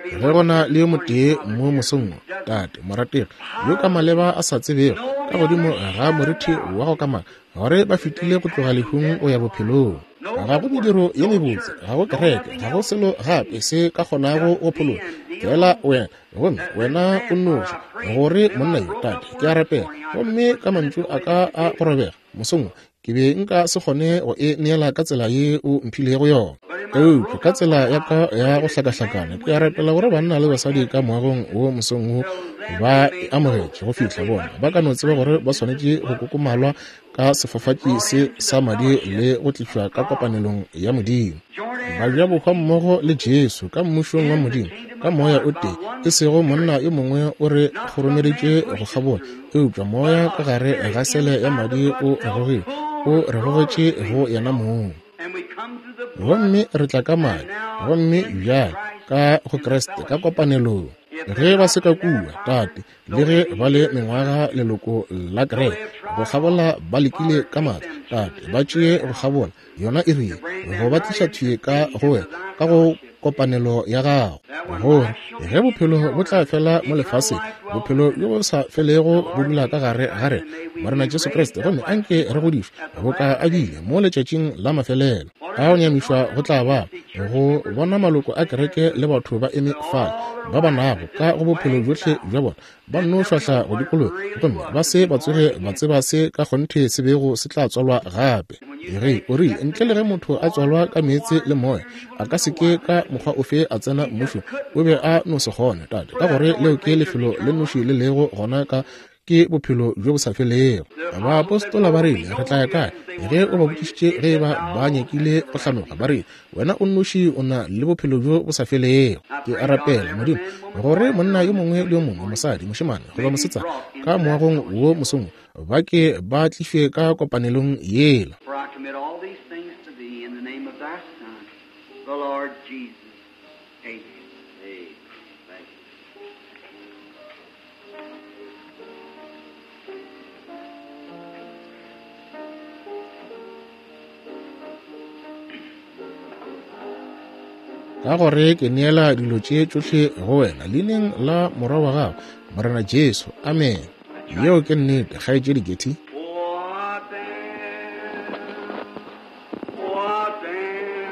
Ge go na le yo motee mo mosong wo, Tate, morategi, yo ka maleba a sa tsebego ka godimo ga morithi wa go kamaka gore ba fetile go tloga lehung go ya bophelong, ga go mediro ye mebotse, ga go kereke, ga go selo gape se ka kgonago go phološa, feela wena, gomme wena o nnoši, gore monna yo, Tate, ke a rapela, gomme ka mantšu a ka a go robega mosong wo, ke be nka se kgone go e neela ka tsela ye o mphilego yona, eupša ka tsela ya ka ya go hlakahlakana, ke a rapela gore banna le basadi ka moagong wo mosong wo ba e amogetše go fihla bona ba ka no tseba gore ba swanetše go kokomalwa ka sefafatši se sa madi le go tlišwa ka kopanelong ya Modimo, ba ja bohwa mmogo le Jesu ka mmušong wa Modimo ka moya o tee, e sego monna yo mongwe o re kgoromeditše go kgabola, eupša moya ka gare ga sele ya madi o re gogile, o re gogetše go yena mong. Gomme re tla ka madi, gomme bjale ka go Kriste ka kopanelong. Ge ba se ka kua, Tate, le ge ba le mengwaga leloko la kereke go kgabola, ba lekile ka matla, Tate, ba tšee go kgabola yona e rile go ba tliša thwi ka go wena ka go kopanelo ya gago, gore ge bophelo bo tla fela mo lefaseng, bophelo bjo bo sa felego bo dula ka gare ga rena, Morena Jesu Kriste, gomme anke re godišwe boka a bile mo letšatšing la mafelelo. Ka go nyamišwa go tla ba go bona maloko a kereke le batho ba eme fale ba ba nago ka go bophelo bjohle bja bona ba nno šwahla go dikologa gomme ba se ba tsoge ba tseba se ka kgonthe se bego se tla tswalwa gape. Ge o rile, ntle le ge motho a tswalwa ka meetse le moya, a ka se ke ka mokgwa ofe a tsena mmušong. O be a no se kgone, Tate, ka gore leo ke lefelo le nnoši le lego gona ka ke bophelo bjo bo sa felego. Baapostola ba rile, Re tla ya kae? Ge o ba botšišitše ge e ba ba nyakile go hlanoga, ba rile, Wena o nnoši o na le bophelo bjo bo sa felego. Ke a rapela, Modimo, gore monna yo mongwe le yo mongwe, mosadi, mošemane goba mosetsana, ka moagong wo mosong wo, ba ke ba tlišwe ka kopanelong yela. For I commit all these things to thee in the name of thy Son, the Lord Jesus. Amen. Amen. Thank you. Ka gore ke neela dilo tše tšohle go wena leineng la Morwa wa gago, Morena Jesu. Amen. Yeo ke nnete, Kgaetšedi Getty. What then? What then?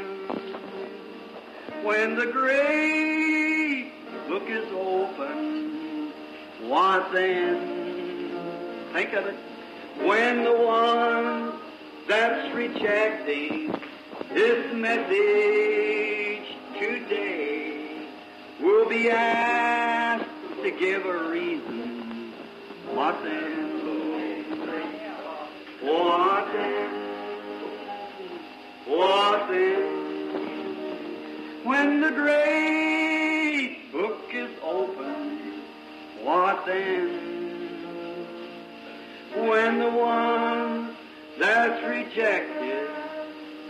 When the great book is opened, what then? Think of it. When the one that's rejecting This message today will be asked to give a reason. What then? What then? What then? When the great book is opened, what then? When the one that's rejected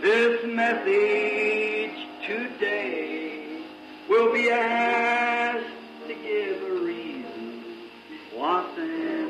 this message today will be asked to give a reason, what then?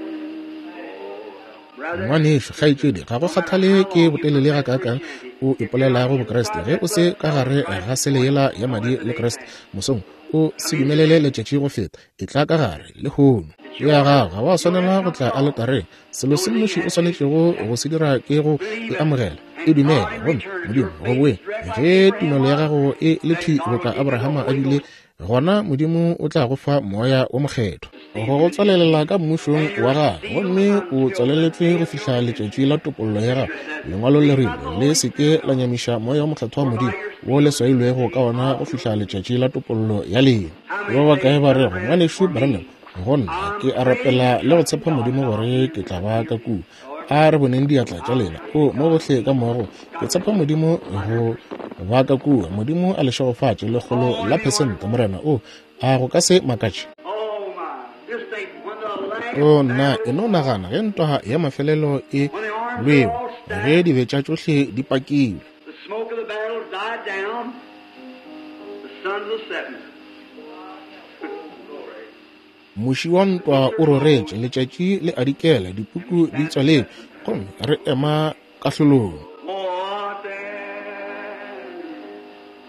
Ngwanešu, kgaetšedi, ga go kgathale ke botelele gakaakang o ipolelago Bokriste, ge o se ka gare ga sele yela ya madi le Kriste mosong, o se dumelele letšatši go feta. Etla ka gare lehono. Ke ya gago, ga wa swanela go tla aletareng. Selo se nnoši o swanetšego go se dira ke go e amogela, e dumele, gomme Modimo go boe. Ge tumelo ya gago e le thwi boka Abrahama a bile, gona Modimo o tla go fa Moya wo Mokgethwa go go tswalelela ka mmušong wa gagwe, gomme o tswaleletšwe go fihla letšatši la topollo ya gago. Lengwalo le rile, Le se ke la nyamiša Moya wo Mokgethwa wa Modimo, wo le swailwego ka wona go fihla letšatši la topollo ya lena. Ba bakae ba rego, Ngwanešu Branham, go nna, ke a rapela le go tshepa Modimo gore ke tla ba ka kua. A re boneng diatla tša lena. O, mo gohle ka moagong, ke tshepa Modimo go ba ka kua. Modimo a le šegofatše, lekgolo la phesente, Morena. O, a go ka se makatše? O, nna, e no nagana ge ntwa ya mafelelo e lwewa, ge dibetša tšohle di pakilwe. The smoke of the battle died down, the sun's a setting. Muši wa ntwa o roretše, letšatši le a dikela, dipuku di tswaletšwe, gomme re ema kahlolong. What then?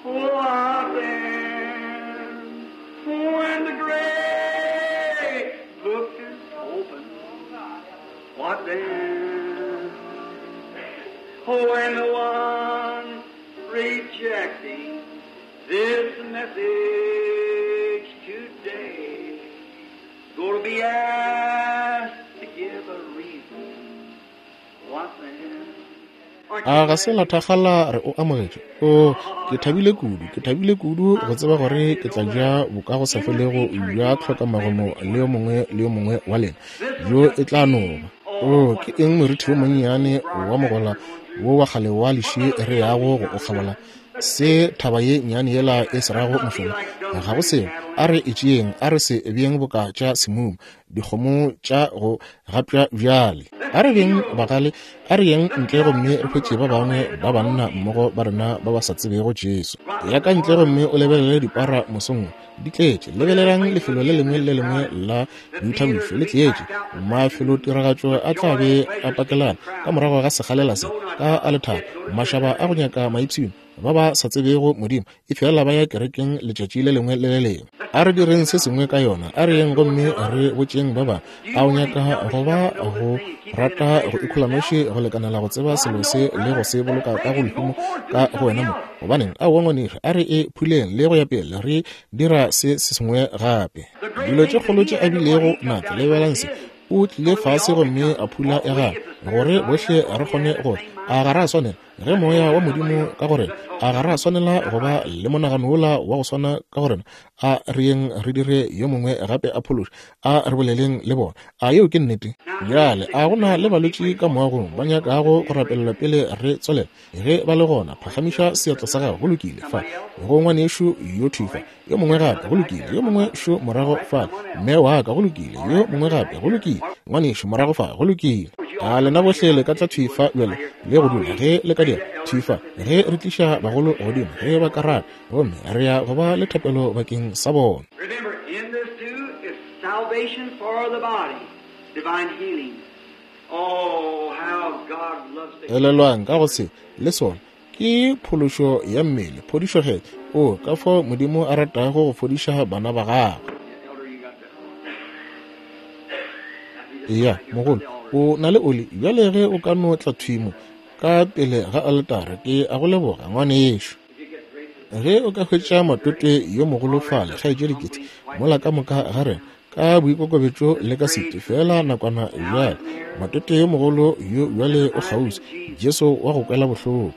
What then? When the great book is opened, what then? When the one rejecting this message today gonna be asked to give a reason, what then? A ga se la thakgala re o amogetše? O, ke thabile kudu, ke thabile kudu go tseba gore ke tla ja bokagosafelego bja tlhokamagomo le yo mongwe le yo mongwe wa lena, bjo e tla no ba. O, ke eng morithi wo monnyane wa mogola wo wa kgale wa leši re yago go o kgabola? Se thaba ye nnyane yela e se rago mošomo, ga go selo. A re e tšeeng, a re se beeng boka tša semuma, dikgomo tša go gapša bjale. A re beng bagale, a re yeng ntle gomme re hwetše ba bangwe ba banna mmogo ba rena ba ba sa tsebego Jesu. Ya ka ntle gomme o lebelele dipara mosong wo, di tletše. Lebelelang lefelo le lengwe le le lengwe la boithabišo, le tletše. Mafelotiragatšo a tla be a pakelana ka morago ga sekgalela se ka a lethabo, mašaba a go nyaka maipshino, ba ba sa tsebego Modimo, efela ba ya kerekeng letšatši le lengwe le le lengwe. A re direng se sengwe ka yona. A re yeng gomme re botšeng ba bangwe. A o nyaka go ba go rata go ikholanoši go lekanela go tseba selo se le go se boloka ka go lehumo ka go wena mo? Gobaneng, aowa ngwanešu, a re e phuleng le go ya pele re dira se se sengwe gape. Dilo tše kgolo tše a bilego natšo, lebelang se. O tlile fase gomme a phula ya gagwe, gore bohle re kgone go tla. A ga ra swanela? Ge Moya wa Modimo ka go rena, a ga ra swanela go ba le monagano wola wa go swana ka go rena? A re yeng re dire yo mongwe gape a phološe. A re boleleng le bona. A yeo ke nnete? Bjale, a go na le balwetši ka moagong ba nyakago go rapelelwa pele re tswelela? Ge ba le gona, phagamiša seatla sa gago. Go lokile. Fa go ngwanešu yo thwi fa. Yo mongwe gape. Go lokile. Yo mongwe šo morago fa. Mme wa ka. Go lokile. Yo mongwe gape. Go lokile. Ngwanešu morago fa. Go lokile. A lena bohle le ka tla thwi fa bjale le go dula, ge le ka dira, thwi fa, ge re tliša bagolo godimo, ge ba ka rata, gomme re ya go ba le thapelo bakeng sa bona. Remember, in this too is salvation for the body, divine healing. Oh, how God loves to Elelwang, ka go se, le sona, ke phološo ya mmele, phodišo-kgethwa. Oo, ka fao Modimo a ratago go fodiša bana ba Gagwe. Elder, you got that. Eya, mogolo, o na le oli. Bjale ge o ka no tla thwi mo, ka pele ga aletara, ke a go leboga, ngwanešu. Ge o ka hwetša matwetwe yo mogolo fale, kgaetšedi Kitty, mola ka moka ga rena, ka boikokobetšo le ka setu, feela nakwana bjale. Matwetwe yo mogolo yo bjale o kgauswi, Jesu wa go kwela bohloko.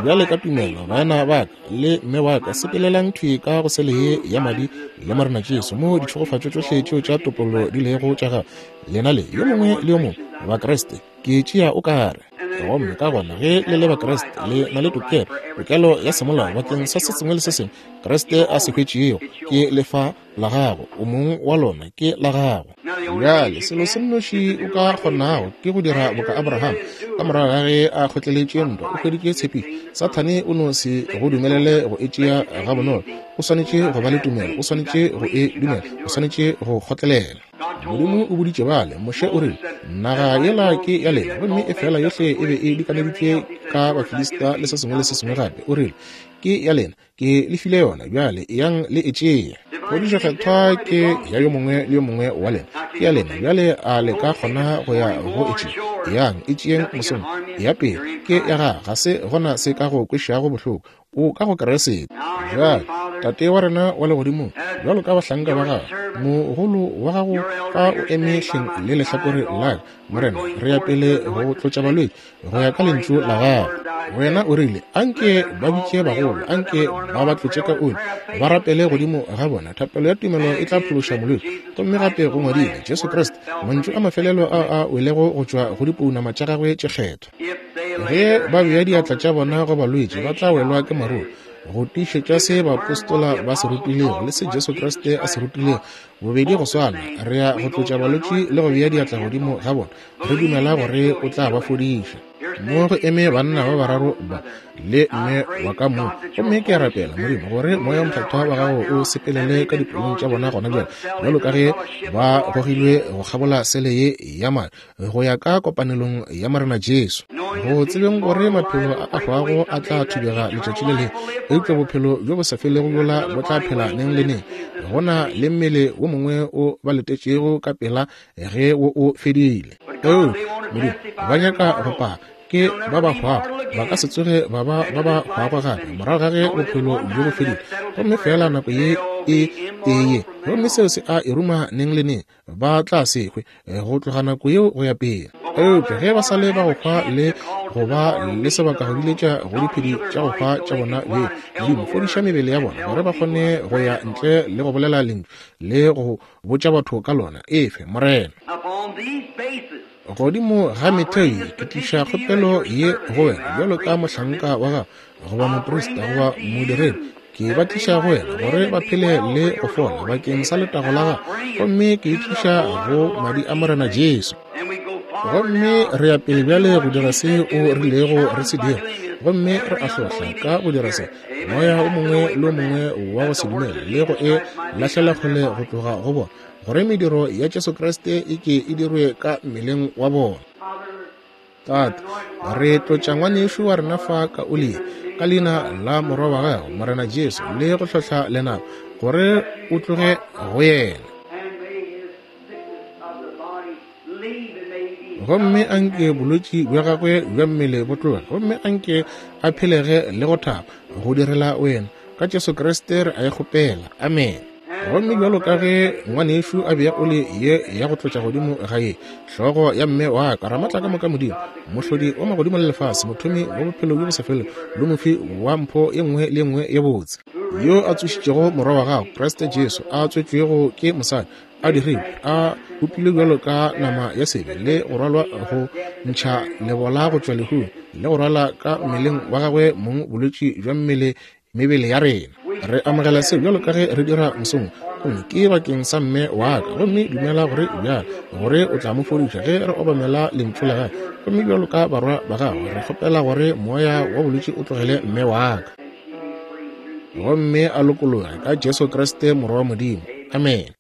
Bjale ka tumelo, baena ba ka le mme wa ka, sepelelang thwi ka go sele ye ya madi le Morena Jesu, moo ditšhegofatšo tšohle tšeo tša topollo di lego tša gago, lena le yo mongwe le yo mongwe, Bakriste. Ke tšea o ka re. Gomme ka gona ge le le Bakriste, le na le tokelo, tokelo ya semolao bakeng sa se sengwe le se sengwe Kriste a se hwetšego, ke lefa la gago, o mong wa lona, ke la gago. Bjale, selo se nnoši o ka kgonago ke go dira boka Abraham. Ka morago ga ge a kgotleletše ntwa, o hweditše tshepišo. Sathane o no se go dumelele go e tšea gabonolo. O swanetše go ba le tumelo, o swanetše go e dumela, o swanetše go kgotlelela. Modimo o boditše bale, Moshe o rile, Naga yela ke ya lena, gomme efela yohle e be e dikaneditšwe ka Bafilista le se sengwe le se sengwe gape. O rile, Ke ya lena. Ke le file yona, bjale eyang le e tšee. Phodišo Kgethwa ke ya yo mongwe le yo mongwe wa lena. Ke ya lena, bjale a le ka kgona go ya go e tšea? Eyang, e tšeeng mosong. Ya pele, ke ya gago, ga se gona se ka go kwešago bohloko. O ka go Kriste. Bjale, Tate wa rena wa Legodimong, bjalo ka bahlanka ba Gago, mogolo wa Gago fa o eme hleng le lehlakore la ka, Morena, re ya pele go tlotša balwetši go ya ka lentšu la gago. Wena o rile, Anke ba bitše bagolo, anke ba ba tlotše ka oli, ba rapele godimo ga bona. Thapelo ya tumelo e tla phološa molwetši. Gomme gape go ngwadilwe, Jesu Kriste, mantšu a mafelelo a a welego go tšwa go dipounama tša gagwe tše kgethwa. Ge ba bea diatla tša bona go balwetši, ba tla welwa ke maruru. Go tiišetša se baapostola ba se rutilego le se Jesu Kriste a se rutilego, Bobedi go swana, re ya go tlotša balwetši le go bea diatla godimo ga bona, re dumela gore o tla ba fodiša. Mo go eme banna ba bararo ba le mme wa ka mo, gomme ke a rapela, Modimo, gore Moya wo Mokgethwa wa Gago o sepelele ka dipelong tša bona gona bjale, bjalo ka ge ba gogilwe go kgabola sele ye ya madi, go ya ka kopanelong ya Morena Jesu, go tsebeng gore maphelo a a hwago a tla thubega letšatši le lengwe, eupša bophelo bjo bo sa felego bjola bo tla phela neng le neng. Go na le mmele wo mongwe o ba letetšego ka pela ge wo o fedile. Eupša, Modimo, ba nyaka go paka, ke ba ba hwago, ba ka se tsoge ba ba ba ba hwago gape morago ga ge bophelo bjo bo fedile, gomme feela nako ye e tee ye, gomme seo se a e ruma neng le neng. ba tla se hwe eh, go tloga nako yeo go ya pele. Eupša ge ba sa le ba go hwa le go ba le sebaka go biletša go diphedi tša go hwa tša bona beng, Modimo, fodiša mebele ya bona gore ba kgone go ya ntle le go bolela lentšu le go botša batho ka lona. Efe, Morena. Godimo ga metheo ye ke tliša kgopelo ye go wena bjalo ka mohlanka wa gago goba moprista goba modiredi, ke ba tliša go wena gore ba phele le go fola bakeng sa letago la gago, gomme ke e tliša go madi a Morena Jesu. Gomme re ya pele bjale go dira se o rilego re se dira, gomme re a hlohla ka go dira se moya o mongwe le o mongwe wa go se dumele le go e lahlela kgole go tloga go bona, gore mediro ya Jesu Kriste e ke e dirwe ka mmeleng wa bona. Tate, re tlotša ngwanešu wa rena fa ka oli ka leina la Morwa wa Gago, Morena Jesu, le go hlohla lenaba gore o tloge go yena. Gomme anke bolwetši bja gagwe bja mmele bo tloge, gomme anke a phelege le go thaba go direla wena. Ka Jesu Kriste re a e kgopela. Amene. Gomme bjalo ka ge ngwanešu a bea oli ye ya go tlotša godimo ga ye, hlogo ya mme wa ka, Ramatla ka moka Modimo, Mohlodi wa magodimo le lefase, Mothomi wa bophelo bjo bo sa felego, le Mofi wa mpho ye nngwe le ye nngwe ye botse, yo a tsošitšego Morwa wa gago, Kriste Jesu, a tswetšwego ke mosadi, a dirilwe, a bopilwe bjalo ka nama ya sebe, le go rwalwa go ntšha lebola go tšwa lehung, le go rwala ka mmeleng wa gagwe mong bolwetši bja mmele mebele ya rena. Re amogela se bjalo ka ge re dira mosong, gomme ke bakeng sa mme wa ka. Gomme dumela gore bjale gore o tla mo fodiša ge re obamela lentšu la gagwe. Gomme bjalo ka barwa ba gagwe, re kgopela gore moya wa bolwetši o tlogele mme wa ka, gomme a lokologe ka Jesu Kriste Morwa wa Modimo. Amene.